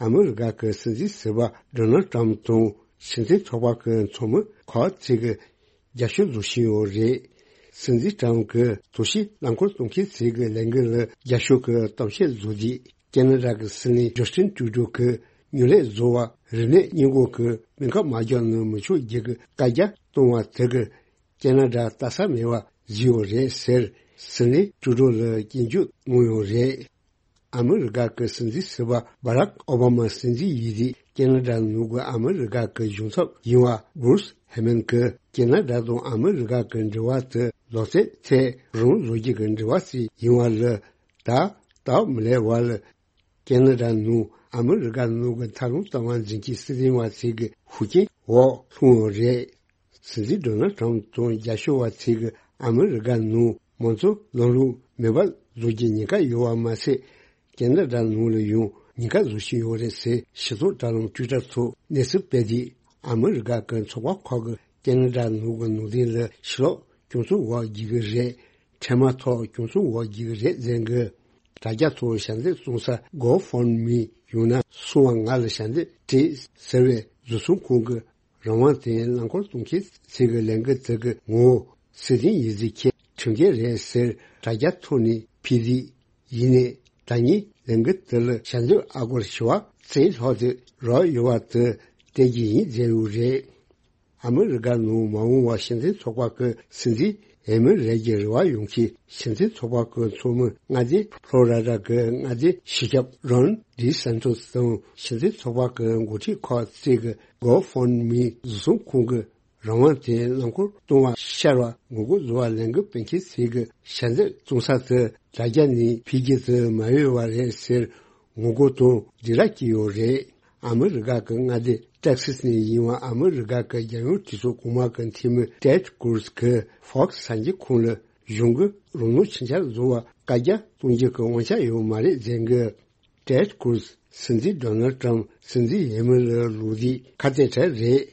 ཨ་མི་རི་ཀ་གི་སྲིད་འཛིན་ཟུར་པ་ཌོ་ནལ་ཊམ་དང་སྲིད་འཛིན་ཚོགས་པ་གི་ཚོགས་མི་ཁག་ཅིག་གིས་རྒྱབ་སྐྱོར་བཟོ་བཞིན་ཡོད་རེད། སྲིད་འཛིན་ཊམ་གྱིས་དུ་ཞིག་རླངས་འཁོར་གཏོང་མཁན་ཚོ་གི་ལས་འགུལ་ལ་རྒྱབ་སྐྱོར་གྱི་གཏམ་བཤད་བཟོ་དུས། ཁ་ན་ཌ་གི་སྲིད་བློན་ཇོ་སི་ཊིན་ཊུ་རུ་ཌོ་གིས་རྙོག་གླེང་བཟོ་བར་རིམས་ནད་སྔོན་འགོག་གི་སྨན་ཁབ་མ་བརྒྱབ་ན་མི་ཆོག་རྒྱུ་གི་བཀའ་རྒྱ་གཏོང་བ་དེ་གིས་ཁ་ན་ཌ་ལྟ་ས་མེད་པ་བཟོས་ཡོད་རེད་ཟེར། སྲིད་བློན་ཊུ་རུ་ཌོ་ལ་སྐྱོན་བརྗོད་གནང་ཡོད་རེད། ཨ་མི་རི་ཀ་གི་སྲིད་འཛིན་ཟུར་པ་བྷ་རག་ཨོ་བྷ་མ་སྲིད་འཛིན་ཡིན་དུས་ཁ་ན་ཌ་ནང་གི་ཨ་མི་རི་ཀ་གི་གཞུང་ཚབ་ཡིན་པ་སྦུ་རུས་ཧེ་མན་གྱིས་ཁ་ན་ཌ་དང་ཨ་མི་རི་ཀ་གི་འབྲེལ་བ་དེ་ལོ་ཚད་ཐད་རང་བཟོ་རྒྱུ་གི་འབྲེལ་བ་ཞིག་ཡིན་པ་ལ། ད་སྟབས་མི་ལེགས་པ་ལ། ཁ་ན་ཌ་ནང་ཨ་མི་རི་ཀ་ནང་གི་འཐབ་རྩོད་བཏང་བ་འཛིན་གྱི་སྲིད་དོན་བ་ཞིག་གི་ཤུགས་རྐྱེན་འོག་ལྷུང་ཡོད་རེད། སྲིད་འཛིན་ཌོ་ནལ་ཊམ་དང་རྒྱབ་སྐྱོར་བ་ཞིག་གིས་ཨ་མི་རི་ཀ་ནང་མང་གཙོ་ལམ་ལུགས་མེད་པ་བཟོ་རྒྱུ་ཉེན་ཁ་ཡོད་པ་མ་ཟད། ཁ་ན་ཌ་ནང་ལ་ཡང་ཉེན་ཁ་བཟོ་བཞིན་ཡོད་རེད་ཟེར། སྤྱི་ཚོགས་དྲ་ལམ་ཊུའི་ཊར་ཐོག་གནས་ཚུལ་སྤེལ་དུས། ཨ་མི་རི་ཀ་གི་ཚོགས་པ་ཁག་གིས་ཁ་ན་ཌ་ནང་གི་ནང་བསྟན་ལ་ཕྱི་ལོགས་སྐྱོང་ཚུལ་འོག་བསྒྱུར་གྱི་རེད། འཕྲལ་མ་ཐོག་སྐྱོང་ཚུལ་འོག་བསྒྱུར་གྱི་རེད་ཟེར་གི། དྲ་རྒྱ་ཐོག་ཞལ་འདེབས་བཙོང་ས་གོ་ཕོན་མི་ཡང་ན་སོ་པ་ང་ལ་ཞལ་འདེབས་སྤྲད་ཟེར་བའི་བཟོ་ཚོང་ཁང་གི་རང་དབང་དེ་རླངས་འཁོར་གཏོང་མཁན་ཚོ་གི་ལས་འགུལ་དེ་གི་ངོ་བོ་སྲིད་དོན་ཡིན་ཟེར་མཁན་ཁྲིམས་འགལ་རེད་ཟེར་དྲ་རྒྱ་ཐོག་ནས་ཕུལ་དུས། ཡིན་ནའི་ད་ནི་ལས་འགུལ་དེ་ལ་ཞལ་འདེབས་ཨ་སྒོར་བྱེ་བ་རྩ་ལྷག་དེ་རག་ཡོད་པ་དེ་སྟོན་རྒྱུ་ཡིན་ཟེར་ཡོད་རེད། ཨ་མི་རི་ཀ་ནང་མ་འོངས་པར་སྲིད་འཛིན་ཚོགས་པ་གི་སྲིད་འཛིན་འོས་མི་རེད་ཀྱི་རེ་བ་ཡོད་མཁན་སྲིད་འཛིན་ཚོགས་པ་གི་ཚོགས་མི་མངའ་སྡེ་ཕློ་རི་ཌ་གི་མངའ་སྡེ་སྤྱི་ཁྱབ་རོན་ཌི་སན་ཊོས་དང་སྲིད་འཛིན་ཚོགས་པ་གི་འགོ་ཁྲིད་ཁག་ཅིག་གིས་གོ་ཕོན་མི་བཟོ་ཚོང་ཁང་གི་རང་དབང་དེ་རླངས་འཁོར་གཏོང་བ་ཤར་བར་ངོ་རྒོལ་བཟོ་བར་ལས་འགུལ་སྤེལ་མཁན་ཞིག་གི་ཞལ་འདེབས་བཙོང་ས་དེ་དྲ་རྒྱ་ནས་ཕུལ་རྒྱུ་དེ་མ་འོས་པ་རེད་ཟེར་ངོ་རྒོལ་དང་སྡིགས་ར་བསྐྱིས་ཡོད་རེད། ཨ་མི་རི་ཀ་གི་མངའ་སྡེ་ཏེག་སི་ནས་ཡིན་པ་ཨ་མི་རི་ཀ་གི་རྒྱལ་ཡོངས་གྲོས་ཚོགས་གོང་མ་གི་འཐུས་མི་ཊེཌ་ཀུར་སི་གིས་ཧྥོག་སི་གསར་འགྱུར་ཁང་ལ་གཞུང་གིས་རང་དབང་ཕྱིར་ཚར་བཟོ་བར་བཀའ་རྒྱ་གཏོང་རྒྱུ་གི་དབང་ཆ་ཡོད་མ་རེད་ཟེར་གི། ཊེཌ་ཀུར་སི་སྲིད་འཛིན་ཌོ་ནལ་ཊམ་སྲིད་འཛིན་འོས་མི་ལ་ལོག་དུས་ཁ་གཏད་གྲལ་རེད།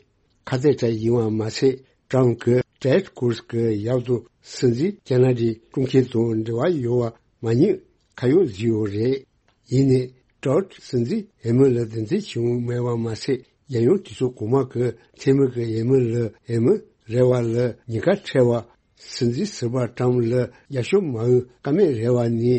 ཁ་གཏད་གྲལ་ཡིན་པ་མ་ཟད། ཊམ་གྱིས་ཊེཌ་ཀུར་སི་གི་ཡབ་དང་སྲིད་འཛིན་ཁ་ན་ཌའི་སྐུ་མཁྱེན་དང་འབྲེལ་བ་ཡོད་པ་མ་ཉེས་ཁ་གཡོགས་བཟོས་ཡོད་རེད། ཡིན་ནའི་ཊེཌ་སྲིད་འཛིན་འོས་མི་ལ་དོན་ཚན་ཆེན་མོ་མེད་པ་མ་ཟད། རྒྱལ་ཡོངས་གྲོས་ཚོགས་གོང་མ་གི་འཐུས་མི་གི་འོས་མི་ལ་འོས་མི་རེ་བ་ལ་ཉེན་ཁ་འཕྲད་པ། སྲིད་འཛིན་ཟུར་པ་ཊམ་ལ་རྒྱབ་སྐྱོར་མ་འོས་ཀ་མེད་རེ་བ་ནི།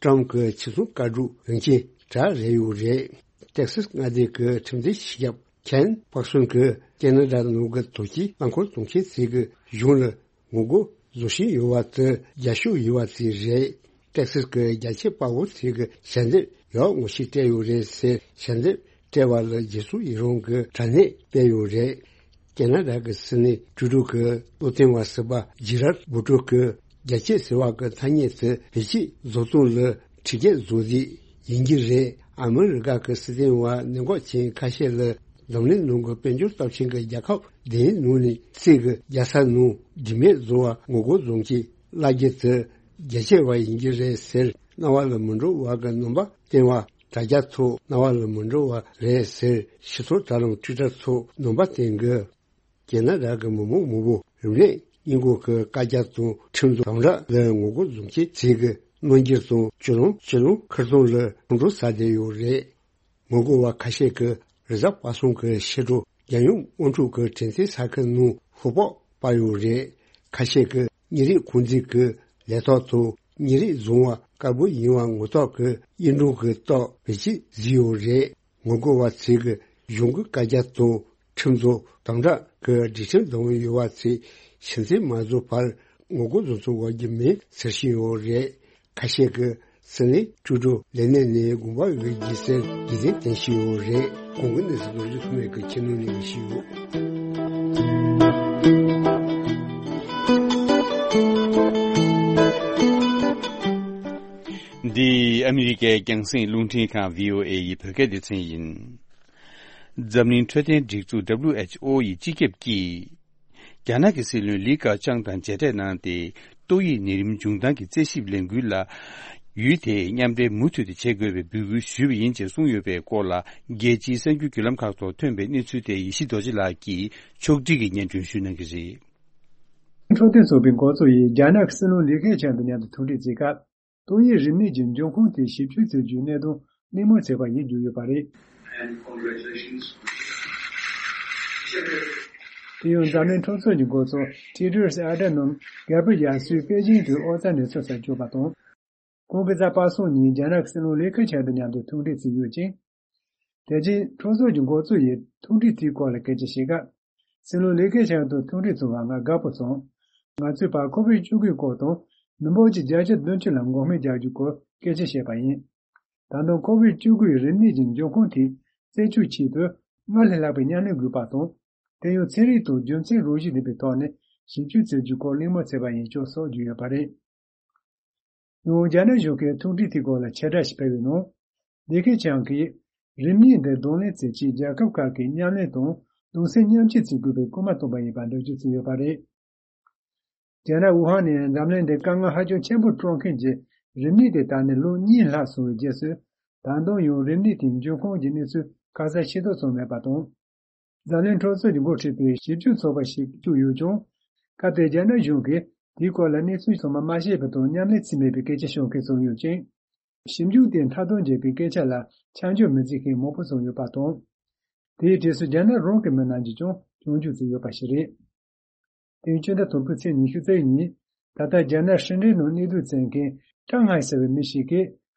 ཀྲམ་གྱི་ཕྱི་སྲུང་བཀའ་སྒྲུབ་འོས་འགན་གྲལ་རེད་ཡོད་རེད། ཏེག་སིས་མངའ་སྡེ་གི་ཁྲིམས་འཛིན་སྤྱི་ཁྱབ་ཁེན་པག་སོན་གྱིས་ཀེ་ན་ཌ་ནང་གི་དོལ་རྒྱལ་རླངས་འཁོར་རྫོང་ཆེན་ཚོ་གི་གཞུང་ལ་ངོ་རྒོལ་བཟོ་བཞིན་ཡོད་པ་དེ་རྒྱབ་སྐྱོར་ཡོད་པ་དེ་རེད། ཏེག་སིས་ཀྱི་རྒྱ་ཆེ་དཔའ་བོ་ཚོས་ཀྱི་ཞལ་འདེབས་ཡག་ངོ་ཤེས་སྤྲད་ཡོད་རེད་ཟེར། ཞལ་འདེབས་སྤྲད་པ་ལ་རྗེས་སུ་ཡི་རང་གི་དྲ་གནས་སྤེལ་ཡོད་རེད། ཀེ་ན་ཌ་གི་སིད་ནི་ཊུ་རུ་གི་བློ་བསྟན་པ་ཟུར་པ་ཇི་རར་བུ་ཏྲོ་གི་རྒྱ་ཆེ་ཟེར་བ་གི་ཐ་སྙད་དེ་བེད་སྤྱོད་བཟོ་སྟངས་ལ་ཁྲིམས་འགལ་བཟོ་རྩིས་ཡིན་གྱི་རེད། ཨ་མི་རི་ཀ་གི་སྲིད་དོན་བ་ནད་འགོག་ཅན་ཁ་ཤས་ལ་འཛམ་གླིང་ནང་གི་དཔལ་འབྱོར་སྟོབས་ཆེན་གྱི་རྒྱལ་ཁབ་བདུན་ནང་ནས་གཅིག་གི་རྒྱལ་ས་ནང་རིན་མེད་བཟོ་བ་ངོ་རྒོལ་བཟོ་མཁན་བླ་རྒྱ་དེ་རྒྱ་ཆེ་བ་ཡིན་གྱི་རེད་ཟེར། རྣ་བ་ལ་མི་འགྲོ་བ་གི་རྣམ་པ་བསྟན་པ། དྲ་རྒྱ་ཐོག་རྣ་བ་ལ་མི་འགྲོ་བ་རེད་ཟེར། ཕྱི་ཚོགས་དྲ་ལམ་ཊུའི་ཊར་ཐོག་རྣམ་པ་བསྟན་གི། རྒྱ་ནག་རང་གི་མི་མང་མང་པོ་རིམས་ནད་སྔོན་འགོག་གི་བཀའ་རྒྱ་དང་ཁྲིམས་བཟོ་དམ་དྲག་ལ་ངོ་རྒོལ་བཟོ་མཁན་ཚོས་ཀྱི་རྣམ་འགྱུར་དང་སྤྱི་ལོ་སྤྱི་ལོ་ཁེར་རྐྱང་ལ་ཁོང་ཁྲོ་ཟ་བསྡད་ཡོད་རེད། ངོ་རྒོལ་བ་ཁ་ཤས་ཀྱིས་རི་གཟར་པ་སངས་ཀྱི་ཕྱི་དྲོ་རྒྱལ་ཡོངས་དམག་འཁྲུག་གི་དྲན་རྟེན་ས་ཁུལ་ནང་ཤོག་སྦག་སྤར་ཡོད་རེད། ཁ་ཤས་ཀྱིས་ཉིན་རེའི་ཁོང་ཚོའི་གི་ལས་ཐོག་ཏུ་ཉིན་རེའི་བཟང་བ་དཀར་པོ་ཡིན་པ་ངོ་ཐོག་གི་གཡུ་འབྲུག་གི་ཏོག་བེད་སྤྱོད་བཟོས་ཡོད་རེད། ངོ་རྒོལ་བ་ཚོས་ཀྱི་གཞུང་གི་བཀའ་རྒྱ་དང་ཁྲིམས་བཟོ་དམ་དྲག་གི་སྒྲིག་ཁྲིམས་འདང་ཡོད་པ་ཚོས་ཕྱི་མཚན་མ་བཟོ་བར་ངོ་རྒོལ་བཟོ་ཚུགས་པ་རྒྱུ་མེད་ཟེར་བཞིན་ཡོད་རེད། ཁ་ཤས་ཀྱིས་སིད་ནི་ཊུ་རུ་ལས་གནས་ནས་དགོངས་པ་འོས་ཀྱིས་ཟེར་རྒྱུ་མཚན་བསྟན་བཞིན་ཡོད་རེད། གོང་གི་གནས་ཚུལ་ལོ་རྒྱུས་ཐོག་མའི་གི་ཁྱེད་ནང་ནས་ཞུས་ཡོད། འདི་ཨ་མི་རི་ཀའི་རྒྱང་སྲིང་རླུང་འཕྲིན་ཁང་བྷི་ཨོ་ཨེ་ཡི་བོད་སྐད་སྡེ་ཚན་ཡིན། འཛམ་གླིང་འཕྲོད་བསྟེན་སྒྲིག་འཛུགས་WHO ཡི་སྤྱི་ཁྱབ་ཀྱིས། རྒྱ་ནག་གི་སྲིད་བློན་ལི་ཁེ་ཆང་དང་མཇལ་འཕྲད་གནང་སྟེ། ཏོག་དབྱིབས་ནད་རིམས་འབྱུང་སྟངས་ཀྱི་རྩད་ཞིབ་ལས་འགུལ་ལ། ཡུལ་དེས་མཉམ་འབྲེལ་མུ་མཐུད་དུ་བྱེད་དགོས་པའི་འབོད་སྐུལ་ཞུས་པ་ཡིན་ཅེས་གསུངས་ཡོད་པའི་སྐོར་ལ། རྒྱལ་སྤྱིའི་གསར་འགྱུར་བརྒྱུད་ལམ་ཁག་ཐོག་ཐོན་པའི་གནས་ཚུལ་དེ་ཡེ་ཤེས་རྡོ་རྗེ་ལགས་ཀྱིས་ཕྱོགས་སྒྲིག་གིས་སྙན་སྒྲོན་ཞུ་གནང་གི་རེད། འཕྲོད་བསྟེན་ཚོགས་པའི་འགོ་གཙོ་ཡིས་རྒྱ་ནག་གི་སྲིད་བློན་ལི་ཁེ་ཆང་དང་མཉམ་དུ་ཐུག་འཕྲད་བྱེད་སྐབས། ཏོག་དབྱིབས་རིམས་ནད་ཀྱི་འབྱུང་ཁུངས་དེ་ཞིབ་དཔྱོད་བྱེད་རྒྱུའི་གནད་དོན་གླེང་མོལ་བྱས་པ་ཡིན་བརྗོད་ཡོད་པ་རེད། དེ་ཡང་འཛམ་གླིང་འཕྲོད་ཚོགས་ཀྱི་འགོ་གཙོ་ཊེ་ཌྲོ་སི་ཨ་དྷ་ནོམ་རྒྱལ་པོ་ཡར་སོས་པེ་ཅིང་དུ་ཨོ་རྩལ་འགྲན་ཚོགས་སར་བསྐྱོད་པ་དང་། ཁོང་གིས་གཟའ་པ་སངས་ཉིན་རྒྱ་ནག་གི་སྲིད་བློན་ལི་ཁེ་ཆང་དང་མཉམ་དུ་ཐུག་འཕྲད་བྱས་ཡོད་ཅིང་། དེ་རྗེས་འཕྲོད་ཚོགས་ཀྱི་འགོ་གཙོ་ཡིས་ཐུག་འཕྲད་དེའི་སྐོར་ལ་སྐད་ཆ་བཤད་སྐབས། སྲིད་བློན་ལི་ཁེ་ཆང་དང་ཐུག་འཕྲད་བྱུང་བར་ང་དགའ་པོ་སོང་། ང་ཚོས་བར་ཁོ་བིད་བཅུ་དགུ་སྐོར་དང་མི་འབོར་གྱི་བརྒྱ་ཆ་བདུན་ཅུ་ལ་འགོག་སྨན་རྒྱག་རྒྱུའི་སྐོར་སྐད་ཆ་བཤད་པ་ཡིན། ད་དུང་ཁོ་བིད་བཅུ་དགུ་ཡི་རིམས་ནད་ཀྱི་འབྱུང་ཁུངས་དེ་རྩད་གཅོད་ཆེད་དུ་སྔར་ལས་ལྷག་པའི་མཉམ་ལས་དགོས་པ་དང་། དེ་ཡང་ཚན་རིག་དང་རྒྱུ་མཚན་རང་བཞིན་ལྡན་པའི་ཐོག་ནས་ཞིབ་དཔྱོད་བྱེད་རྒྱུའི་སྐོར་གླེང་མོལ་བྱས་པ་ཡིན་ཅེས་སོགས་བརྗོད་ཡོད་པ་རེད། ཡང་རྒྱ་ནག་གཞུང་གིས་ཐུག་འཕྲད་དེའི་སྐོར་ལ་ཕྱིར་བསྒྲགས་ཤིག་སྤེལ་བའི་ནང་། ལི་ཁེ་ཆང་གིས་རིམས་ནད་འདི་གདོང་ལེན་བྱེད་ཆེད་རྒྱལ་ཁབ་ཁག་གིས་མཉམ་ལས་དང་གདུང་སེམས་མཉམ་སྐྱེད་བྱེད་དགོས་པའི་སྐུལ་མ་བཏང་པ་ཡིན་པར་འགྲེལ་བརྗོད་བྱས་ཡོད་པ་རེད། རྒྱ་ནག་ཝུ་ཧན་ནས་འཛམ་གླིང་འདི་དཀའ་ངལ་ཧ་ཅང་ཆེན་པོར་སྤྲོད་མཁན་གྱི་རིམས་ནད་དེ་དར་ནས་ལོ་གཉིས་ལྷག་སོང་བའི་རྗེས་སུ། ད་དུང་ཡང་རིམས་ནད་དེའི་འབྱུང་ཁུངས་ཀྱི་གནས་ཚུལ་ཁ་གསལ་ཤེས་རྟོགས་བྱུང་མེད་པ་དང་། འཛམ་གླིང་འཕྲོད་བསྟེན་གྱི་འགོ་ཁྲིད་པའི་ཞིབ་དཔྱོད་ཚོགས་པ་ཞིག་བཙུགས་ཡོད་ཀྱང་། སྐབས་དེར་རྒྱ་ནག་གཞུང་གིས་དེའི་སྐོར་ལ་གནས་ཚུལ་ཚང་མ་མ་ཤེས་པ་དང་མཉམ་ལས་བྱས་མེད་པའི་སྐད་ཆ་ཤོད་མཁན་བྱུང་ཡོད་ཅིང་། ཞིབ་འཇུག་དེ་མཐའ་དོན་བརྒྱབ་པའི་སྐད་ཆ་ལ་ཆ་འཇོག་མི་བྱེད་མཁན་མང་པོ་བྱུང་ཡོད་པ་དང་། དེའི་རྗེས་སུ་རྒྱ་ནག་རང་གི་མི་རྣམས་ཀྱིས་ཀྱང་སྐྱོན་བརྗོད་བྱས་ཡོད་པ་ཞིག་རེད། དེ་སྤྱི་ཟླ་དང་པོའི་ཚེས་ཉི་ཤུ་རྩ་བཞི་ཉིན། ད་ལྟ་རྒྱ་ནག་ཧྲིན་ཀྲིན་ནང་གནས་སྡོད་བྱེད་མཁན་ཀྲང་ཧའེ་ཟེར་བའི་མི་ཞིག་གིས།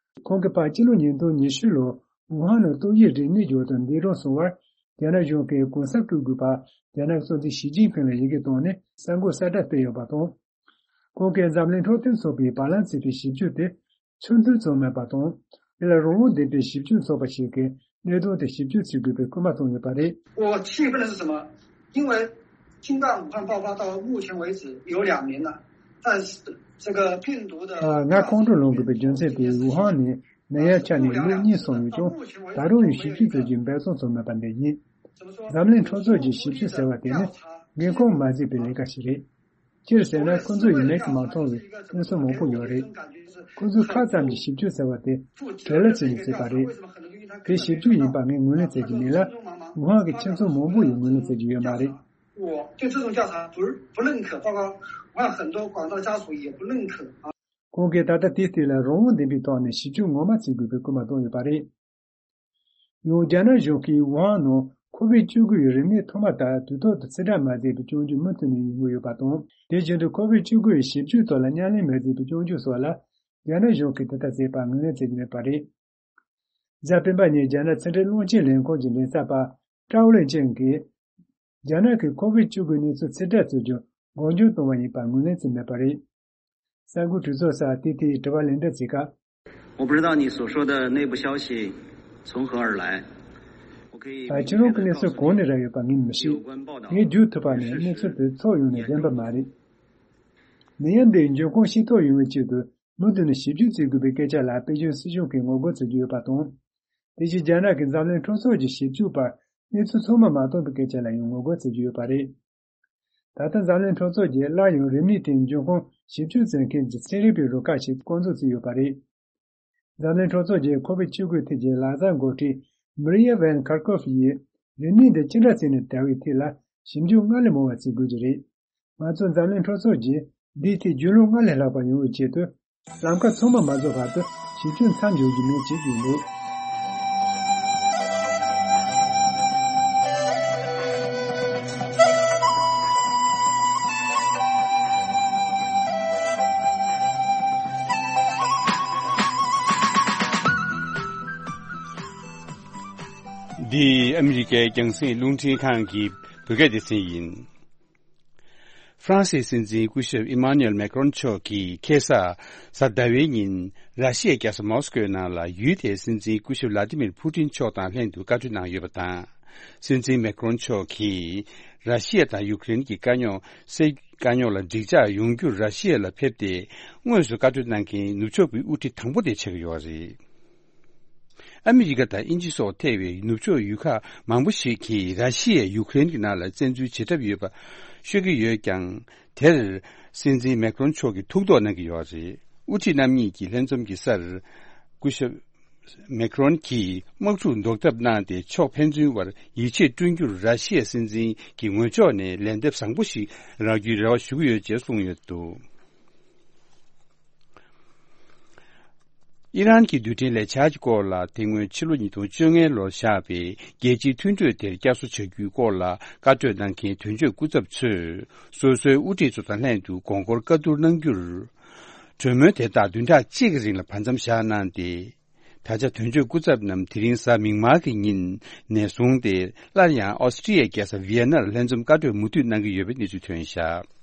ཁོང་གིས་ཕར་ཕྱི་ལོ་ཉིས་སྟོང་ཉི་ཤུ་ལོར་ཝུ་ཧན་ནང་ཏོག་དབྱིབས་རིམས་ནད་འབྱུང་སྟངས་འདས་གྲོངས་སོང་བར། རྒྱ་ནག་གཞུང་གིས་གུང་སེང་སྤྲོད་དགོས་པར་རྒྱ་ནག་གི་སྲིད་འཛིན་ཞི་ཅིན་ཕིང་ལ་ཡི་གེ་བཏང་ནས་གསར་འགོད་གསལ་བསྒྲགས་སྤེལ་ཡོད་པ་དང་། ཁོང་གིས་འཛམ་གླིང་འཕྲོད་བསྟེན་ཚོགས་པས་བར་ལམ་བྱས་པའི་ཞིབ་དཔྱོད་དེ་ཚུལ་མཐུན་བྱུང་མེད་པ་དང་། དེ་ལ་རང་དབང་ལྡན་པའི་ཞིབ་དཔྱོད་ཚོགས་པ་ཞིག་གིས་གནད་དོན་དེ་ཞིབ་དཔྱོད་བྱེད་དགོས་པའི་སྐུལ་མ་བཏང་ཡོད་པ་རེད། 我气愤的是什么？因为新冠武汉爆发到目前为止有两年了，但是这个病毒的 ང་ཁོང་ཁྲོ་ལངས་དགོས་པའི་རྒྱུ་མཚན་དེ་ཝུ་ཧན་ནས་ནད་ཡམས་ཁྱབ་ནས་ལོ་གཉིས་སོང་ཡོད་ཀྱང་། ད་རུང་ཡང་ཞིབ་དཔྱོད་བྱ་རྒྱུའི་འབད་བརྩོན་བྱུང་མེད་པ་འདི་ཡིན། འཛམ་གླིང་འཕྲོད་བསྟེན་གྱི་ཞིབ་དཔྱོད་ཟེར་བ་དེ་ནི་འགན་ཁུར་མ་བརྩིས་པའི་ལས་ཀ་ཞིག་རེད། སྤྱིར་ཟེར་ན་ཁོ་ཚོ་ཡིས་མིག་གིས་མ་མཐོང་བའི་མངོན་སུམ་མང་པོ་ཡོད་རེད། ཁོ་ཚོས་ཁ་ཙམ་གྱིས་ཞིབ་དཔྱོད་ཟེར་བ་དེ་བྲེལ་བ་བྱས་ནས་བྱས་པ་རེད། དེ་ཞིབ་དཔྱོད་ཡིན་པ་ངས་ངོས་ལེན་བྱེད་ཀྱི་མེད་ལ། ཝུ་ཧན་གྱི་ཁྱིམ་ཚང་མང་པོ་ཡིས་ངོས་ལེན་བྱེད་ཀྱི་ཡོད་མ་རེད། 我对这种调查不不认可，包括我看很多广大家属也不认可啊。 ཁོང་གིས་ད་ལྟ་དེའི་སྟེང་ལ་རང་དབང་ལྡན་པའི་ཐོག་ནས་ཞིབ་དཔྱོད་ངོ་མ་བྱེད་དགོས་པའི་སྐུལ་མ་བཏང་ཡོད་པ་རེད། ཡང་རྒྱ་ནག་གཞུང་གིས་ཝུ་ཧན་ནང་ཁོ་བིད་བཅུ་དགུ་ཡི་རིམས་ནད་ཐོག་མ་ལྟར་དུས་ཐོག་ཏུ་ཕྱིར་བསྒྲགས་མ་བྱས་པའི་སྐྱོན་བརྗོད་མུ་མཐུད་ནས་ཡོང་གི་ཡོད་པ་དང་། དེ་བཞིན་དུ་ཁོ་བིད་བཅུ་དགུ་ཡི་ཞིབ་དཔྱོད་ཐོག་ལ་མཉམ་ལས་མ་བྱས་པའི་སྐྱོན་བརྗོད་སོགས་ལ། རྒྱ་ནག་གཞུང་གིས་དེ་ལྟར་བྱས་པར་ངོས་ལེན་བྱེད་ཀྱི་མེད་པ་རེད། གཟའ་སྤེན་པ་ཉིན་རྒྱ་ནག་ཕྱི་འབྲེལ་རླུང་འཕྲིན་ལས་ཁང་གི་མགྲིན་ཚབ་པ་ཀྲའོ་ལེ་ཅན་གྱིས། རྒྱ་ནག་གིས་ཁོ་བིད་བཅུ་དགུ་གནས་ཚུལ་ཕྱིར་བསྒྲགས་བྱ་རྒྱུ་འགོག་རྒྱུ་གཏོང་བ་ཡིན་པར་ངོས་ལེན་བྱས་མེད་པ་རེད། གསར་འགོད་གྲོས་ཚོགས་སུ་ཏི་ཏིའི་དྲི་བ་ལན་འདེབས་བྱེད་སྐབས། 我不知道你所说的内部消息从何而来。我可以 ཁྱེད་རང་གི་གནས་ཚུལ་གང་ནས་རག་ཡོད་པ་ངས་མི་ཤེས། ངས་བརྗོད་ཐུབ་པ་ནི་གནས་ཚུལ་དེ་ཚོགས་ཡོང་ནས་བདེན་པ་མ་རེད། ནད་ཡམས་འདིའི་འབྱུང་ཁུངས་ཤེས་རྟོགས་ཡོང་བའི་ཆེད་དུ། མུ་མཐུད་ནས་ཞིབ་འཇུག་བྱེད་དགོས་པའི་སྐད་ཆ་ལ་པེ་ཅིན་སྲིད་གཞུང་གིས་ངོ་རྒོལ་བྱེད་ཀྱི་ཡོད་པ་དང་། དེ་བཞིན་རྒྱ་ནག་གི་འཛམ་གླིང་སྤྲོ་ཚོགས་ཀྱི་ཞིབ་འཇུག་པར་གནས་ཚུལ་ཚང་མ་མ་བཏོན་པའི་སྐད་ཆ་ལ་ཡང་ངོ་རྒོལ་བྱེད་ཀྱི་ཡོད་པ་རེད། ད་ལྟ་འཛམ་གླིང་སྤྲོ་ཚོགས་ཀྱིས་སླར་ཡང་རིམས་ནད་དེའི་འབྱུང་ཁུངས་ཞིབ་འཇུག་བྱེད་མཁན་གྱི་ཚན་རིག་པའི་རུ་ཁག་ཞིག་བསྐོ་འཛུགས་བྱས་ཡོད་པ་རེད། འཛམ་གླིང་སྤྲོ་ཚོགས་ཀྱི་ཁོ་བིད་བཅུ་དགུ་ཐད་ཀྱི་ལག་བསྟར་འགོ་ཁྲིད་Maria Van Kerkhove ཡིས་རིམས་ནད་འདི་ཅི་འདྲ་བྱས་ནས་དར་བའི་ཐད་ལ་ཞིབ་འཇུག་སྔར་ལས་མང་བ་བྱེད་དགོས་ཀྱི་རེད། ང་ཚོ་འཛམ་གླིང་སྤྲོ་ཚོགས་ཀྱིས་འདིའི་ཐད་རྒྱུས་ལོན་སྔར་ལས་ལྷག་པ་ཡོང་བའི་ཆེད་དུ། ལམ་ཁ་ཚང་མ་མ་རྫོགས་བར་དུ་ཞིབ་འཇུག་མཚམས་འཇོག་རྒྱུ་མིན་བྱེད་ཀྱི་ཡོད། འདི་ཨ་མི་རི་ཀའི་རྒྱང་སྲིང་རླུང་འཕྲིན་ཁང་གི་བོད་སྐད་སྡེ་ཚན་ཡིན། ཧྥ་རན་སིའི་སྲིད་འཛིན་སྐུ་ཞབས་ཨི་མཱ་ནུ་ཨེལ་མེག་རོན་མཆོག་གིས་ཁ་སང་གཟའ་ཟླ་བའི་ཉིན་ར་ཤི་ཡའི་རྒྱལ་ས་མོ་སི་ཀོའི་ནང་ལ་ཡུལ་དེའི་སྲིད་འཛིན་སྐུ་ཞབས་ལ་ཏི་མིར་ཕུ་ཏིན་མཆོག་དང་ལྷན་དུ་བཀའ་གྲོས་གནང་ཡོད་པ་དང་། སྲིད་འཛིན་མེག་རོན་མཆོག་གིས་ར་ཤི་ཡ་དང་ཡུཀ་རེན་གྱི་དཀའ་རྙོག་སེལ་དཀའ་རྙོག་ལ་འགྲིག་འཇགས་ཡོང་རྒྱུར་ར་ཤི་ཡ་ལ་ཕེབས་ཏེ། དངོས་སུ་བཀའ་གྲོས་གནང་མཁན་ནུབ་ཕྱོགས་ཀྱི་དབུ་ཁྲིད་དང་པོ་དེ་ཆགས་ཀྱི་ཡོད་རེད། ཨ་མི་རི་ཀ་དང་དབྱིན་ཇི་སོགས་ཐེ་བའི་ནུབ་ཕྱོགས་ཡུལ་ཁག་མང་པོ་ཞིག་གིས་ར་ཤི་ཡས་ཡུཀ་རེན་གྱི་ནང་ལ་བཙན་འཛུལ་བྱེད་གྲབས་ཡོད་པ་ཤོད་ཀྱི་ཡོད་ཀྱང་། དེར་སྲིད་འཛིན་མེག་རོན་མཆོག་གིས་ཐུགས་དོགས་གནང་གི་ཡོད་རེད། དབུ་ཁྲིད་རྣམ་གཉིས་ཀྱི་ལྷན་འཛོམས་ཀྱི་སར། སྐུ་ཞབས་མེག་རོན་གྱིས་དམག་འཁྲུག་ཟློག་ཐབས་གནང་སྟེ་ཕྱོགས་ཕན་ཚུན་བར་ཡིད་ཆེས་བསྐྲུན་རྒྱུར་ར་ཤི་ཡའི་སྲིད་འཛིན་གྱི་ངོས་ཕྱོགས་ནས་ལན་འདེབས་བཟང་པོ་ཞིག་རག་རྒྱུའི་རེ་བ་ཞུ་གི་ཡོད་ཅེས་གསུངས་ཡོད་འདུག་ཨི་རན་གྱི་རྡུལ་ཕྲན་ལས་འཆར་གྱི་སྐོར་ལ་དེ་སྔོན་ཕྱི་ལོ་ཉིས་སྟོང་བཅོ་ལྔ་ལོར་བཞག་པའི་རྒྱལ་སྤྱིའི་མཐུན་གྲོས་དེར་བསྐྱར་གསོ་བྱ་རྒྱུའི་སྐོར་ལ་བཀའ་གྲོས་གནང་མཁན་དོན་གཅོད་སྐུ་ཚབ་ཚོས་སོ་སོའི་དབུ་ཁྲིད་ཚོ་དང་ལྷན་དུ་དགོངས་སྐོར་བཀའ་བསྡུར་གནང་རྒྱུར། གྲོས་མོལ་དེ་དག་བདུན་ཕྲག་གཅིག་གི་རིང་ལ་བར་མཚམས་བཞག་གནང་སྟེ། ད་ཆ་དོན་གཅོད་སྐུ་ཚབ་རྣམས་དེ་རིང་གཟའ་མིག་དམར་གྱི་ཉིན་ནས་བཟུང་སྟེ་སླར་ཡང་ཨོ་སི་ཀྲི་ཡའི་རྒྱལ་ས་ཝི་ཡེ་ནར་ལྷན་འཛོམས་བཀའ་གྲོས་མུ་མཐུད་གནང་གི་ཡོད་པའི་གནས་ཚུལ་ཐོན་བཞག་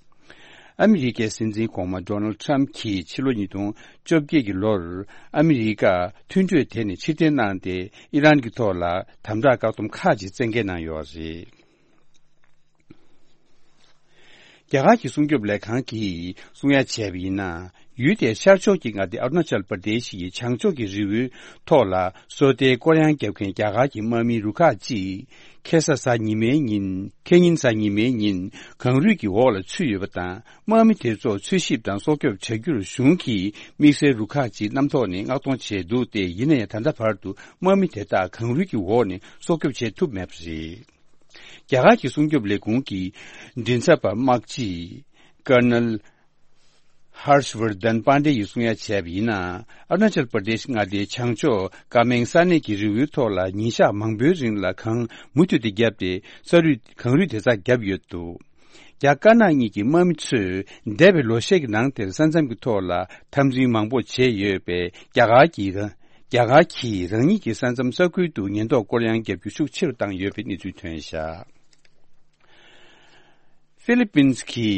ཨ་མི་རི་ཀའི་སྲིད་འཛིན་གོང་མ་ཌོ་ནལ་ཊམ་གྱིས་ཕྱི་ལོ་ཉིས་སྟོང་བཅོ་བརྒྱད་ཀྱི་ལོར་ཨ་མི་རི་ཀ་མཐུན་གྲོས་དེ་ནས་ཕྱིར་འཐེན་གནང་སྟེ་ཨི་རན་གྱི་ཐོག་ལ་དམ་དྲག་བཀག་སྡོམ་ཁག་ཅིག་བཙན་འགེལ་གནང་ཡོད་རེད། རྒྱ་གར་གྱི་སྲུང་སྐྱོབ་ལས་ཁང་གིས་གསུང་ཡ་བྱས་པ་ཡིན་ན། ཡུལ་དེའི་ཤར་ཕྱོགས་ཀྱི་མངའ་སྡེ་ཨ་རུ་ན་ཅལ་པར་དེ་ཤི་ཡི་བྱང་ཕྱོགས་ཀྱི་རི་བོའི་ཐོག་ལ་སོ་ལྟའི་སྐོར་གཡང་བརྒྱབ་མཁན་རྒྱ་གར་གྱི་དམག་མིའི་རུ་ཁག་ཅིག་ཁ་སང་གཟའ་ཉི་མའི་ཉིན། ཁ་ཉིན་གཟའ་ཉི་མའི་ཉིན་གངས་རུད་ཀྱི་འོག་ལ་ཚུད་ཡོད་པ་དང་། དམག་མི་དེ་ཚོ་འཚོལ་ཞིབ་དང་སྲོག་སྐྱོབ་བྱ་རྒྱུར་གཞུང་གིས་དམིགས་བསལ་རུ་ཁག་ཅིག་གནམ་ཐོག་ནས་མངགས་གཏོང་བྱས་འདུག་སྟེ། ཡིན་ན་ཡང་ད་ལྟ་བར་དུ་དམག་མི་དེ་དག་གངས་རུད་ཀྱི་འོག་ནས་སྲོག་སྐྱོབ་བྱེད་ཐུབ་མེད་པ་རེད། རྒྱ་གར་གྱི་སྲུང་སྐྱོབ་ལས་ཁུངས་ཀྱི་མགྲིན་ཚབ་པ་དམག་སྤྱི་ཀར་ནལ་ཧར་ཤ་ཝར་དན་པཱན་ཌེ་ཡིས་གསུང་ཡ་བྱས་པ་ཡིན་ན། ཨ་རུ་ན་ཅལ་པར་དེཤ་མངའ་སྡེའི་བྱང་ཕྱོགས་ཀ་མེང་ས་གནས་ཀྱི་རི་བོའི་ཐོག་ལ་ཉིན་ཞག་མང་པོའི་རིང་ལ་གངས་མུ་མཐུད་དེ་བརྒྱབ་སྟེ། ས་རུད་གངས་རུད་དེ་ཙག་བརྒྱབ་ཡོད་འདུག་རྒྱ་དཀར་ནག་གཉིས་ཀྱི་དམག་མི་ཚོས་འདས་པའི་ལོ་ཤས་ཀྱི་ནང་དེར་ས་མཚམས་ཀྱི་ཐོག་ལ་འཐབ་འཛིང་མང་པོ་བྱས་ཡོད་པས། རྒྱ་གར་གྱིས་རང་། རྒྱ་གར་གྱིས་རང་ཉིད་ཀྱི་ས་མཚམས་ས་ཁུལ་དུ་ཉེན་རྟོག་སྐོར་གཡང་བརྒྱབ་རྒྱུ་ཤུགས་ཆེ་རུ་བཏང་ཡོད་པའི་གནས་ཚུལ་ཐོན་བཞག་ཧྥི་ལི་པིན་གྱི་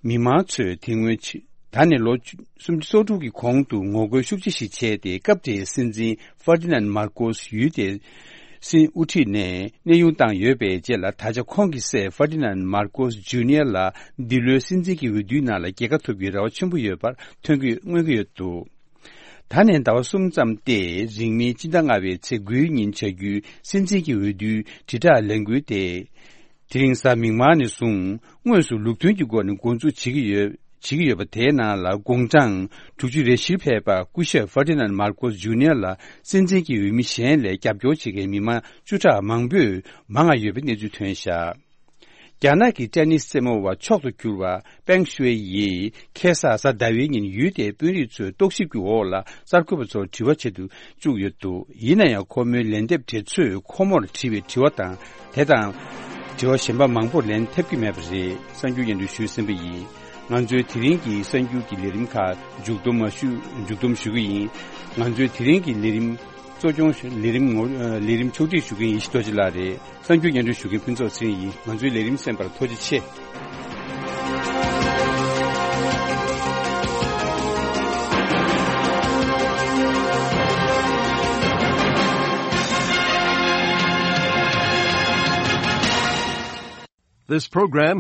མི་མང་ཚོས་དེ་སྔོན་ཕྱི། ད་ནས་ལོ་སུམ་ཅུ་སོ་དྲུག་གི་གོང་དུ་ངོ་རྒོལ་ཤུགས་ཆེ་ཞིག་བྱས་ཏེ། སྐབས་དེའི་སྲིད་འཛིན་ཧྥར་ཏི་ནན་མར་ཀོས་ཡུལ་དེའི་སྲིད་དབུ་ཁྲིད་ནས་གནས་དབྱུང་བཏང་ཡོད་པའི་རྗེས་ལ། ད་ཆ་ཁོང་གི་སྲས་ཧྥར་ཏི་ནན་མར་ཀོས་ཇུ་ནི་ཡར་ལ་འདི་ལོའི་སྲིད་འཛིན་གྱི་འོས་བསྡུའི་ནང་ལ་རྒྱལ་ཁ་ཐོབ་རྒྱུའི་རེ་བ་ཆེན་པོ་ཡོད་པར་ཐོན་གྱི། མངོན་གྱི་ཡོད་འདུག་ད་ནས་ཟླ་བ་གསུམ་ཙམ་སྟེ། རིང་མིན་སྤྱི་ཟླ་ལྔ་པའི་ཚེས་དགུའི་ཉིན་བྱ་རྒྱུའི་སྲིད་འཛིན་གྱི་འོས་བསྡུའི་དྲིལ་བསྒྲགས་ལས་འགུལ་དེ། དེ་རིང་གཟའ་མིག་དམར་ནས་བཟུང་དངོས་སུ་ལུགས་མཐུན་གྱི་སྒོ་ནས་འགོ་འཛུགས་བྱེད་ཀྱི་ཡོད། བྱེད་ཀྱི་ཡོད་པ་དེའི་ནང་ལ་དགུང་གྲངས་དྲུག་ཅུ་རེ་བཞིར་ཕེབས་པ་སྐུ་ཞབས་ཧྥར་ཏི་ནན་མར་ཀོས་ཇུ་ནི་ཡར་ལ་སྲིད་འཛིན་གྱི་འོས་མི་གཞན་ལས་རྒྱབ་སྐྱོར་བྱེད་མཁན་མི་མང་བཅུ་ཕྲག་མང་པོས་མང་ང་ཡོད་པའི་གནས་ཚུལ་ཐོན་བཞག་རྒྱ་ནག་གི་ཏེ་ནིས་རྩེད་མོ་བ་མཆོག་ཏུ་གྱུར་བ་པེང་ཤུའེ་ཡིས་ཁ་སང་གཟའ་ཟླ་བའི་ཉིན་ཡུལ་དེའི་དཔོན་རིགས་ཚོའི་རྟོག་ཞིབ་ཀྱི་འོག་ལ་གསར་འགོད་པ་ཚོར་དྲི་བ་བྱེད་དུ་བཅུག་ཡོད་འདུག་ཡིན་ན་ཡང་ཁོ་མོའི་ལན་འདེབས་དེ་ཚོས་ཁོ་མོར་དྲིས་པའི་དྲི་བ་དང་། དེ་དང་དྲི་བ་གཞན་པ་མང་པོར་ལན་ཐེབས་ཀྱི་མེད་པ་རེད། གསར་འགྱུར་སྙན་སྒྲོན་ཞུས་ཟིན་པ་ཡིན། ང་ཚོའི་དེ་རིང་གི་གསར་འགྱུར་གྱི་ལས་རིམ་ཁག་མཇུག་བསྡོམས་མ་ཞུ་མཇུག་བསྡོམས་ཞུ་གི་ཡིན། ང་ཚོའི་དེ་རིང་གི་ལས་རིམ་གཙོ་སྐྱོང་ཞུ་ལས་རིམ་ངོ་ལས་རིམ་ཕྱོགས་སྒྲིག་ཞུ་མཁན་ཡེ་ཤེས་རྡོ་རྗེ་ལགས་རེད། གསར་འགྱུར་སྙན་སྒྲོན་ཞུ་མཁན་ཕུན་ཚོགས་ཚེ་རིང་ཡིན། ང་ཚོའི་ལས་རིམ་གསན་པར་ཐུགས་རྗེ་ཆེ། This program